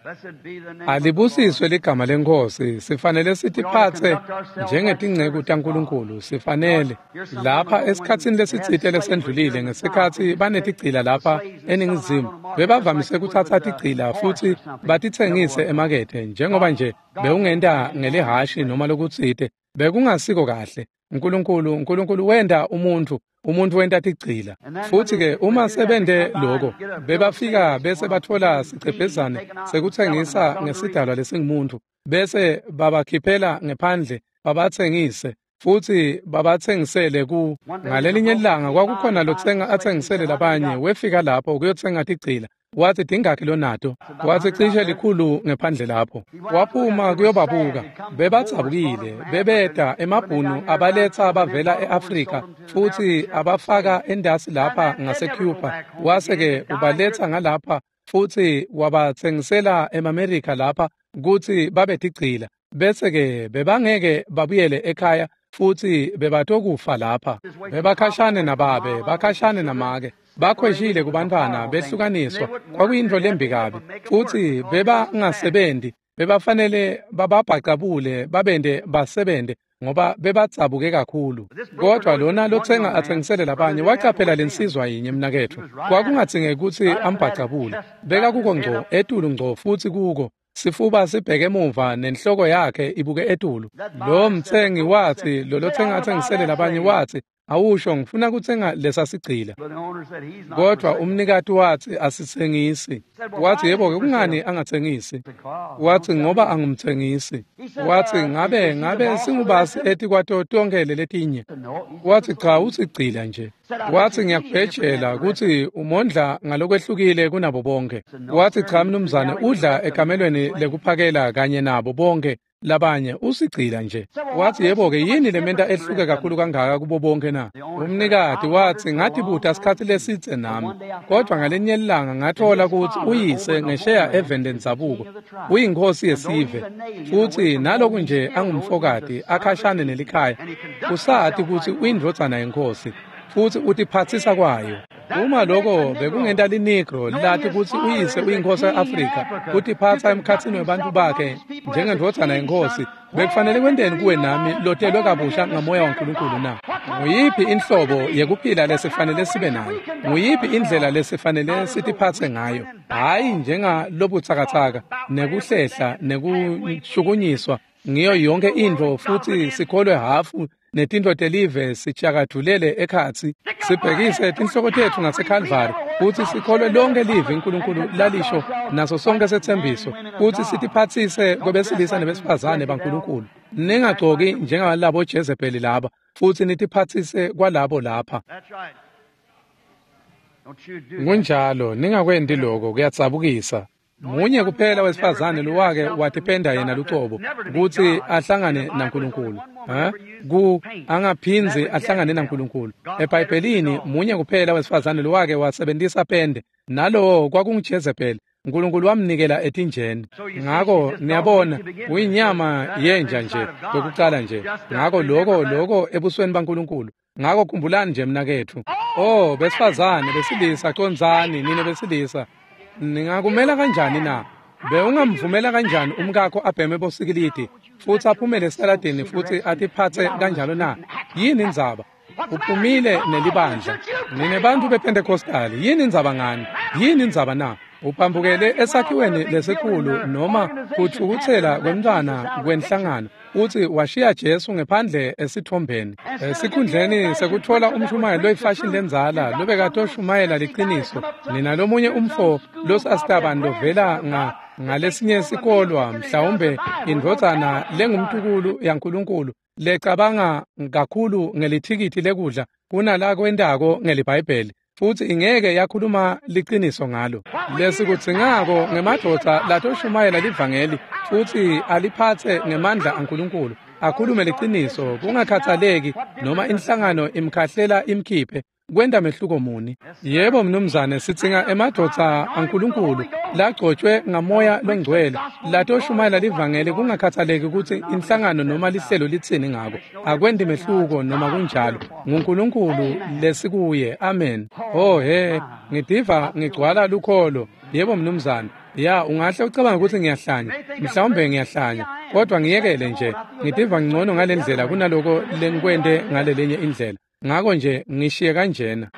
Alibusiswe ligama leNkhosi. Sifanele sitiphatse njengetinceku taNkulunkulu. Sifanele lapha esikhatsini lesitsite lesendlulile, ngesikhatsi banetigcila lapha eNingizimu, bebavamise kutsatsa tigcila futhi batitsengise emakethe, njengoba nje bewungenta ngelihashi noma lokutsite. Bekungasiko kahle. Nkulunkulu wenta umuntfu, umuntfu wenta tigcila. Futhi-ke uma sebente loko, bebafika bese batfola sicebhezane sekutsengisa ngesidalwa lesingumuntu, bese babakhiphela ngephandle babatsengise, futhi babatsengisele ku. Ngalelinye ilanga kwakukhona lotsenga atsengisele labanye, wefika lapho kuyotsenga tigcila. Wathi, tingakhi lonato? Wathi, cishe likhulu ngephandle lapho. Waphuma kuyobabuka. Bebadzabukile, bebeta emabhunu abaletsa bavela e-Afrika futhi abafaka endasi lapha ngaseCuba. Wase-ke ubaletsa ngalapha futhi wabatsengisela emaMerika lapha kutsi babe tigcila. Bese-ke bebangeke babuyele ekhaya futhi bebatokufa lapha. Bebakhashane nababe, bakhashane namake. Bakhweshile kubantfwana, behlukaniswa. Kwakuyintfo lembi kabi. Futhi bebangasebenzi, Bebafanele bababhacabule babende basebente ngoba bebadzabuke kakhulu. Kodwa lona lotsenga atsengisele labanye wacaphela lensizwa yinye mnaketfu. Kwakungadzingeki kutsi ambhacabule. Beka kuko ngco etulu ngco futsi kuko. Sifuba sibheke emuva nenhloko yakhe ibuke etulu. Lo mtsengi watsi lolotsenga atsengisele labanye watsi, awusho ngifuna kutsenga lesa sigcila. Kodwa umnikati watsi asitsengisi. Watsi yebo-ke kungani angatsengisi? Watsi ngoba angumtsengisi. Watsi ngabe singubasi etikwato tonkhe leletinye? Watsi cha usigcila nje. Watsi ngiyakubhejela kutsi umondla ngalokwehlukile kunabo bonke. Watsi cha mnumzane udla ekamelweni lekuphakela kanye nabo bonke labanye usigcila nje. Watsi yebo-ke yini lementa ehluke kakhulu kangaka kubo bonke na? Umnikati watsi ngatibuta sikhatsi lesidze nami, kodwa ngalinye ilanga ngathola kutsi uyise ngesheya eveni lendzabuko uyinkhosi yesive, futsi naloku nje angumfokati akhashane nelikhaya, usati kutsi uyindvodzana yenkosi futsi utiphatsisa kwayo. Uma lokho bekungenta linegro lati kutsi uyise uyinkosi e-Afrika, kutiphatsa emkhatsini webantfu bakhe njengendvodzana yenkosi, bekufanele kwenteni kuwe nami lotelwe kabusha ngamoya waNkulunkulu na? Nguyiphi inhlobo yekuphila lesifanele sibe nayo? Nguyiphi indlela lesifanele sitiphatse ngayo? Hhayi njengalobutsakatsaka nekuhlehla nekushukunyiswa ngiyo yonke intfo futsi sikholwe hafu netintfo telive sitshakadvulele ekhatsi, sibhekise tinhloko tetfu ngaseKhalvari futsi sikholwe lonke livi uNkulunkulu lalisho naso sonke setsembiso, futsi sitiphatsise kwebesilisa nebesifazane baNkulunkulu. Ningagcoki njengalabo Jezebeli laba, futsi nitiphatsise kwalabo lapha. Kunjalo, ningakwenti lokho, kuyadzabukisa. Munye kuphela wesifazane lowake watipenda yena lucobo kutsi ahlangane naNkulunkulu. Angaphindzi ahlangane naNkulunkulu. EBhayibhelini munye kuphela wesifazane lowake wasebentisa pende, nalowo kwakunguJezebeli. uNkulunkulu wamnikela etinjeni. Ngako niyabona uyinyama yenja nje kwekucala nje. Ngako lokho ebusweni baNkulunkulu. Ngako khumbulani nje mnaketfu. Oh besifazane besilisa, condzani nine besilisa. Ningakumela kanjani na? Bewungamvumela kanjani umkakho abheme bosikilidi futsi aphumele esitaladini futsi atiphatse kanjalo na? Yini indzaba? Uphumile nelibandla. Nine bantfu bePentecostali, yini indzaba ngani? Yini indzaba na? Uphambukele esakhiweni lesikhulu noma kutfukutsela kwemntfwana kwenhlangano, utsi washiya Jesu ngephandle esitfombeni. Esikhundleni sekutfola umshumayeli loyifashini lendzala lobekatoshumayela liqiniso, nina lomunye umfo losasitabani lovela ngalesinye sikolwa, mhlawumbe indvodzana lengumtukulu yaNkulunkulu lecabanga kakhulu ngelithikithi lekudla kunala kwentako ngeliBhayibheli, futsi ingeke yakhuluma liqiniso ngalo. Lesikudzingako ngemadvodza latoshumayela livangeli futsi aliphatse ngemandla aNkulunkulu, akhulume liqiniso kungakhathaleki noma inhlangano imkhahlela imkhiphe, kwenta mehluko muni? Yebo mnumzane, sidzinga emadvodza aNkulunkulu lagcotshwe ngamoya longcwele latoshumayela livangeli kungakhathaleki kutsi inhlangano noma lihlelo litsini ngako. Akwenti mehluko noma kunjalo. NguNkulunkulu lesikuye. Amen. Oh he, ngidiva ngigcwala lukholo. Yebo mnumzane. Ya, ungahle ucabanga ukuthi ngiyahlanya, mhlawumbe ngiyahlanya, kodwa ngiyekele nje. Ngidiva ngcono ngalendlela kunaloko lengikwente ngalelinye indlela. Ngako nje ngishiye kanjena.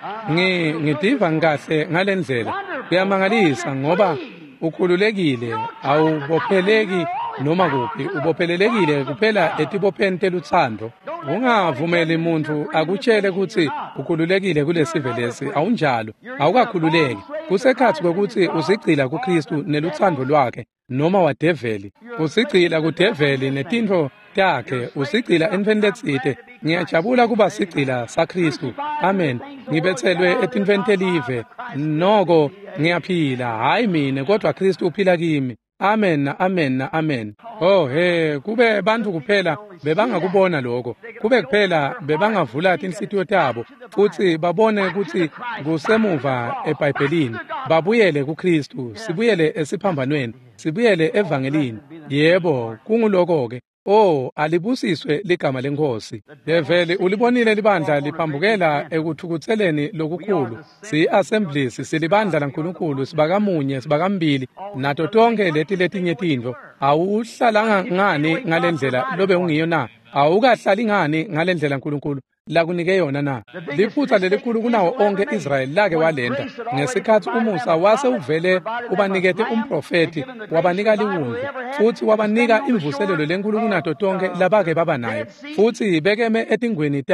Ngidiva ngikahle ngalendlela. Kuyamangalisa ngoba ukhululekile, awubopheleki noma kuphi, ubophelelekile kuphela etibopheni telutsandvo. Ungavumeli muntu akutshele kutsi ukhululekile kulesive lesi. Awunjalo, awukakhululeki. Kusekhatsi kwekutsi usigcila kuKristu nelutsandvo lwakhe noma wadeveli. Usigcila kudeveli netintfo takhe, usigcila entfweni letsite. Ngiyajabula kuba sigcila saKristu. Amen. Ngibetselwe etintfweni telive, noko ngiyaphila, hhayi mine, kodwa Kristu uphila kimi. Amen, amen, amen. Oh he, kube bantfu kuphela bebangakubona lokho. Kube kuphela bebangavula tinhlitiyo tabo futsi babone kutsi kusemuva eBhayibhelini. Babuyele kuKristu, sibuyele esiphambanweni, sibuyele evangelini. Yebo, kunguloko ke. Oh, alibusiswe ligama leNkhosi. Develi ulibonile libandla liphambukela ekuthukutseleni lokukhulu. Si-Assemblies, silibandla laNkulunkulu, sibakamunye, sibakambili, nato tonke leti letinye tintfo. Awuhlalanga ngani ngalendlela lobe ungiyo na? Awukahlali ngani ngalendlela uNkulunkulu lakunike yona na? Liphutha lelikhulu kunawo onke Israyeli lake walenta ngesikhatsi umusa wase uvele ubanikete umprofethi, wabanika liwundlu, futsi wabanika imvuselelo lenkulu kunato tonke labake baba nayo, futsi bekeme etingweni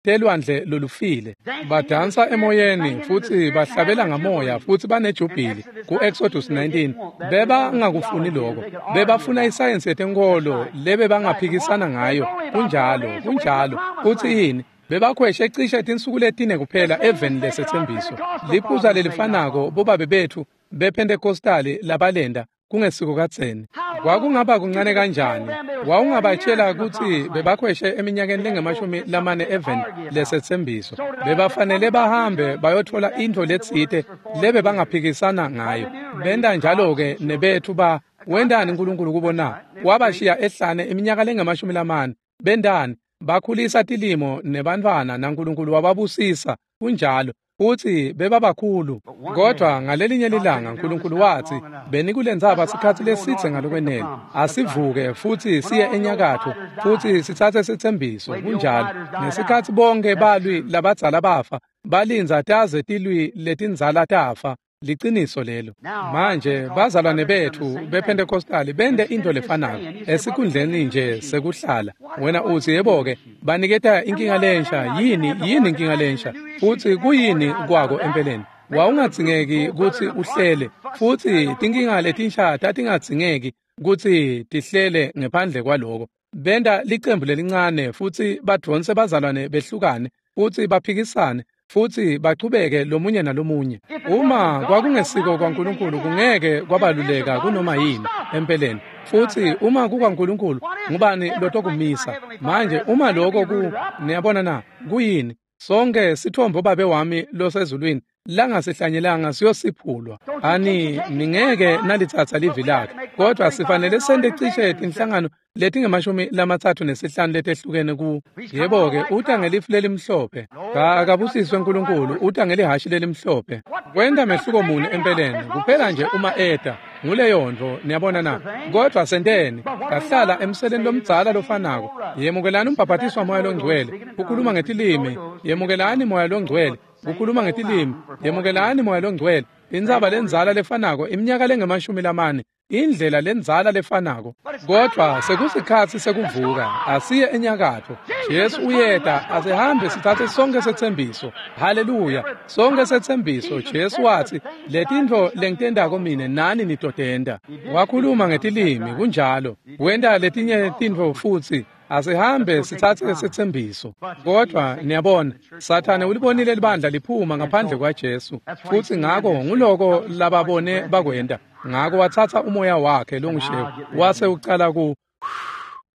telwandle lolufile, badansa emoyeni futsi bahlabela ngamoya futsi banejubhili. Ku-Exodus 19 bebangakufuni lokho, bebafuna isayensi yetenkolo lebe bangaphikisana ngayo. Kunjalo, kunjalo. Futsi yini? Bebakhweshe cishe tinsuku letine kuphela eveni lesetsembiso. Liphutsa lelifanako bobabe bethu bePentecostali labalenda kungesiko kadzeni. Kwakungaba kuncane kanjani? Wawungabatshela kutsi bebakhweshe eminyakeni lengamashumi lamane eveni lesetsembiso. Bebafanele bahambe bayothola intfo letsite lebe bangaphikisana ngayo. Benta njalo-ke nebethu ba wentani uNkulunkulu kubo na? Wabashiya ehlane iminyaka lengamashumi lamane. Bentani? Bakhulisa tilimo nebantfwana naNkulunkulu wababusisa. Kunjalo. Futsi bebabakhulu. Kodwa ngalelinye lilanga uNkulunkulu watsi, "Benikulenzaba sikhatsi lesitse ngalokwenele. Asivuke futsi siye enyakatfo futsi sitsatse setsembiso." Kunjalo. Ngesikhatsi bonke balwi labadzala bafa, balindza taze tilwi letindzala tafa. Liciniso lelo. Manje bazalwane bethu bePentecostali bente intfo lefanako esikhundleni nje sekuhlala. Wena utsi, "Yebo-ke, baniketa inkinga lensha." Yini yini inkinga lensha? Futsi kuyini kwako empeleni? Wawungadzingeki kutsi uhlele, futsi tinkinga letinsha tatingadzingeki kutsi tihlele ngephandle kwaloko. Benta licembu lelincane futsi badvonse bazalwane behlukane futsi baphikisane futsi bachubeke lomunye nalomunye. Uma kwakungesiko kwaNkulunkulu, kungeke kwabaluleka kunoma yini empeleni. Futsi uma kukwaNkulunkulu, ngubani lotokumisa? Manje uma lokho ku niyabona na, kuyini? Sonke sithombo babe wami losezulwini langasihlanyelanga siyosiphulwa. Ani ningeke nalitsatsa livi lakhe, kodwa sifanele sente cishe tinhlangano letingamashumi 35 letehlukene ku. Yebo-ke, uta ngelifu lelimhlophe. Akabusiswe uNkulunkulu, uta ngelihashi lelimhlophe. Kwenta mehluko muni empeleni? Kuphela nje uma eta nguleyo nto, niyabona na? Kodwa senteni? Kahlala emseleni lomdzala lofanako. Yemukelani umbhabhatiswa moya longcwele, kukhuluma ngetilimi. Yemukelani moya longcwele, kukhuluma ngetilimi. Yemukelani moya longcwele. Intsaba lendzala lefanako iminyaka lengamashumi lamane, indlela lendzala lefanako. Kodwa sekusikhatsi sekuvuka. Asiye enyakatfo. Jesu uyeta. Asihambe sitsatse sonke setsembiso. Haleluya! Sonke setsembiso. Jesu watsi, "Letintfo lengitentako mine nani nitotenta." Wakhuluma ngetilimi, kunjalo. Wenta letinye tintfo futsi. Asihambe sitsatse setsembiso. Kodwa niyabona, Sathane ulibonile libandla liphuma ngaphandle kwaJesu, futsi ngako nguloko lababone bakwenta. Ngako watsatsa umoya wakhe longushevu wase ucala ku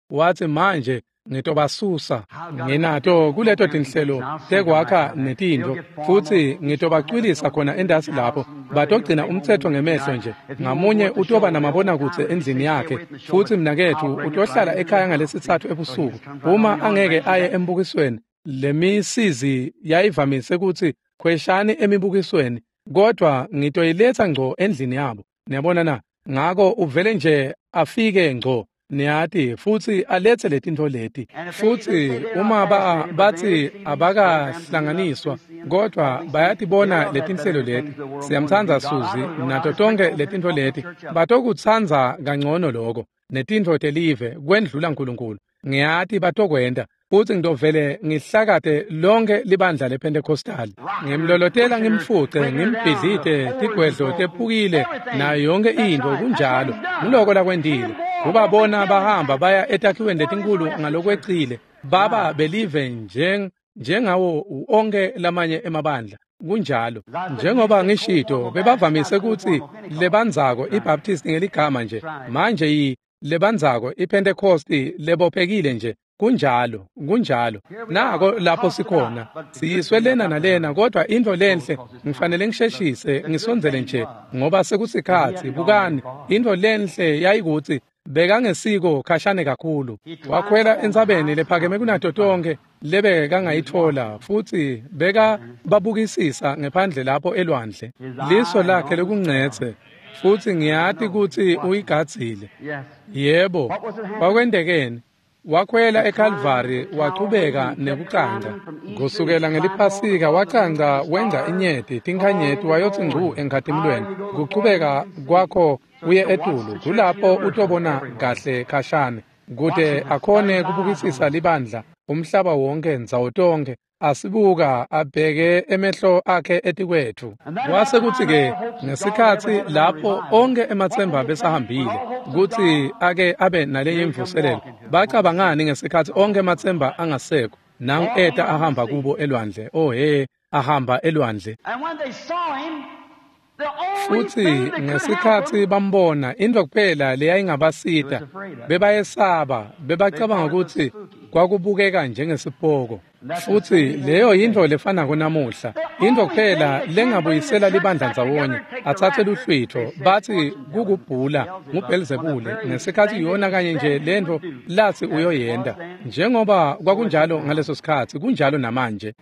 watsi, "Manje ngitobasusa. Nginato kuleto tinhlelo tekwakha netintfo, futsi ngitobacwilisa khona entasi lapho. Batogcina umtsetfo ngemehlo nje. Ngamunye utoba namabonakudze endlini yakhe, futsi mnaketfu utohlala ekhaya ngalesitsatfu ebusuku uma angeke aye embukisweni." Lemisizi yayivamise kutsi, "Khweshani emibukisweni," kodwa ngitoyiletsa ngco endlini yabo. Niyabona na? Ngako uvele nje afike ngco, niyati, futsi aletse letintfo leti. Futsi uma batsi abakahlanganiswa, kodwa bayatibona letinhlelo leti, "Siyamtsandza Suzi," nato tonke letintfo leti, batokutsandza kangcono loko netintfo telive kwendlula uNkulunkulu. Ngiyati batokwenta, futsi ngitovele ngihlakate lonke libandla lePentecostal. Ngimlolotela, ngimfuce, ngimbhidlite, tigwedlo tephukile nayo yonke intfo. Kunjalo. Nguloko lakwentile. Kubabona bahamba baya etakhiweni letinkhulu ngalokwecile, baba belive njengawo onke lamanye emabandla. Kunjalo. Njengoba ngishito, bebavamise kutsi lebandzako iBaptist ngeligama nje. Manje yi lebandzako iPentecost lebophekile nje. Kunjalo, kunjalo. Nako lapho sikhona. Siyiswe lena nalena, kodwa intfo lenhle, ngifanele ngisheshise ngisondzele nje ngoba sekusikhatsi. Bukani, intfo lenhle yayikutsi Bekangesiko khashane kakhulu. Wakhwela entsabeni lephakeme kunato tonke lebekangayitfola futsi beka babukisisa ngephandle lapho elwandle. Liso lakhe lekungcetse futsi ngiyati kutsi uyigadzile. Yebo, kwakwendekeni? Wakhwela eKalvari wachubeka nekucanca. Kusukela ngeliphasika wacanca wenza inyeti tinkhanyeti wayotsi ngcu enkhatimulweni. Kuchubeka kwakho uye etulu kulapho utobona kahle khashane kute akhone kubukisisa libandla umhlaba wonke ndzawo tonke asibuka abheke emehlo akhe etikwethu. Kwase kutsi-ke ngesikhatsi lapho onke ematsemba besahambile kutsi ake abe nalenye imvuselelo, bacabangani ngesikhatsi onke ematsemba angasekho? Nangu eta ahamba kubo elwandle. Oh he, ahamba elwandle. Futsi ngesikhatsi bambona, intfo kuphela leyayingabasita, bebayesaba, bebacabanga kutsi kwakubukeka njengesipoko. Futsi leyo yintfo lefanako namuhla, intfo kuphela lengabuyisela libandla ndzawonye, atsatse luhlwitfo, batsi kukubhula nguBhelzebule, ngesikhatsi yona kanye nje lentfo latsi uyoyenta. Njengoba kwakunjalo ngaleso sikhatsi, kunjalo namanje.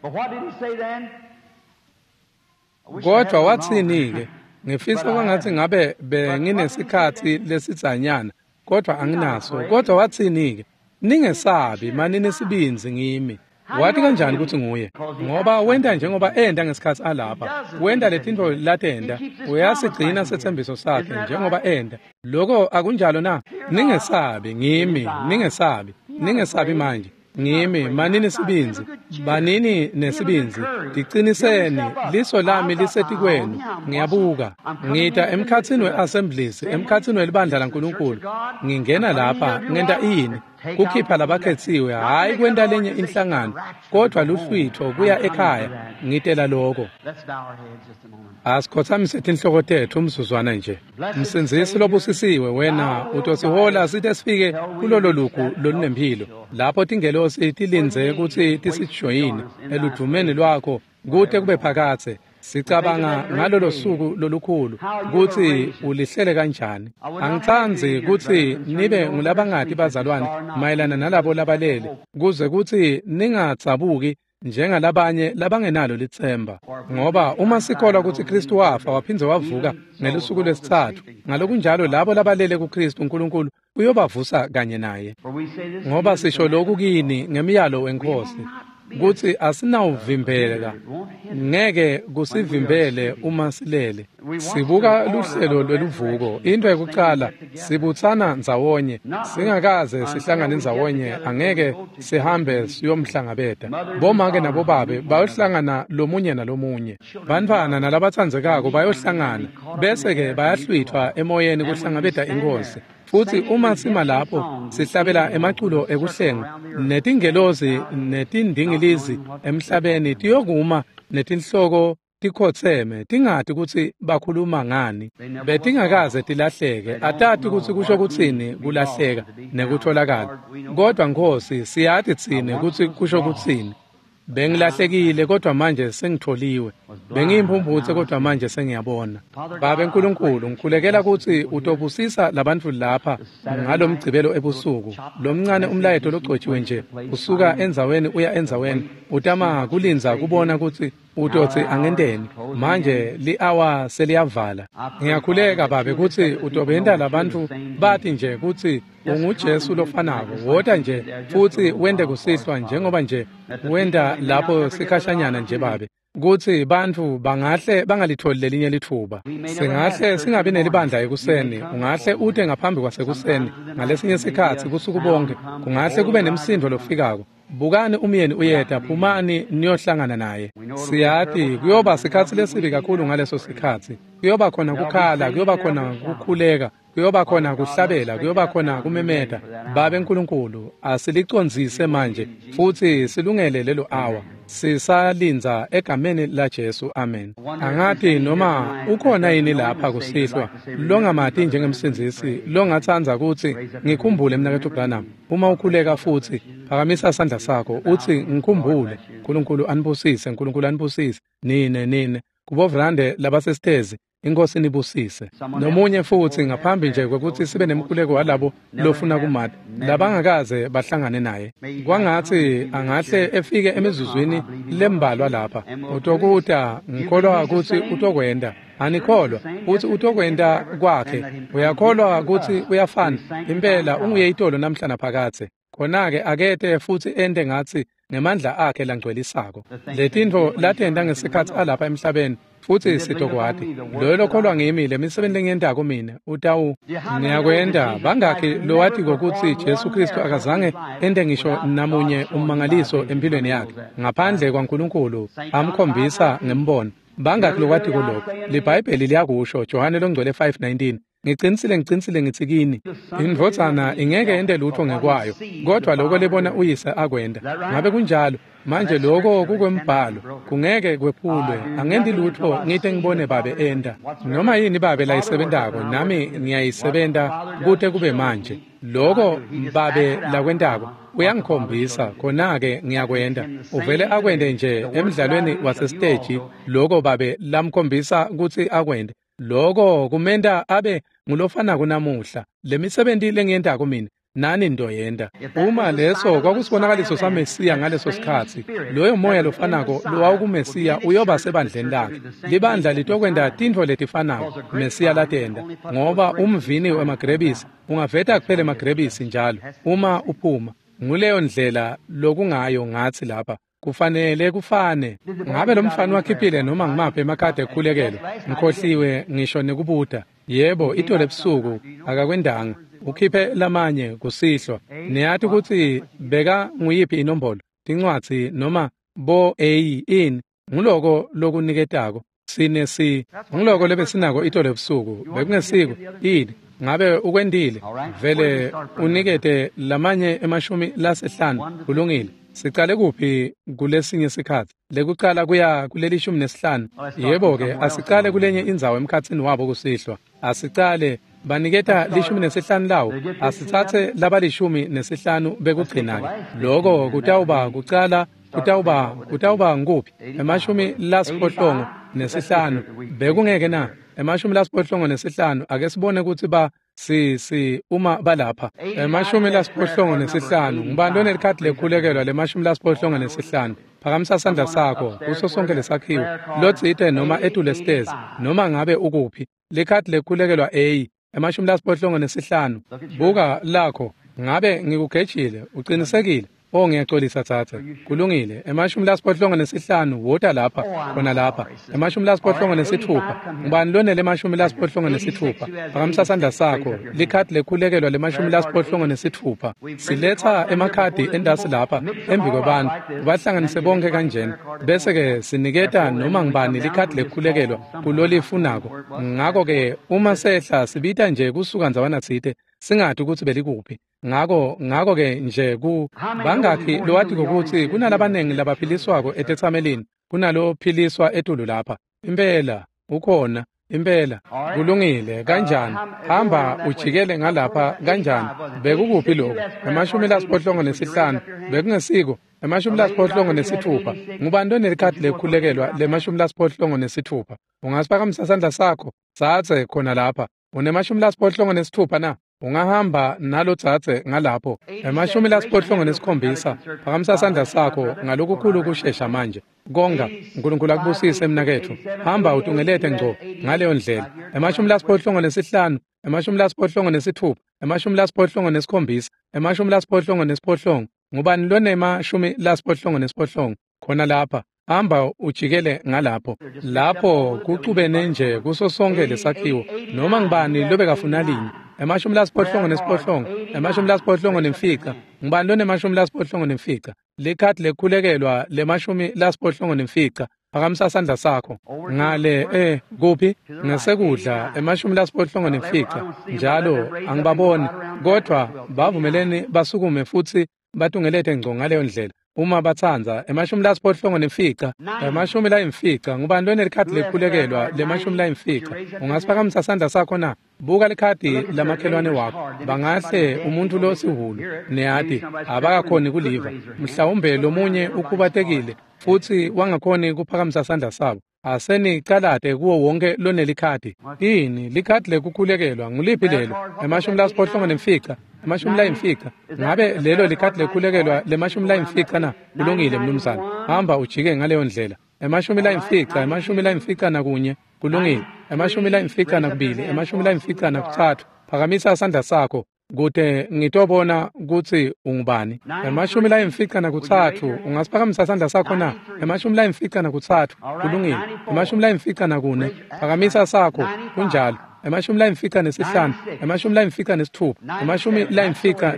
Kodwa watsini-ke? Ngifisa kwangatsi ngabe benginesikhatsi lesidzanyana, kodwa anginaso. Kodwa watsini-ke? Ningesabi, manini sibindzi ngimi. Wati kanjani kutsi nguye? Ngoba wenta njengoba enta ngesikhatsi alapha. Wenta letintfo latenta. Uyasigcina setsembiso sakhe njengoba enta. Loko akunjalo na? Ningesabi ngimi, ningesabi. Ningesabi manje. Ngimi, manini sibindzi, banini nesibindzi, tiqiniseni, liso lami lisetikwenu, ngiyabuka, ngita emkhatsini we-assemblies, emkhatsini welibandla laNkulunkulu, ngingena lapha, ngenta ini, kukhipha labakhetsiwe, hhayi kwenta lenye inhlangano, kodvwa luhlwitfo kuya ekhaya, ngitela loko. Asikhotsamise tinhloko tetfu umzuzwana nje. Msindzisi lobusisiwe, wena utosihola site sifike kulolo lugu lolunemphilo, lapho tingelosi tilindze kutsi tisijoyine eludvumeni lwakho kute kube phakadze. Sicabanga ngalolo suku lolukhulu kutsi ulihlele kanjani. Angitsandzi kutsi nibe ngulabangati bazalwane mayelana nalabo labalele, kuze kutsi ningadzabuki njengalabanye labangenalo litsemba. Ngoba uma sikholwa kutsi Kristu wafa waphindze wavuka ngelusuku lwesitsatfu, ngalokunjalo labo labalele kuKristu uNkulunkulu uyobavusa kanye naye. Ngoba sisho lokhu kini ngemiyalo weNkhosi, kutsi asinawuvimbeleka, ngeke kusivimbele uma silele. Sibuka luhlelo lweluvuko, into yekucala sibutsana ndzawonye, singakaze sihlangane ndzawonye, angeke sihambe siyomhlangabeta. Bomake nabobabe bayohlangana lomunye nalomunye, bantfwana nalabatsandzekako bayohlangana, bese-ke bayahlwithwa emoyeni kuhlangabeta iNkhosi. Futsi uma sima lapho sihlabela emaculo ekuhlenga, netingelosi netindingilizi emhlabeni tiyokuma netinhloko tikhotseme, tingati kutsi bakhuluma ngani. Betingakaze tilahleke, atati kutsi kusho kutsini kulahleka nekutholakala. Kodwa Nkhosi, siyati tsine kutsi kusho kutsini. Bengilahlekile kodwa manje sengitholiwe. Bengiyimphumphutse kodwa manje sengiyabona. Babe Nkulunkulu, ngikhulekela kutsi utobusisa labantfu lapha ngalomgcibelo ebusuku. Lomncane umlayeto logcotjiwe nje usuka endzaweni uya endzaweni, utama kulindza kubona kutsi utotsi angenteni. Manje li-awa seliyavala. Ngiyakhuleka Babe kutsi utobenta labantfu bati nje kutsi unguJesu lofanako. Wota nje futsi wente kusihlwa njengoba nje wenta lapho sikhashanyana nje Babe, kutsi bantfu bangahle bangalitholi lelinye litfuba. Singahle singabi nelibandla ekuseni, ungahle ute ngaphambi kwasekuseni, ngalesinye sikhatsi busuku bonke, kungahle kube nemsindo lofikako. Bukani umyeni uyeta, phumani niyohlangana naye. Siyati kuyoba sikhatsi lesibi kakhulu ngaleso sikhatsi. Kuyoba khona kukhala, kuyoba khona kukhuleka, kuyoba khona kuhlabela, kuyoba khona kumemeta. Babe Nkulunkulu, asilicondzise manje futsi silungele lelo awa. Sisalindza egameni la Jesu, amen. Angati noma ukhona yini lapha kusihlwa longamati njengemsindzisi, longatsandza kutsi ngikhumbule mnaketfu Branham. Uma ukhuleka futsi phakamisa sandla sakho utsi ngikhumbule. Nkulunkulu anibusise, Nkulunkulu anibusise nine nine kubovrande labasesitezi. Inkosi nibusise. Nomunye futhi ngaphambi nje kwekuthi sibe nemkhuleko walabo lofuna kumata labangakaze bahlangane naye. Kwangathi angahle efike emizuzwini lembalwa lapha. Utokuta ngikholwa ukuthi utokwenda. Anikholwa uthi utokwenda kwakhe. Uyakholwa ukuthi uyafana. Impela unguye itolo namhla naphakathe. Khona-ke akete futhi ente ngathi ngemandla akhe langcwelisako. Letintfo latenta ngesikhatsi alapha emhlabeni futhi sitokwati. Loyo lokholwa ngimi lemisebenti lengiyentako mina utawu niyakwenta. Bangakhi lowati kokuthi Jesu Kristu akazange ente ngisho namunye ummangaliso empilweni yakhe ngaphandle kwaNkulunkulu amkhombisa ngembono. Bangakhi lokwatiko lokho? LiBhayibheli liyakusho, Johane longcwele 5:19. Ngicinisile ngicinisile ngithi kini, indvodzana ingeke ente lutho ngekwayo, kodwa lokho lebona uyise akwenda. Ngabe kunjalo? Manje lokho kukwembhalo, kungeke kwephulwe. Angendi lutho ngite ngibone babe enda. Noma yini babe layisebentako, nami ngiyayisebenta kute kube manje. Lokho babe lakwentako uyangikhombisa, khona-ke ngiyakwenda. Uvele akwende nje emdlalweni wasesiteji lokho babe lamkhombisa kutsi akwende. Lokho kumenta abe ngulofanako namuhla. Lemisebenti lengiyentako mina nani ndoyenda. Uma leso kwakusibonakaliso saMesiya ngaleso sikhatsi, loyo moya lofanako lowawukuMesiya uyoba sebandleni lakhe. Libandla litokwenta tintfo letifanako Mesiya latenta, ngoba umvini wemagrebisi ungaveta kuphela emagrebisi njalo uma uphuma. Nguleyo ndlela lokungayo ngatsi lapha. Kufanele kufane. Ngabe lo mfana wakhiphile noma ngimaphi emakhadi ekukhulekelo? Ngikhohliwe ngisho nekubuta. Yebo, itolo ebusuku akakwendanga. Ukhiphe lamanye kusihlwa. Niyati kutsi beka nguyiphi inombolo? Tincwadzi noma bo A in nguloko lokuniketako. Sine si nguloko lebesinako itolo ebusuku. Bekungesiko ini. Ngabe ukwendile? Vele unikete lamanye 50. Kulungile. Sicale kuphi kulesinye sikhatsi? Lekucala kuya kuleli 15. Yebo-ke, asicale kulenye indzawo emkhatsini wabo kusihlwa. Asicale baniketa 15 lawo. Asitsatse labali-15 bekugcina-ke. Loko kutawuba kucala, kutawuba nguphi? 85. Bekungeke na? 85. Ake sibone kutsi ba si uma balapha. 85. Ngubani lonelikhadi lekukhulekelwa le-85? Phakamisa sandla sakho kuso sonke lesakhiwo lotsite noma etule stairs noma ngabe ukuphi. Likhadi lekukhulekelwa A 85. Buka lakho. Ngabe ngikugejile? Uqinisekile? Oh, ngiyaxolisa tsatsa. Kulungile. 85 wota lapha, khona lapha. 86. Ngubani lonele 86? Phakamisa sandla sakho. Likhadi lekukhulekelwa le-86. Siletha emakhadi endasi lapha embi kwabantu. Ubahlanganise bonke kanjena. Bese ke siniketa noma ngubani likhadi lekukhulekelwa kulolifunako. Ngakho ke uma sehla sibita nje kusuka ndzawana tsite singati ukuthi belikuphi. Ngako ke nje ku bangakhi lowati ukuthi kunalabanengi labaphiliswako etetsamelini kunalophiliswa etulu lapha. Impela ukhona, impela. Kulungile. Kanjani? Hamba ujikele ngalapha kanjani? Bekukuphi lokho? 85. Bekungesiko 86. Ngubani lonelikhadi lekukhulekelwa le-86? Ungasiphakamisa sandla sakho tsatse khona lapha. Une-86 na? Ungahamba nalo tsatse ngalapho. 87. Phakamisa sandla sakho ngalokukhulu kushesha manje. Konga, uNkulunkulu akubusise mnaketfu. Hamba utungelete ngco ngaleyo ndlela. 85, 86, 87, 87. Ngubani lonema-87 khona lapha? Hamba ujikele ngalapho. Lapho kucubene nje kuso sonke lesakhiwo. Noma ngubani lobekafuna linye. 85, 85. Ngubani lone-85? Likhadi lekukhulekelwa le-85. Phakamisa sandla sakho. Ngale kuphi? Ngesekudla 85. Njalo angibaboni, kodwa bavumeleni basukume futhi batungelete ngco ngaleyo ndlela. Uma batsandza 85, 90. Ngubani lonelikhadi lekukhulekelwa le-90? Ungasiphakamisa sandla sakho na? Buka likhadi lamakhelwane wakho. Bangahle umuntu losihulu niyati abakakhoni kuliva. Mhlawumbe lomunye ukhubatekile futhi wangakhoni kuphakamisa sandla sabo. Asenicalate kuwo wonke lonelikhadi. Ini likhadi lekukhulekelwa nguliphi lelo? 85, 50. Ngabe lelo likhadi lekukhulekelwa le-50 na? Kulungile mnumzane. Hamba ujike ngaleyo ndlela. 50, 51. Kulungile. 52, 53. Phakamisa isandla sakho kute ngitobona kutsi ungubani. 53, ungasiphakamisa isandla sakho na? 53, kulungile. 54, phakamisa sakho, kunjalo. 55, 56,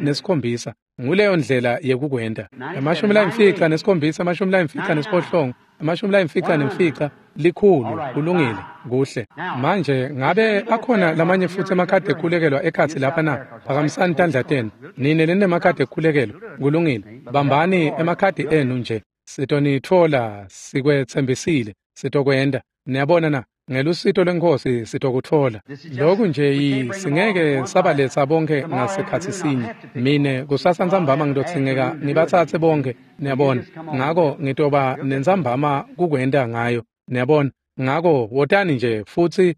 57. Nguleyo ndlela yekukwenta. 57, 57, 55, 100. Kulungile, kuhle. Manje ngabe akhona lamanye futhi emakhadi ekukhulekelwa ekhatsi lapha na? Phakamisani tandla tenu nine lenemakhadi ekukhulekelwa. Kulungile, bambani emakhadi enu nje. Sitonitfola, sikwetsembisile, sitokwenta. Niyabona na? Ngelusito lweNkhosi sitokutfola. Lokhu nje singeke sabaletsa bonke ngasikhatsi sinye. Mine kusasa ntsambama ngitodzingeka ngibatsatse bonke, niyabona. Ngako ngitoba nentsambama kukwenta ngayo, niyabona. Ngako wotani nje futsi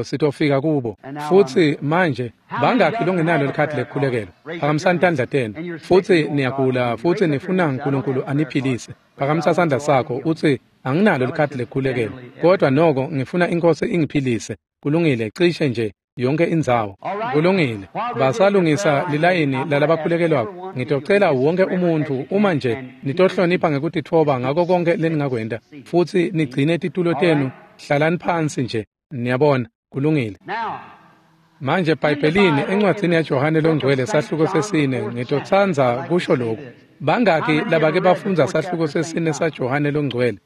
sitofika kubo. Futsi manje bangakhi longenalo likhadi lekukhulekelwa? Phakamisani tandla tenu. Futsi niyagula futsi nifuna uNkulunkulu aniphilise. Phakamisa sandla sakho utsi anginalo likhadi lekukhulekelwa, kodwa noko ngifuna iNkhosi ingiphilise. Kulungile, cishe nje yonke indzawo. Kulungile. Basalungisa lilayini lalabakhulekelwako. Ngitocela wonke umuntfu uma nje nitohlonipha ngekutitfoba ngako konke leningakwenta, futsi nigcine titulo tenu, hlalani phansi nje. Niyabona, kulungile. Manje eBhayibhelini encwadzini yaJohane loNgcwele sahluko 4, ngitotsandza kusho lokhu. Bangaki labake bafundza sahluko 4 saJohane loNgcwele?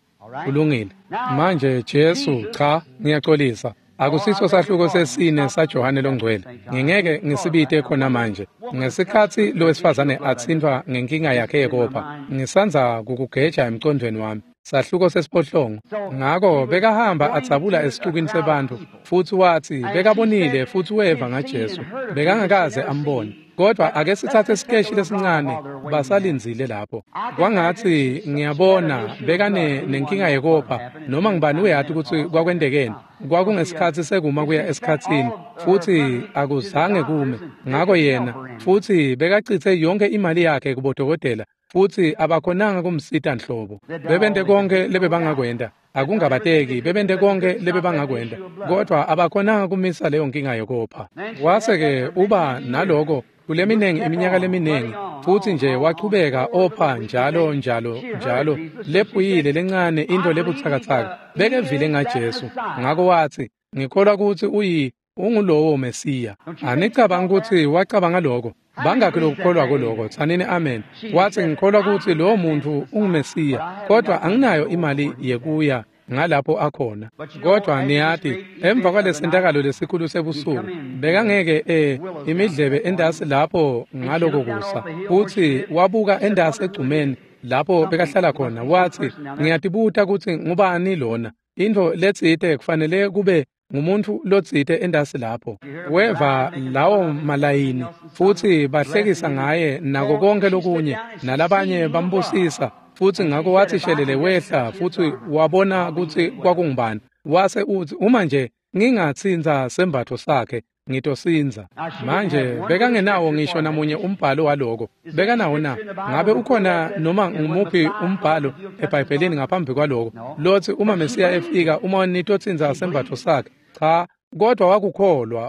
Kulungile. Manje Jesu, cha, ngiyaxolisa. Akusiso sahluko 4 saJohane loNgcwele. Ngingeke ngisibite khona manje. Ngesikhatsi lowesifazane atsintfwa ngenkinga yakhe yekopha, ngisandza kukugeja emcondvweni wami. Sahluko 8. Ngako bekahamba adzabula esixukwini sebantfu, futsi watsi bekabonile futsi weva ngaJesu. Bekangakaze ambone. Kodwa ake sitsatse isikeshi lesincane, basalindzile lapho. Kwangatsi ngiyabona bekane nenkinga yekopha, noma ngibani uyati kutsi kwakwentekeni. Kwakungesikhatsi sekuma kuya esikhatsini, futsi akuzange kume. Ngako yena futsi bekacitse yonke imali yakhe kubodokotela, futsi abakhonanga kumsita nhlobo. Bebente konke lebebangakwenta, akungabateki, bebente konke lebebangakwenta, kodwa abakhonanga kumisa leyo nkinga yekopha. Wase-ke uba naloko kuleminingi iminyaka leminingi, futsi nje wachubeka opha njalo njalo njalo, lephuyile lencane into lebutsakatsaka. Bekevile ngaJesu, ngako watsi, ngikholwa kutsi ungulowo Mesiya. Anicabanga kutsi wacabanga lokho? Bangakhi lokukholwako lokho? Tsanini amen. Watsi ngikholwa kutsi lowo muntfu unguMesiya, kodwa anginayo imali yekuya ngalapho akhona. Kodwa niyati, emva kwalesentakalo lesikhulu sebusuku, bekangeke imidlebe endasi lapho ngaloko kusa. Futsi wabuka endasi egcumeni lapho bekahlala khona, watsi ngiyatibuta kutsi ngubani lona. Intfo letsite kufanele kube ngumuntfu lotsite endasi lapho. Weva lawo malayini futsi bahlekisa ngaye nako konke lokunye, nalabanye bambusisa. Futsi ngako watsi shelele wehla futsi wabona kutsi kwakungubani. Wase utsi uma nje ngingatsintsa sembatfo sakhe ngitosindza. Manje bekangenawo ngisho namunye umbhalo waloko. Bekanawo na? Ngabe ukhona noma ngumuphi umbhalo eBhayibhelini ngaphambi kwaloko lotsi uma Mesiya efika uma nitotsintsa sembatfo sakhe? Cha, kodwa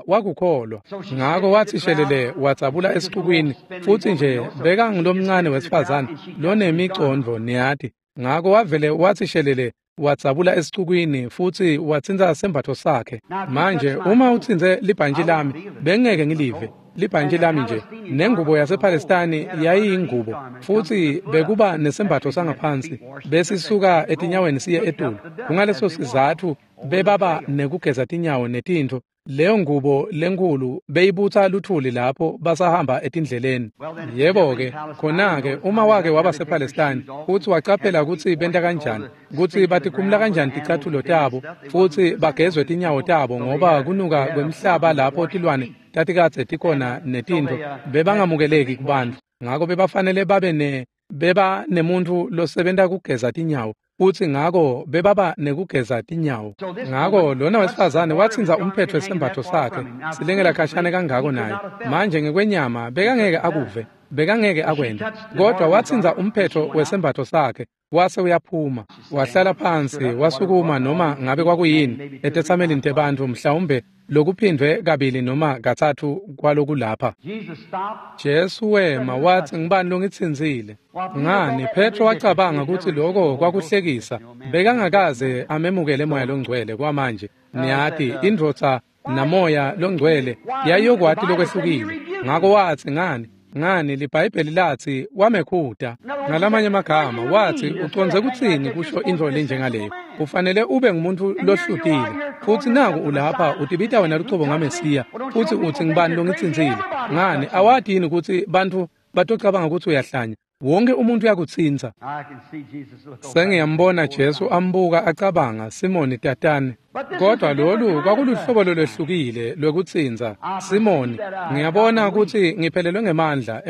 wakukholwa. Ngako watsi shelele wadzabula esixukwini, futsi nje bekangulomncane wesifazane lonemicondvo, niyati. Ngako wavele watsi shelele wadzabula esixukwini futsi watsintsa sembatfo sakhe. Manje uma utsintse libhantji lami, bengeke ngilive libhantji lami nje. Nengubo yasePalestine yayiyingubo, futsi bekuba nesembatfo sangaphansi besisuka etinyaweni siye etulu. Kungaleso sizatfu bebaba nekugeza tinyawo netintfo. Leyo ngubo lenkulu beyibutsa luthuli lapho basahamba etindleleni. Yebo-ke, khona-ke uma wake waba sePalestine futsi wacaphela kutsi benta kanjani, kutsi batikhumula kanjani ticatfulo tabo futsi bagezwe tinyawo tabo, ngoba kunuka kwemhlaba lapho tilwane tatikadze tikhona netintfo bebangamukeleki kubantfu. Ngako bebafanele babe beba nemuntfu losebenta kugeza tinyawo. Futsi ngako bebaba nekugeza tinyawo. Ngako lona wesifazane watsintsa umphetho wesembatfo sakhe, silengela khashane kangako naye. Manje ngekwenyama bekangeke akuve, bekangeke akwente. Kodwa watsintsa umphetho wesembatfo sakhe, wase uyaphuma. Wahlala phansi, wasukuma noma ngabe kwakuyini etetsamelini tebantfu, mhlawumbe lokuphindvwe kabili noma katsatfu kwalokulapha. Jesu wema watsi, ngibani longitsintsile? Ngani, Petro wacabanga kutsi lokho kwakuhlekisa. Bekangakaze amemukele Moya loNgcwele kwamanje. Niyati, indvodza naMoya loNgcwele yayiyokwati lokwehlukile. Ngako watsi, ngani liBhayibheli latsi wamekhuta. Ngalamanye amagama watsi, ucondze kutsini kusho intfo lenjengaleyo? Ufanele ube ngumuntu lohlutile. Futsi naku ulapha utibita wena lucobo ngaMesiya, futsi utsi ngibani longitsintsile? Ngani, awati yini kutsi bantfu batocabanga kutsi uyahlanya? Wonke umuntu uyakutsintsa. Sengiyambona Jesu ambuka acabanga, Simoni tatane. Kodwa lolu kwakuluhlobo lolwehlukile lwekutsintsa. Simoni, ngiyabona kutsi ngiphelelwe ngemandla.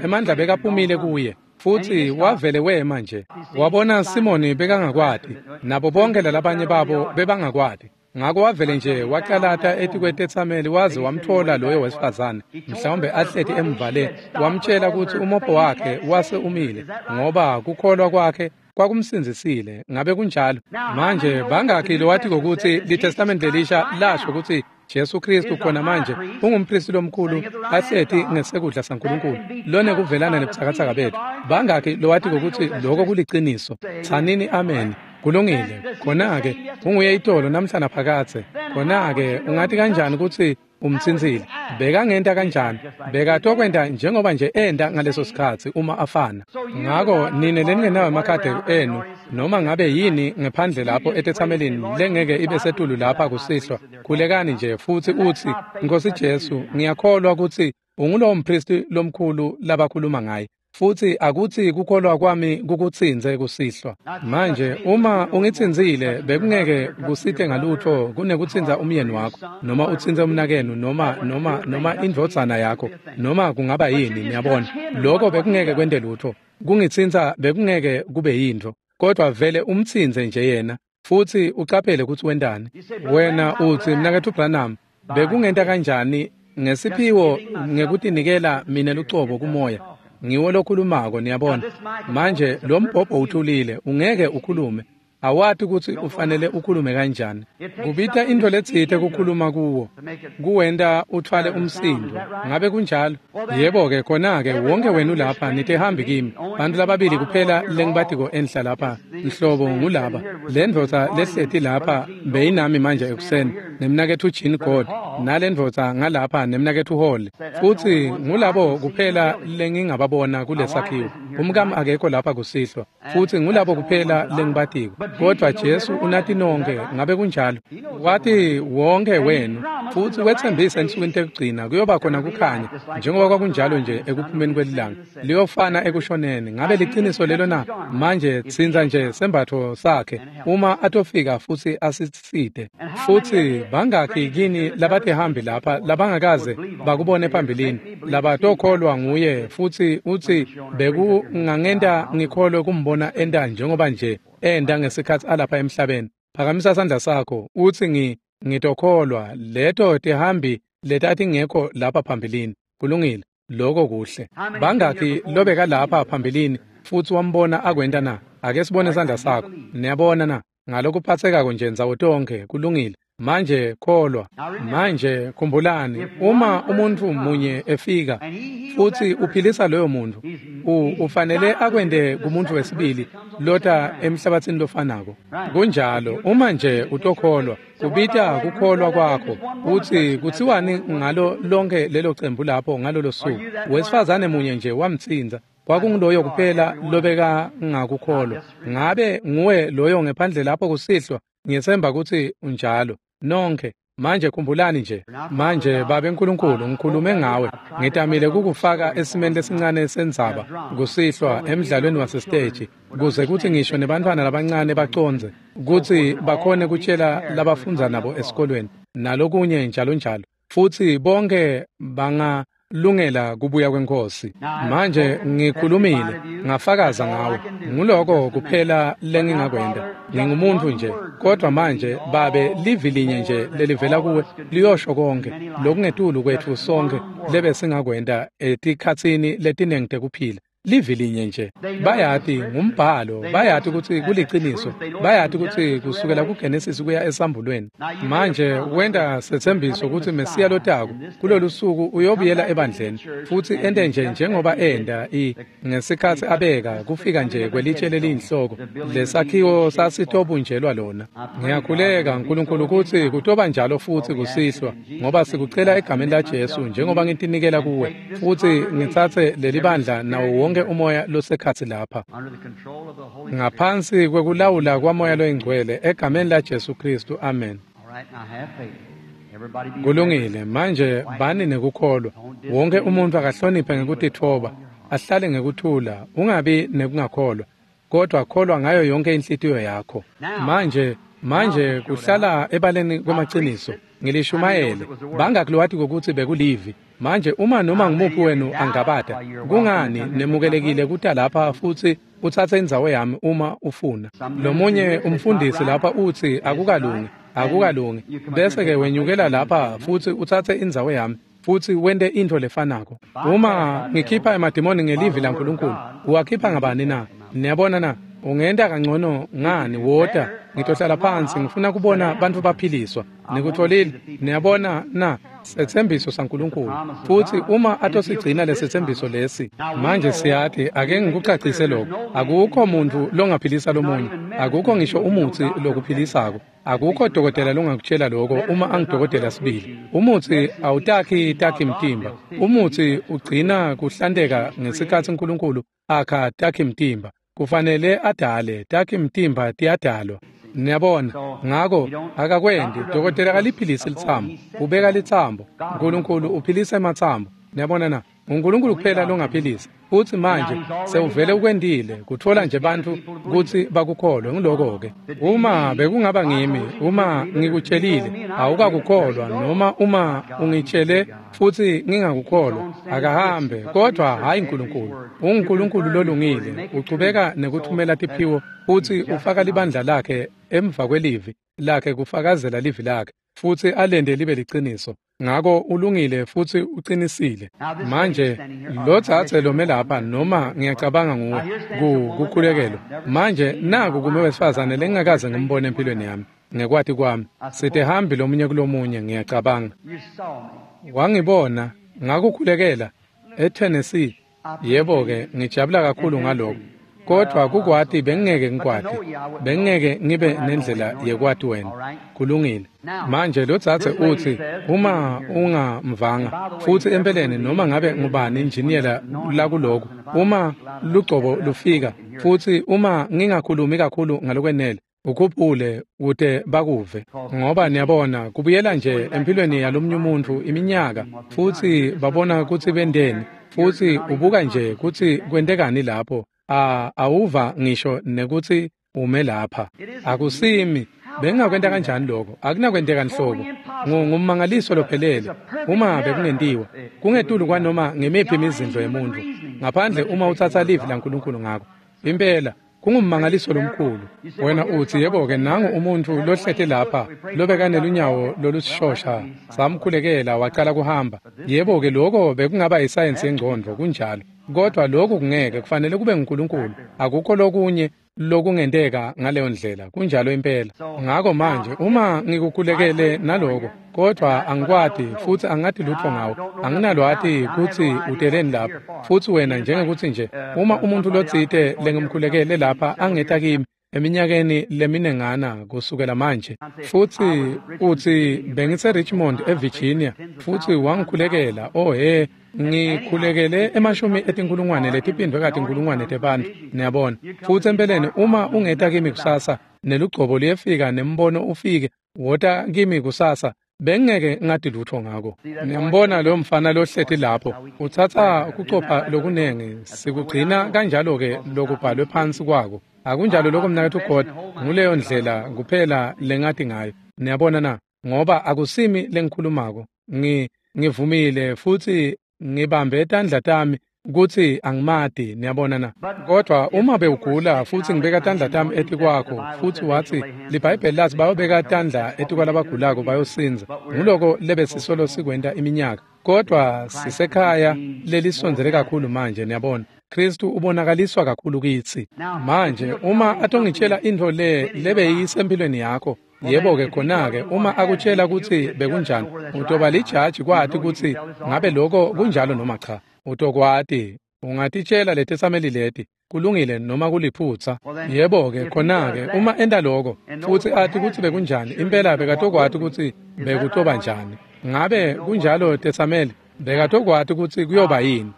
Emandla bekaphumile kuye. Futsi wavele wema nje. Wabona Simoni bekangakwati, nabo bonke lalabanye babo bebangakwati. Ngako wavele nje wacalata etikwetetsameli waze wamthola loyo wesifazane, mhlawumbe ahleti emvale, wamtshela kutsi umopho wakhe wase umile, ngoba kukholwa kwakhe kwakumsindzisile. Ngabe kunjalo? Manje bangakhi lowati kutsi liTestamente lelisha lasho kutsi Jesu Kristu khona manje ungumpristi lomkhulu ahleti ngesekudla saNkulunkulu lonekuvelana nebutsakatsaka betfu? Bangakhi lowati kutsi lokho kuliciniso? Tsanini amen. Kulungile. Khona-ke unguye itolo namhla naphakadze. Khona-ke ungati kanjani kutsi umtsintsile? Bekangenta kanjani? Bekatokwenta njengoba nje enta ngaleso sikhatsi uma afana. Ngako nine leningenawo emakhadi enu, noma ngabe yini ngephandle lapho etetsamelini lengeke ibe setulu lapha kusihlwa, khulekani nje futsi utsi, Nkosi Jesu, ngiyakholwa kutsi ungulowo mpristi lomkhulu labakhuluma ngaye. Futsi akutsi kukholwa kwami kukutsintse kusihlwa. Manje uma ungitsintsile, bekungeke kusite ngalutho kunekutsintsa umyeni wakho, noma utsintse umnakenu, noma indvodzana yakho, noma kungaba yini, niyabona. Lokho bekungeke kwente lutho. Kungitsintsa bekungeke kube yintfo. Kodwa vele umtsintse nje yena, futsi ucaphele kutsi wentani. Wena utsi, Mnaketfu Branham, bekungenta kanjani ngesiphiwo ngekutinikela mina lucobo kumoya? Ngiwo lokhulumako, niyabona. Manje lo mbhobho uthulile, ungeke ukhulume. Awati kutsi ufanele ukhulume kanjani. Kubita intfo letsite kukhuluma kuwo, kuwenta utfwale umsindo. Ngabe kunjalo? Yebo-ke, khona-ke wonke wenu lapha nitihambi kimi. Bantfu lababili kuphela lengibatiko enhla lapha, nhlobo ngulaba. Le ndvodza lehleti lapha beyinami manje ekuseni, nemnaketfu Jean God, nale ndvodza ngalapha nemnaketfu Hall. Futsi ngulabo kuphela lengingababona kulesakhiwo. Umkami akekho lapha kusihlwa, futsi ngulabo kuphela lengibatiko. Kodwa Jesu unati nonke, ngabe kunjalo? Wati wonke wenu, futsi wetsembisa ensukwini tekugcina kuyoba khona kukhanya, njengoba kwakunjalo nje ekuphumeni kwelilanga, liyofana ekushoneni. Ngabe liciniso lelo na? Manje tsintsa nje sembatfo sakhe uma atofika futsi asisite. Futsi bangakhi kini labatihambi lapha labangakaze bakubone phambilini, labatokholwa nguye, futsi utsi bekungangenta ngikholwe kumbona enta njengoba nje enda ngesikhatsi alapha emhlabeni? Phakamisa sandla sakho utsi, ngitokholwa. Leto tihambi letatingekho lapha phambilini. Kulungile, lokho kuhle. Bangakhi lobeka lapha phambilini futsi wambona akwenta na? Ake sibone sandla sakho. Niyabona na? Ngalokuphatsekako nje ndzawo tonkhe. Kulungile. Manje kholwa. Manje khumbulani, uma umuntfu munye efika futsi uphilisa loyo muntfu, ufanele akwente kumuntfu wesibili lota emhlabatsini lofanako. Kunjalo, uma nje utokholwa, kubita kukholwa kwakho. Utsi kutsiwani ngalo lonke lelo cembu lapho ngalolo suku? Wesifazane munye nje wamtsintsa. Kwakunguloyo kuphela lobeka ngakukholwa. Ngabe nguwe loyo ngephandle lapho kusihlwa? Ngiyetsemba kutsi unjalo. Nonke manje khumbulani nje. Manje Babe Nkulunkulu, ngikhulume ngawe. Ngitamile kukufaka esimeni lesincane sendzaba kusihlwa emdlalweni wasesiteji, kuze kutsi ngisho nebantfwana labancane bacondze kutsi bakhone kutshela labafundza nabo esikolweni nalokunye njalo njalo. Futsi bonke Lungela kubuya kwenkosi. Manje ngikhulumile, ngafakaza ngawe. Nguloko kuphela lengingakwenta. Ngingumuntu nje, kodwa manje Babe livi linye nje lelivela kuwe liyosho konke lokungetulu kwetfu sonke lebe singakwenta etikhatsini letinengi tekuphila. Livi linye nje. Bayati ngumbhalo, bayati kutsi kuliciniso, bayati kutsi kusukela kuGenesis kuya esambulweni. Manje wenta setsembiso kutsi Mesiya lotako kulolu suku uyobuyela ebandleni futsi ente nje njengoba enta ngesikhatsi abeka kufika nje kwelitshe leliyinhloko lesakhiwo sasitobunjelwa lona. Ngiyakhuleka Nkulunkulu kutsi kutoba njalo futsi kusihlwa, ngoba sikucela egameni la Jesu njengoba ngitinikela kuwe futsi ngitsatse lelibandla nawo wonke umoya losekhatsi lapha ngaphansi kwekulawula kwamoya loyingcwele egameni la Jesu Kristu, amen. Kulungile. Manje bani nekukholwa. Wonke umuntu akahloniphe ngekutitfoba, ahlale ngekuthula, ungabi nekungakholwa, kodwa kholwa ngayo yonke inhlitiyo yakho. Manje kuhlala ebaleni kwemaciniso. Ngilishumayele bangakulwati kokuthi bekulivi. Manje uma noma ngumuphi wenu angabata, kungani nemukelekile kuta lapha futsi utsatse indzawo yami uma ufuna. Lomunye umfundisi lapha utsi akukalungi, akukalungi, bese ke wenyukela lapha futsi utsatse indzawo yami futsi wente intfo lefanako. Uma ngikhipha emadimoni ngelivi laNkulunkulu, uwakhipha ngabani na? Niyabona na? Ungenta kangcono ngani? Wota, ngitohlala phansi, ngifuna kubona bantfu baphiliswa. Nikutfolile? Niyabona na? Setsembiso saNkulunkulu. Futsi uma atosigcina lesetsembiso lesi, manje siyati, ake ngikucacise lokho. Akukho muntu longaphilisa lomunye, akukho ngisho umutsi lokuphilisako, akukho dokotela longakutshela lokho uma angidokotela sibili. Umutsi awutakhi takhi mtimba. Umutsi ugcina kuhlanteka ngesikhatsi uNkulunkulu akha takhi mtimba. Kufanele adale takhi mtimba tiyadalwa. Niyabona, ngako akakwendi dokotela kaliphilisi litsambo, ubeka litsambo. uNkulunkulu uphilisa ematsambo. Niyabona na? uNkulunkulu kuphela longaphilisa. Futsi manje sewuvele ukwendile kutfola nje bantfu kutsi bakukholwe. Ngiloko-ke. Uma bekungaba ngimi, uma ngikutshelile awukakukholwa, noma uma ungitshele futsi ngingakukholwa, akahambe. Kodwa hhayi uNkulunkulu. UnguNkulunkulu lolungile, uchubeka nekuthumela tiphiwo futsi ufaka libandla lakhe emva kwelivi lakhe kufakazela livi lakhe futsi alende libe liciniso. Ngako ulungile futsi uqinisile. Manje lo dzadze lome lapha, noma ngiyacabanga nguwe kukhulekelwa. Manje naku kume wesifazane lengingakaze ngimbone empilweni yami ngekwati kwami. Sitehambi lomunye kulomunye, ngiyacabanga. Wangibona ngakukhulekela eTennessee. Yebo-ke, ngijabula kakhulu ngaloko. Kodwa kukwati bengingeke ngikwati, bengingeke ngibe nendlela yekwati wena. Kulungile. Manje lo dzadze utsi uma ungamvanga futsi empeleni noma ngabe ngubani injiniyela lakuloko, uma lugcobo lufika futsi uma ngingakhulumi kakhulu ngalokwenele, ukhuphule kute bakuve, ngoba niyabona kubuyela nje empilweni yalomunye umuntu iminyaka futsi babona kutsi benteni, futsi ubuka nje kutsi kwentekani lapho. Awuva ngisho nekutsi ume lapha. Akusimi bengingakwenta kanjani lokho? Akunakwenteka nhlobo. Ngummangaliso lophelele uma bekungentiwa kungetulu kwanoma ngemiphi imizindlo yemuntu, ngaphandle uma utsatsa livi laNkulunkulu ngako. Impela kungummangaliso lomkhulu. Wena utsi, yebo-ke, nangu umuntu lohlete lapha lobekanelunyawo lolusishosha, samkhulekela wacala kuhamba. Yebo-ke, lokho bekungaba isayensi yengcondvo, kunjalo. Kodwa lokhu kungeke, kufanele kube nguNkulunkulu. Akukho lokunye lokungenteka ngaleyo ndlela, kunjalo impela. Ngako manje uma ngikukhulekele naloko, kodwa angikwati futsi angati lutho ngawo, anginalwati kutsi uteleni lapha. Futsi wena njengekuthi nje uma umuntu lotsite lengimkhulekele lapha angeta kimi eminyakeni leminengana kusukela manje, futsi utsi bengise Richmond eVirginia futsi wangikhulekela, oh he, ngikhulekele emashumi etinkulungwane letiphindwe katinkulungwane tebantfu, niyabona. Futsi empeleni uma ungeta kimi kusasa nelugcobo luyefika nembono ufike, wota kimi kusasa, bengeke ngati lutho ngako. Niyambona lo mfana lohleti lapho, utsatsa kucopha lokunengi, sikugcina kanjalo-ke lokubhalwe phansi kwako. Akunjalo lokho mnaketfu God? Nguleyo ndlela kuphela lengati ngayo. Niyabona na? Ngoba akusimi lengikhulumako. Ngivumile futsi ngibambe tandla tami kutsi angimati, niyabona na. Kodwa uma bewugula futsi ngibeka tandla tami etikwakho futsi watsi liBhayibheli lathi bayobeka tandla etikwalabagulako bayosindza, nguloko lebesisolo sikwenta iminyaka. Kodwa sisekhaya lelisondzele kakhulu manje, niyabona. Kristu ubonakaliswa kakhulu kitsi. Manje uma atongitshela intfo le lebeyisempilweni yakho, yebo-ke khona-ke uma akutshela kutsi bekunjani, utoba lijaji kwati kutsi ngabe loko kunjalo noma cha. Utokwati, ungatitshela letetsameli leti, kulungile noma kuliphutsa. Yebo-ke khona-ke uma enta loko futsi ati kutsi bekunjani, impela bekatokwati kutsi bekutoba njani. Ngabe kunjalo tetsameli? Bekatokwati kutsi kuyoba yini.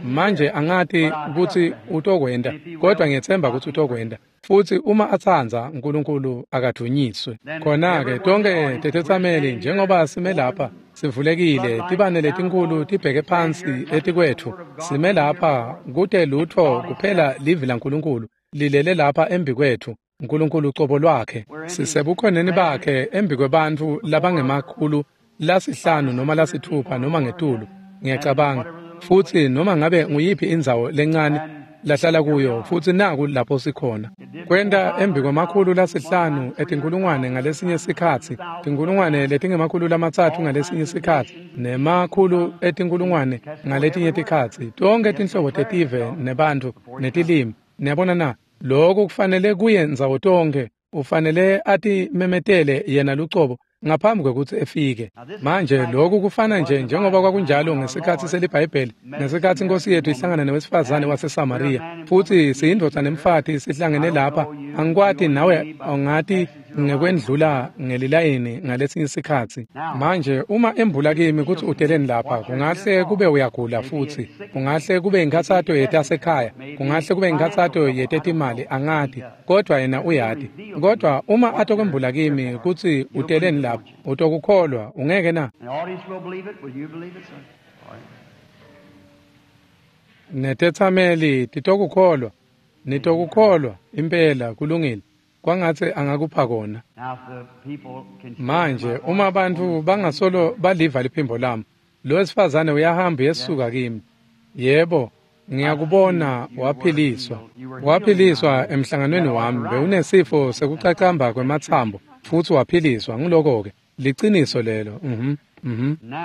Manje angati kutsi utokwenta, kodwa ngiyetsemba kutsi utokwenta. Futsi uma atsandza, uNkulunkulu akadvunyiswe. Khona-ke tonke tetetsameli njengoba sime lapha sivulekile, tibane letinkulu tibheke phansi etikwetfu, sime lapha kute lutho kuphela livi laNkulunkulu lilele lapha embikwetfu, uNkulunkulu ucobo lwakhe. Sisebukhoneni bakhe embikwebantfu labangemakhulu 5 noma 6 noma ngetulu, ngiyacabanga. Futsi noma ngabe nguyiphi indzawo lencane lahlala kuyo, futsi naku lapho sikhona. Kwenta embikwemakhulu 5 etinkulungwane ngalesinye sikhatsi, tinkulungwane letingemakhulu 3 ngalesinye sikhatsi, nemakhulu etinkulungwane ngaletinye tikhatsi, tonkhe tinhlobo tetive nebantfu netilimi. Niyabona na? Lokhu kufanele kuye ndzawo tonkhe, ufanele atimemetele yena lucobo ngaphambi kwekutsi efike. Manje lokhu kufana nje njengoba kwakunjalo ngesikhatsi seliBhayibheli, ngesikhatsi iNkosi yethu ihlangana newesifazane waseSamariya. Futsi siyindvodza nemfati sihlangene lapha, angikwati nawe angati ngekwendlula ngelilayini ngalesinye sikhatsi. Manje uma embula kimi kutsi uteleni lapha, kungahle kube uyagula futsi, kungahle kube inkhatsato yetasekhaya, kungahle kube inkhatsato yetetimali, angati, kodwa yena uyati. Kodwa uma atokwembula kimi kutsi uteleni lapha, utokukholwa, ungeke na? Netetsameli titokukholwa, nitokukholwa impela, kulungile. Kwangatsi angakupha kona. Manje uma bantfu bangasolo baliva liphimbo lami, lo wesifazane uyahamba yesuka kimi. Yebo, ngiyakubona waphiliswa. Waphiliswa emhlanganweni wami, bewunesifo sekucacamba kwematsambo futsi waphiliswa. Nguloko-ke liciniso lelo.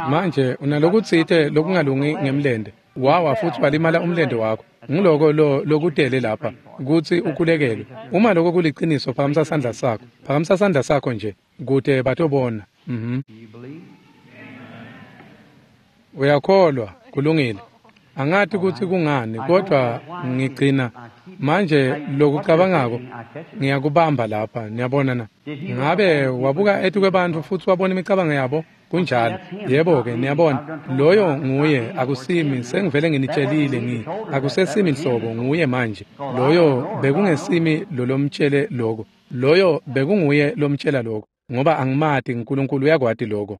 Manje unalokutsite lokungalungi ngemlente, wawa futsi walimala umlente wakho. Nguloko lo lokutele lapha kutsi ukhulekelwe. Uma lokho kuliciniso, phakamisa sandla sakho. Phakamisa sandla sakho nje kute batobona. Uyakholwa, kulungile. Angati kutsi kungani, kodwa ngigcina manje lokucabangako ngiyakubamba lapha, niyabona na. Ngabe wabuka etikwebantfu futsi wabona imicabango yabo? Kunjalo. Yebo-ke, niyabona, loyo nguye, akusimi, sengivele nginitshelile, akusesimi nhlobo, nguye manje. Loyo bekungesimi lolomtshele loko, loyo bekunguye lomtshela loko, ngoba angimati, uNkulunkulu uyakwati loko.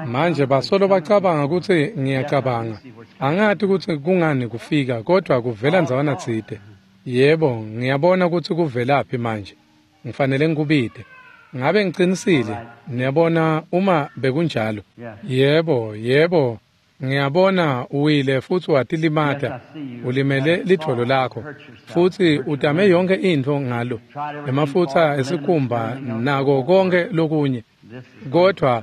Manje basolo bacabanga kutsi ngiyacabanga. Angati kutsi kungani kufika, kodwa kuvela ndzawana tsite. Yebo, ngiyabona kutsi kuvelaphi manje. Ngifanele ngikubite. Ngabe ngicinisile? Niyabona uma bekunjalo. Yebo, yebo. Ngiyabona uwile futsi watilimata. Ulimele lidvolo lakho futsi utame yonke intfo ngalo, emafutsa esikhumba nako konke lokunye, kodwa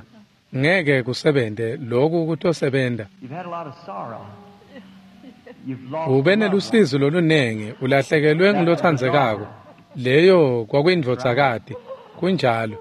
ngeke kusebente. Lokhu kutosebenta. Ube nelusizi lolunengi, ulahlekelwe ngulotsandzekako. Leyo kwakuyindvodzakati. Kunjalo.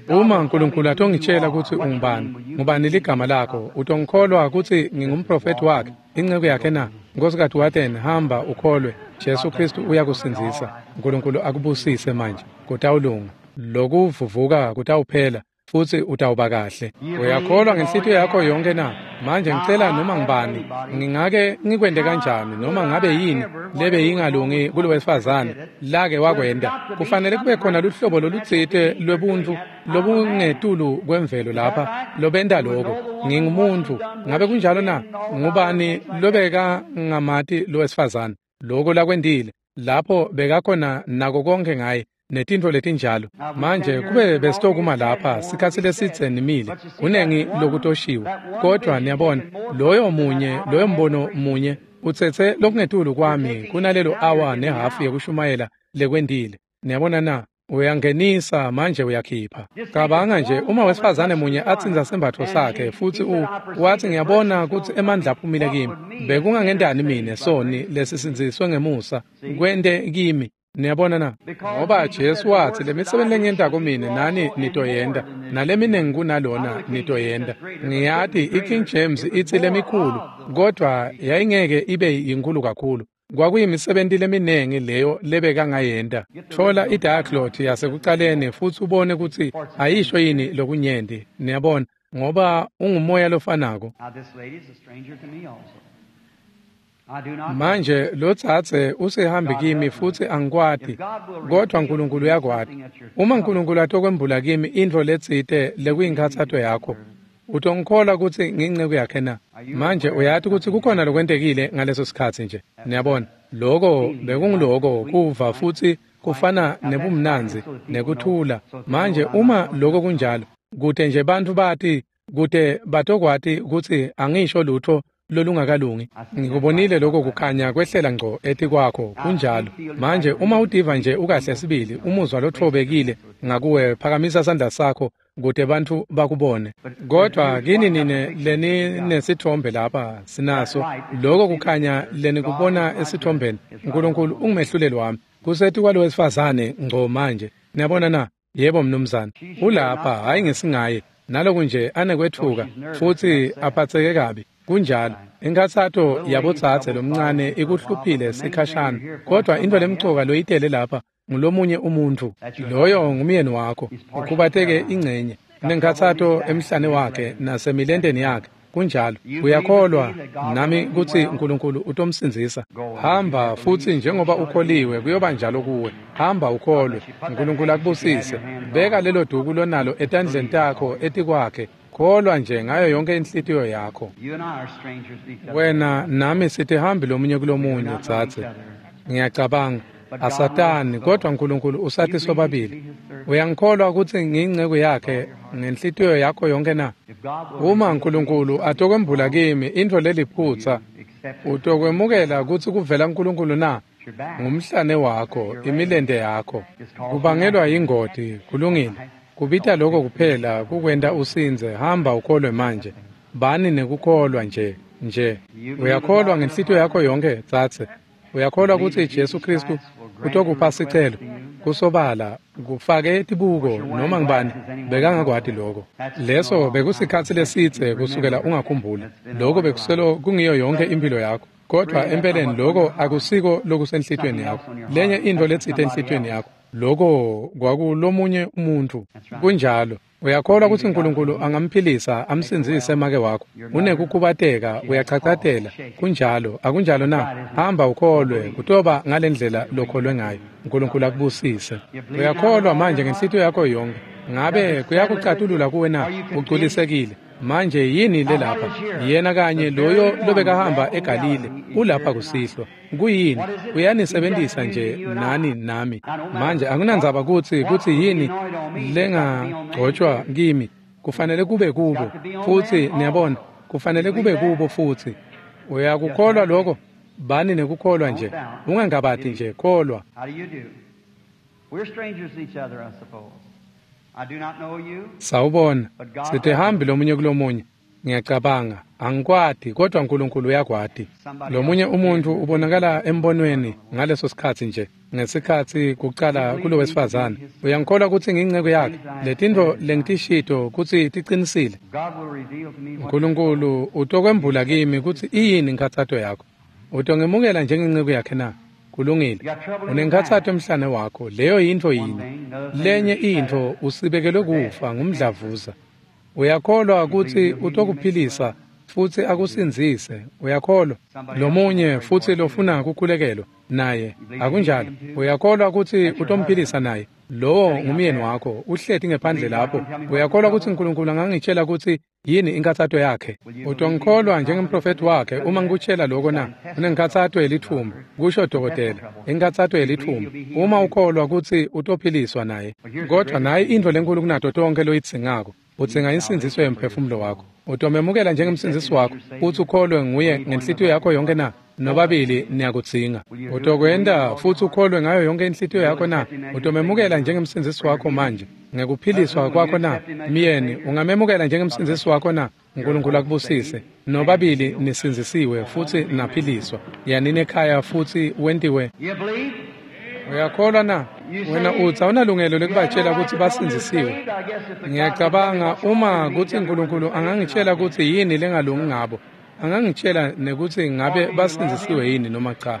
Uma uNkulunkulu atongitshela kutsi ungubani, ngubani ligama lakho, utongikholwa kutsi ngingumprofethi wakhe, inceku yakhe na? Nkosikazi Waten, hamba ukholwe. Jesu Kristu uyakusindzisa. uNkulunkulu akubusise manje. Kutawulunga. Lokuvuvuka kutawuphela futsi utawuba kahle. Uyakholwa ngenhlitiyo yakho yonke na? Manje ngicela noma ngibani, ngingake ngikwente kanjani, noma ngabe yini lebe yingalungi kulowesifazane lake wakwenta, kufanele kube khona luhlobo lolutsite lwebuntfu lobungetulu kwemvelo lapha lobenta loko. Ngingumuntfu. Ngabe kunjalo na? Ngubani lobeka ngamati lowesifazane loko lakwentile lapho bekakhona nako konke ngaye? netintfo letinjalo. Manje kube besitokuma lapha sikhatsi lesidze nimile, kunengi lokutoshiwo. Kodwa niyabona, loyo munye, loyo mbono munye utsetse lokungetulu kwami kunalelo awa nehafu yekushumayela lekwendile. Niyabona na? Uyangenisa manje uyakhipha. Cabanga nje uma wesifazane munye atsintsa sembatfo sakhe futsi wathi ngiyabona kutsi emandla aphumile kimi. Bekungangendani mine soni lesisindziswe ngemusa kwente kimi. Niyabona na? Ngoba Jesu wathi lemisebenti lengiyentako mine nani nitoyenta, naleminengi kunalona nitoyenta. Ngiyati iKing James itsi lemikhulu, kodwa yayingeke ibe yinkulu kakhulu. Kwakuyimisebenti leminengi leyo lebekangayenta. Thola idiaglot yasekucaleni futsi ubone kutsi ayisho yini lokunyenti. Niyabona, ngoba ungumoya lofanako. Manje lotsatse usehambi kimi futsi angikwati, kodwa uNkulunkulu uyakwati. Uma uNkulunkulu atokwembula kimi intfo letsite lekuyinkhatsato yakho, utongikholwa kutsi ngiyinceku yakhe na? Manje uyati kutsi kukhona lokwentekile ngaleso sikhatsi nje. Niyabona, loko bekunguloko kuva futsi kufana nebumnandzi nekuthula. Manje uma loko kunjalo, kute nje bantfu bati, kute batokwati kutsi angisho lutfo lolungakalungi. Ngikubonile lokho kukhanya kwehlela ngco etikwakho, kunjalo. Manje uma utiva nje ukahle sibili, umuzwa lothobekile ngakuwe, phakamisa sandla sakho kute bantfu bakubone. Kodwa kini nine leninesithombe lapha sinaso lokho kukhanya lenikubona esithombeni. uNkulunkulu ungumehluleli wami. Kusetikwa lowesifazane ngco manje. Niyabona na? Yebo mnumzane. Ulapha hayi ngesingaye. Naloku nje anekwethuka futsi aphatseke kabi. Kunjalo. Inkhatsato yabotsatse lomncane ikuhluphile sikhashana, kodwa intfo lemcoka loyitele lapha ngulomunye umuntfu. Loyo ngumyeni wakho. Ukhubateke ingcenye. Unenkhatsato emhlane wakhe nasemilenteni yakhe. Kunjalo. Uyakholwa nami kutsi uNkulunkulu utomsindzisa. Hamba futsi njengoba ukholiwe kuyoba njalo kuwe. Hamba ukholwe. uNkulunkulu akubusise. Beka lelo duku lonalo etandleni takho etikwakhe. Kholwa nje ngayo yonke inhlitiyo yakho. Wena nami sitihambi lomunye kulomunye, dzadze. Ngiyacabanga asatani, kodwa uNkulunkulu usathi sobabili. Uyangikholwa kutsi ngiyinceku yakhe ngenhlitiyo yakho yonke na? Uma uNkulunkulu atokwembula kimi intfo leliphutsa, utokwemukela kutsi kuvela uNkulunkulu na? Ngumhlane wakho, imilente yakho. Kubangelwa yingoti, kulungile. Kubita lokho kuphela kukwenta usindze. Hamba ukholwe manje. Bani nekukholwa nje nje. Uyakholwa ngenhlitiyo yakho yonke, dzadze? Uyakholwa kutsi Jesu Kristu utokupha sicelo? Kusobala kufake tibuko noma ngibani bekangakwati lokho. Leso bekusikhatsi lesidze kusukela ungakhumbula. Lokho bekuselo kungiyo yonke impilo yakho. Kodwa empeleni lokho akusiko lokusenhlitiyweni yakho. Lenye intfo letsite enhlitiyweni yakho. Lokho kwakulomunye umuntu. Kunjalo. Uyakholwa kutsi uNkulunkulu angamphilisa amsindzise make wakho? Unekukhubateka, uyachachatela. Kunjalo, akunjalo na? Hamba ukholwe, kutoba ngalendlela lokholwe ngayo. uNkulunkulu akubusise. Uyakholwa manje ngenhlitiyo yakho yonke. Ngabe kuyakucatulula kuwe na? Uculisekile. Manje yini lelapha? Yena kanye loyo lobekahamba eGalile ulapha kusihlwa. Kuyini? Uyanisebentisa nje nani nami. Manje akunandzaba kutsi yini lengagcotshwa kimi. Kufanele kube kubo. Futsi niyabona, kufanele kube kubo futsi. Uyakukholwa lokho? Bani nekukholwa nje. Ungangabati nje, kholwa. Sawubona, sitihambi lomunye kulomunye. Ngiyacabanga, angikwati, kodwa uNkulunkulu uyakwati. Lomunye umuntu ubonakala embonweni ngaleso sikhatsi nje, ngesikhatsi kucala kulowesifazane. Uyangikholwa kutsi ngiyinceku yakhe? Letintfo lengitishito kutsi ticinisile. uNkulunkulu utokwembula kimi kutsi iyini inkhatsato yakho. Utongemukela njengenceku yakhe na? Kulungile. Unenkhatsato emhlane wakho, leyo yintfo yinye. Lenye intfo usibekelwe kufa ngumdlavuza. Uyakholwa kutsi utokuphilisa futsi akusindzise? Uyakholwa? Lomunye futsi lofuna kukhulekelwa naye, akunjalo? Uyakholwa kutsi utomphilisa naye? Lowo ngumyeni wakho, uhleti ngephandle lapho. Uyakholwa kutsi uNkulunkulu angangitshela kutsi yini inkathato yakhe? Utongikholwa njengemprofethi wakhe uma ngikutshela lokho na? Unenkathato yelithumbu, kusho dokotela. Inkathato yelithumbu. Uma ukholwa kutsi utophiliswa naye. Kodwa nayi intfo lenkulu kunato tonkhe loyidzingako. Udzinga insindziso yemphefumulo wakho. Utomemukela njengemsindzisi wakho futsi ukholwe nguye ngenhlitiyo yakho yonke na? Nobabili niyakudzinga. Utokwenta futsi ukholwe ngayo yonke inhlitiyo yakho na? Utomemukela njengemsindzisi wakho manje ngekuphiliswa kwakho na? Myeni, ungamemukela njengemsindzisi wakho na? uNkulunkulu akubusise. Nobabili nisindzisiwe futsi naphiliswa. Yanini ekhaya futsi wentiwe. Uyakholwa na? Wena utsi awunalungelo lekubatshela kutsi basindzisiwe. Ngiyacabanga uma kutsi uNkulunkulu angangitshela kutsi yini lengalungi ngabo, angangitshela nekutsi ngabe basindzisiwe yini noma cha.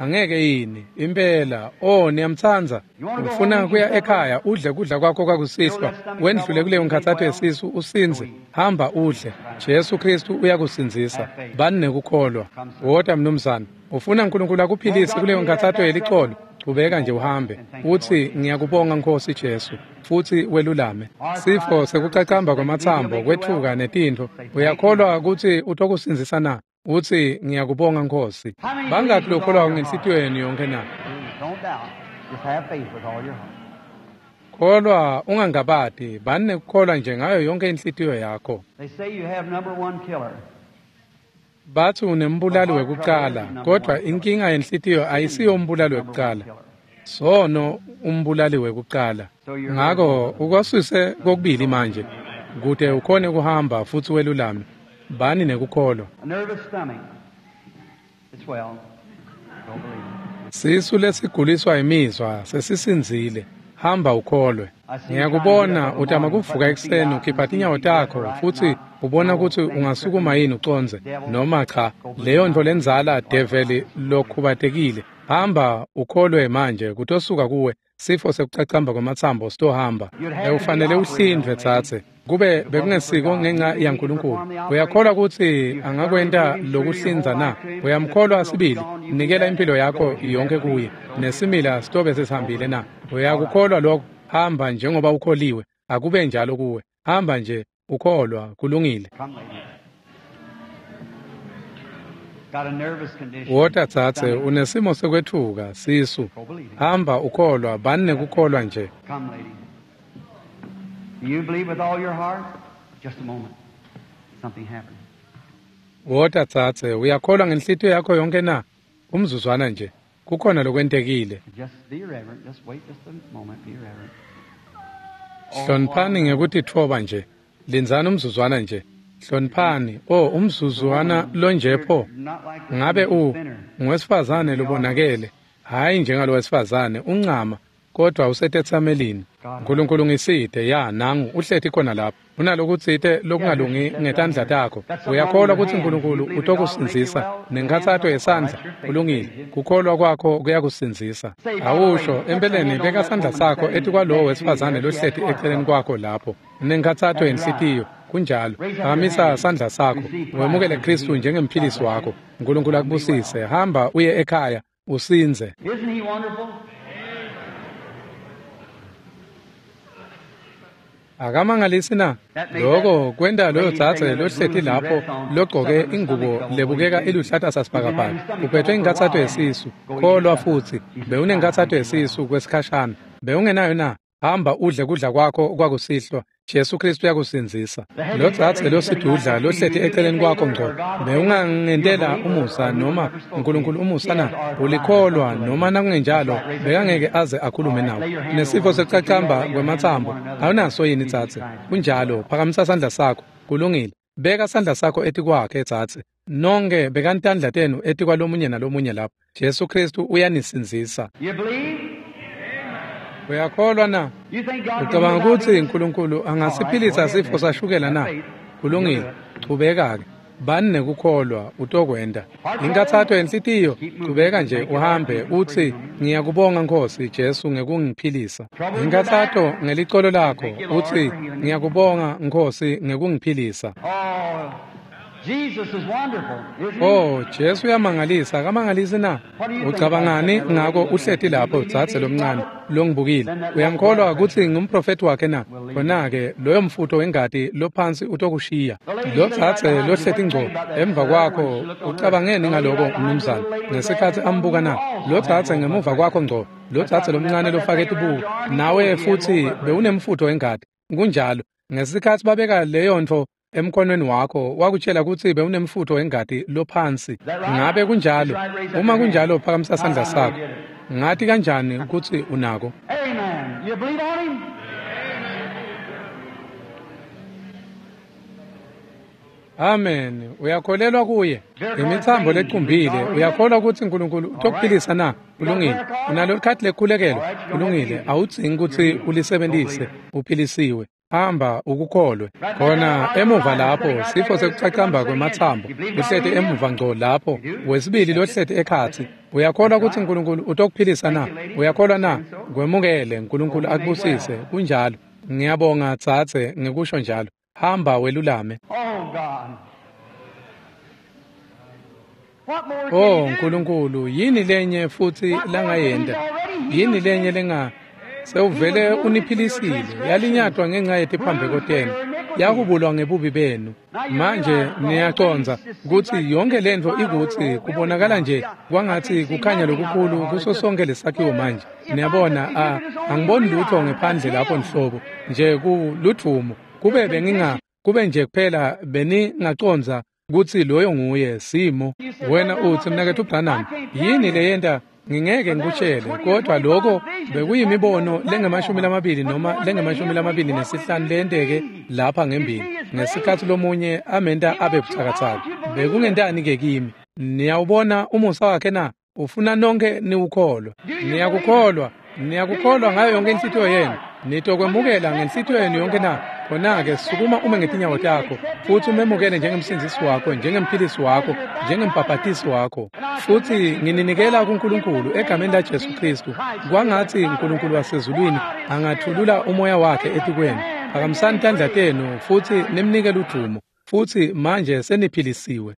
Angeke yini impela. Oh, niyamtsandza. Ufuna kuya ekhaya udle kudla kwakho kwakusihlwa, wendlule kuleyo nkhatsato yesisu usindze. Hamba udle. Jesu Kristu uyakusindzisa. Bani nekukholwa. Wota mnumzane. Ufuna uNkulunkulu akuphilise kuleyo nkhatsato yelicolo? Chubeka nje uhambe utsi ngiyakubonga Nkosi Jesu, futsi welulame. Sifo sekucacamba kwematsambo, kwetfuka netintfo. Uyakholwa kutsi utokusindzisa na? Utsi ngiyakubonga Nkosi. Bangakhi lokholwako ngenhlitiyo yenu yonke na? Kholwa ungangabati, bani nekukholwa nje ngayo yonke inhlitiyo yakho. Batsi unembulali wekucala, kodwa inkinga yenhlitiyo ayisiyo umbulali wekucala. Sono umbulali wekucala. Ngako ukwasuse kokubili manje, kute ukhone kuhamba futsi welulame. Bani nekukholwa. Sisu lesiguliswa imizwa sesisindzile. Hamba ukholwe. Ngiyakubona utama kuvuka ekuseni ukhipha tinyawo takho futsi ubona kutsi ungasukuma yini ucondze noma cha. Leyo ntfo lendzala develi lokhubatekile. Hamba ukholwe manje kutosuka kuwe. Sifo sekucacamba kwematsambo sitohamba. Ufanele uhlindvwe tsatse. Kube bekungesiko ngenxa yaNkulunkulu. Uyakholwa kutsi angakwenta lokuhlinza na? Uyamkholwa sibili? Nikela impilo yakho yonke kuye. Nesimila sitobe sesihambile na? Uyakukholwa lokho? Hamba njengoba ukholiwe. Akube njalo kuwe. Hamba nje ukholwa, kulungile. Wota tsatse, unesimo sekwetfuka, sisu. Hamba ukholwa, bani nekukholwa nje. Wota tsatse, uyakholwa ngenhlitiyo yakho yonke na? Umzuzwana nje, kukhona lokwentekile. Hloniphani ngekutitfoba nje. Lindzani umzuzwana nje. Hloniphani. Oh, umzuzwana lonje pho. Ngabe ngowesifazane lobonakele. Hhayi njengalo wesifazane, uncama, kodwa usetetsamelini. uNkulunkulu ngisite, ya nangu uhleti khona lapho. Unalokutsite lokungalungi ngetandla takho. Uyakholwa kutsi uNkulunkulu utokusindzisa nenkhatsato yesandla? Kulungile. Kukholwa kwakho kuyakusindzisa. Awusho, empeleni beka sandla sakho etikwalowo wesifazane lohleti eceleni kwakho lapho. Unenkhatsato yenhlitiyo. Kunjalo. Phakamisa sandla sakho. Wemukele Kristu njengemphilisi wakho. uNkulunkulu akubusise. Hamba uye ekhaya usindze. Akamangalisi na? Loko kwenta loyo dzadze lohleti lapho logcoke ingubo lebukeka iluhlata sasibhakabhaka. Uphethwe inkhatsato yesisu. Kholwa futsi. Bewunenkhatsato yesisu kwesikhashana. Bewungenayo na? Hamba udle kudla kwakho kwakusihlwa. Jesu Kristu uyakusindzisa. Lo dzadze losidudla lohleti eceleni kwakho ngco, bewungangentela umusa noma uNkulunkulu umusa na? Ulikholwa noma nakungenjalo bekangeke aze akhulume nawe. Nesifo sekucacamba kwematsambo awunaso yini dzadze? Kunjalo, phakamisa sandla sakho. Kulungile. Beka sandla sakho etikwakhe dzadze. Nonke bekani tandla tenu etikwalomunye nalomunye lapho. Jesu Kristu uyanisindzisa. Uyakholwa na? Ucabanga kutsi uNkulunkulu angasiphilisa sifo sashukela na? Kulungile. Chubeka-ke. Bani nekukholwa, utokwenta. Inkathato yenhlitiyo, chubeka nje uhambe utsi ngiyakubonga Nkosi Jesu ngekungiphilisa. Inkathato ngelicolo lakho, utsi ngiyakubonga Nkosi ngekungiphilisa. Oh, Jesu uyamangalisa, akamangalisi na? Ucabangani ngako uhleti lapho dzadze lomncane? longibukile. Uyangikholwa kutsi ngumprofethi wakhe na? Khona-ke loyo mfutho wengati lophansi utokushiya. Lotsatse lohleti ngco emva kwakho, ucabangeni ngaloko mnumzane ngesikhatsi ambuka na? Lotsatse ngemuva kwakho ngco, lotsatse lomncane lofake tibuko, nawe futsi bewunemfutho wengati. Kunjalo, ngesikhatsi babeka leyontfo emkhonweni wakho, wakutshela kutsi bewunemfutho wengati lophansi. Ngabe kunjalo? Uma kunjalo, phakamisa sandla sakho. Ngati kanjani kutsi unako? Amen. You believe on him? Amen. Uyakholelwa kuye? Imitsambo lecumbile. Uyakholwa kutsi uNkulunkulu utokuphilisa na? Kulungile. Unalo likhadi lekukhulekelwa? Kulungile. Awudzingi kutsi ulisebentise. Uphilisiwe. Hamba ukukholwe. Khona emuva lapho sifo sekucacamba kwematsambo uhleti emuva ngco lapho, wesibili lohleti ekhatsi. Uyakholwa kutsi uNkulunkulu utokuphilisa na? Uyakholwa na? Kwemukele. uNkulunkulu akubusise. Kunjalo. Ngiyabonga tsatse ngikusho njalo. Hamba welulame. Oh God. What more can Oh he do? Nkulunkulu, yini lenye futsi langayenta? Yini lenye lenga sewuvele uniphilisile, yalinyatwa ngenxa yetiphambeko tenu, yakubulwa ngebubi benu. Manje niyacondza kutsi yonke lentfo ikutsi kubonakala nje kwangatsi kukhanya lokukhulu kuso sonke lesakhiwo manje. Niyabona, angiboni lutho ngephandle lapho nhlobo, nje kuludvumo. Kube benginga kube nje kuphela beningacondza kutsi loyo nguye simo. Wena utsi, mnaketfu Branham, yini leyenta ngingeke ngikutshele, kodwa lokho bekuyimibono lengamashumi lamabili noma lengamashumi lamabili nesihlanu leyenteke lapha ngembili ngesikhatsi lomunye amenta abe butsakatsaka. Bekungentani ke kimi? Niyawubona umusa wakhe na? Ufuna nonke niwukholwa. Niyakukholwa. Niyakukholwa ngayo yonke inhlitiyo yenu. Nitokwemukela ngenhlitiyo yenu yonke na? Khona-ke sukuma ume ngetinyawo takho futsi umemukele njengemsindzisi wakho, njengemphilisi wakho, njengembhabhatisi wakho. Futsi ngininikela kuNkulunkulu egameni laJesu Khristu. Kwangatsi uNkulunkulu wasezulwini angathulula umoya wakhe etikwenu. Phakamisani tandla tenu futsi nimnike ludvumo. Futsi manje seniphilisiwe.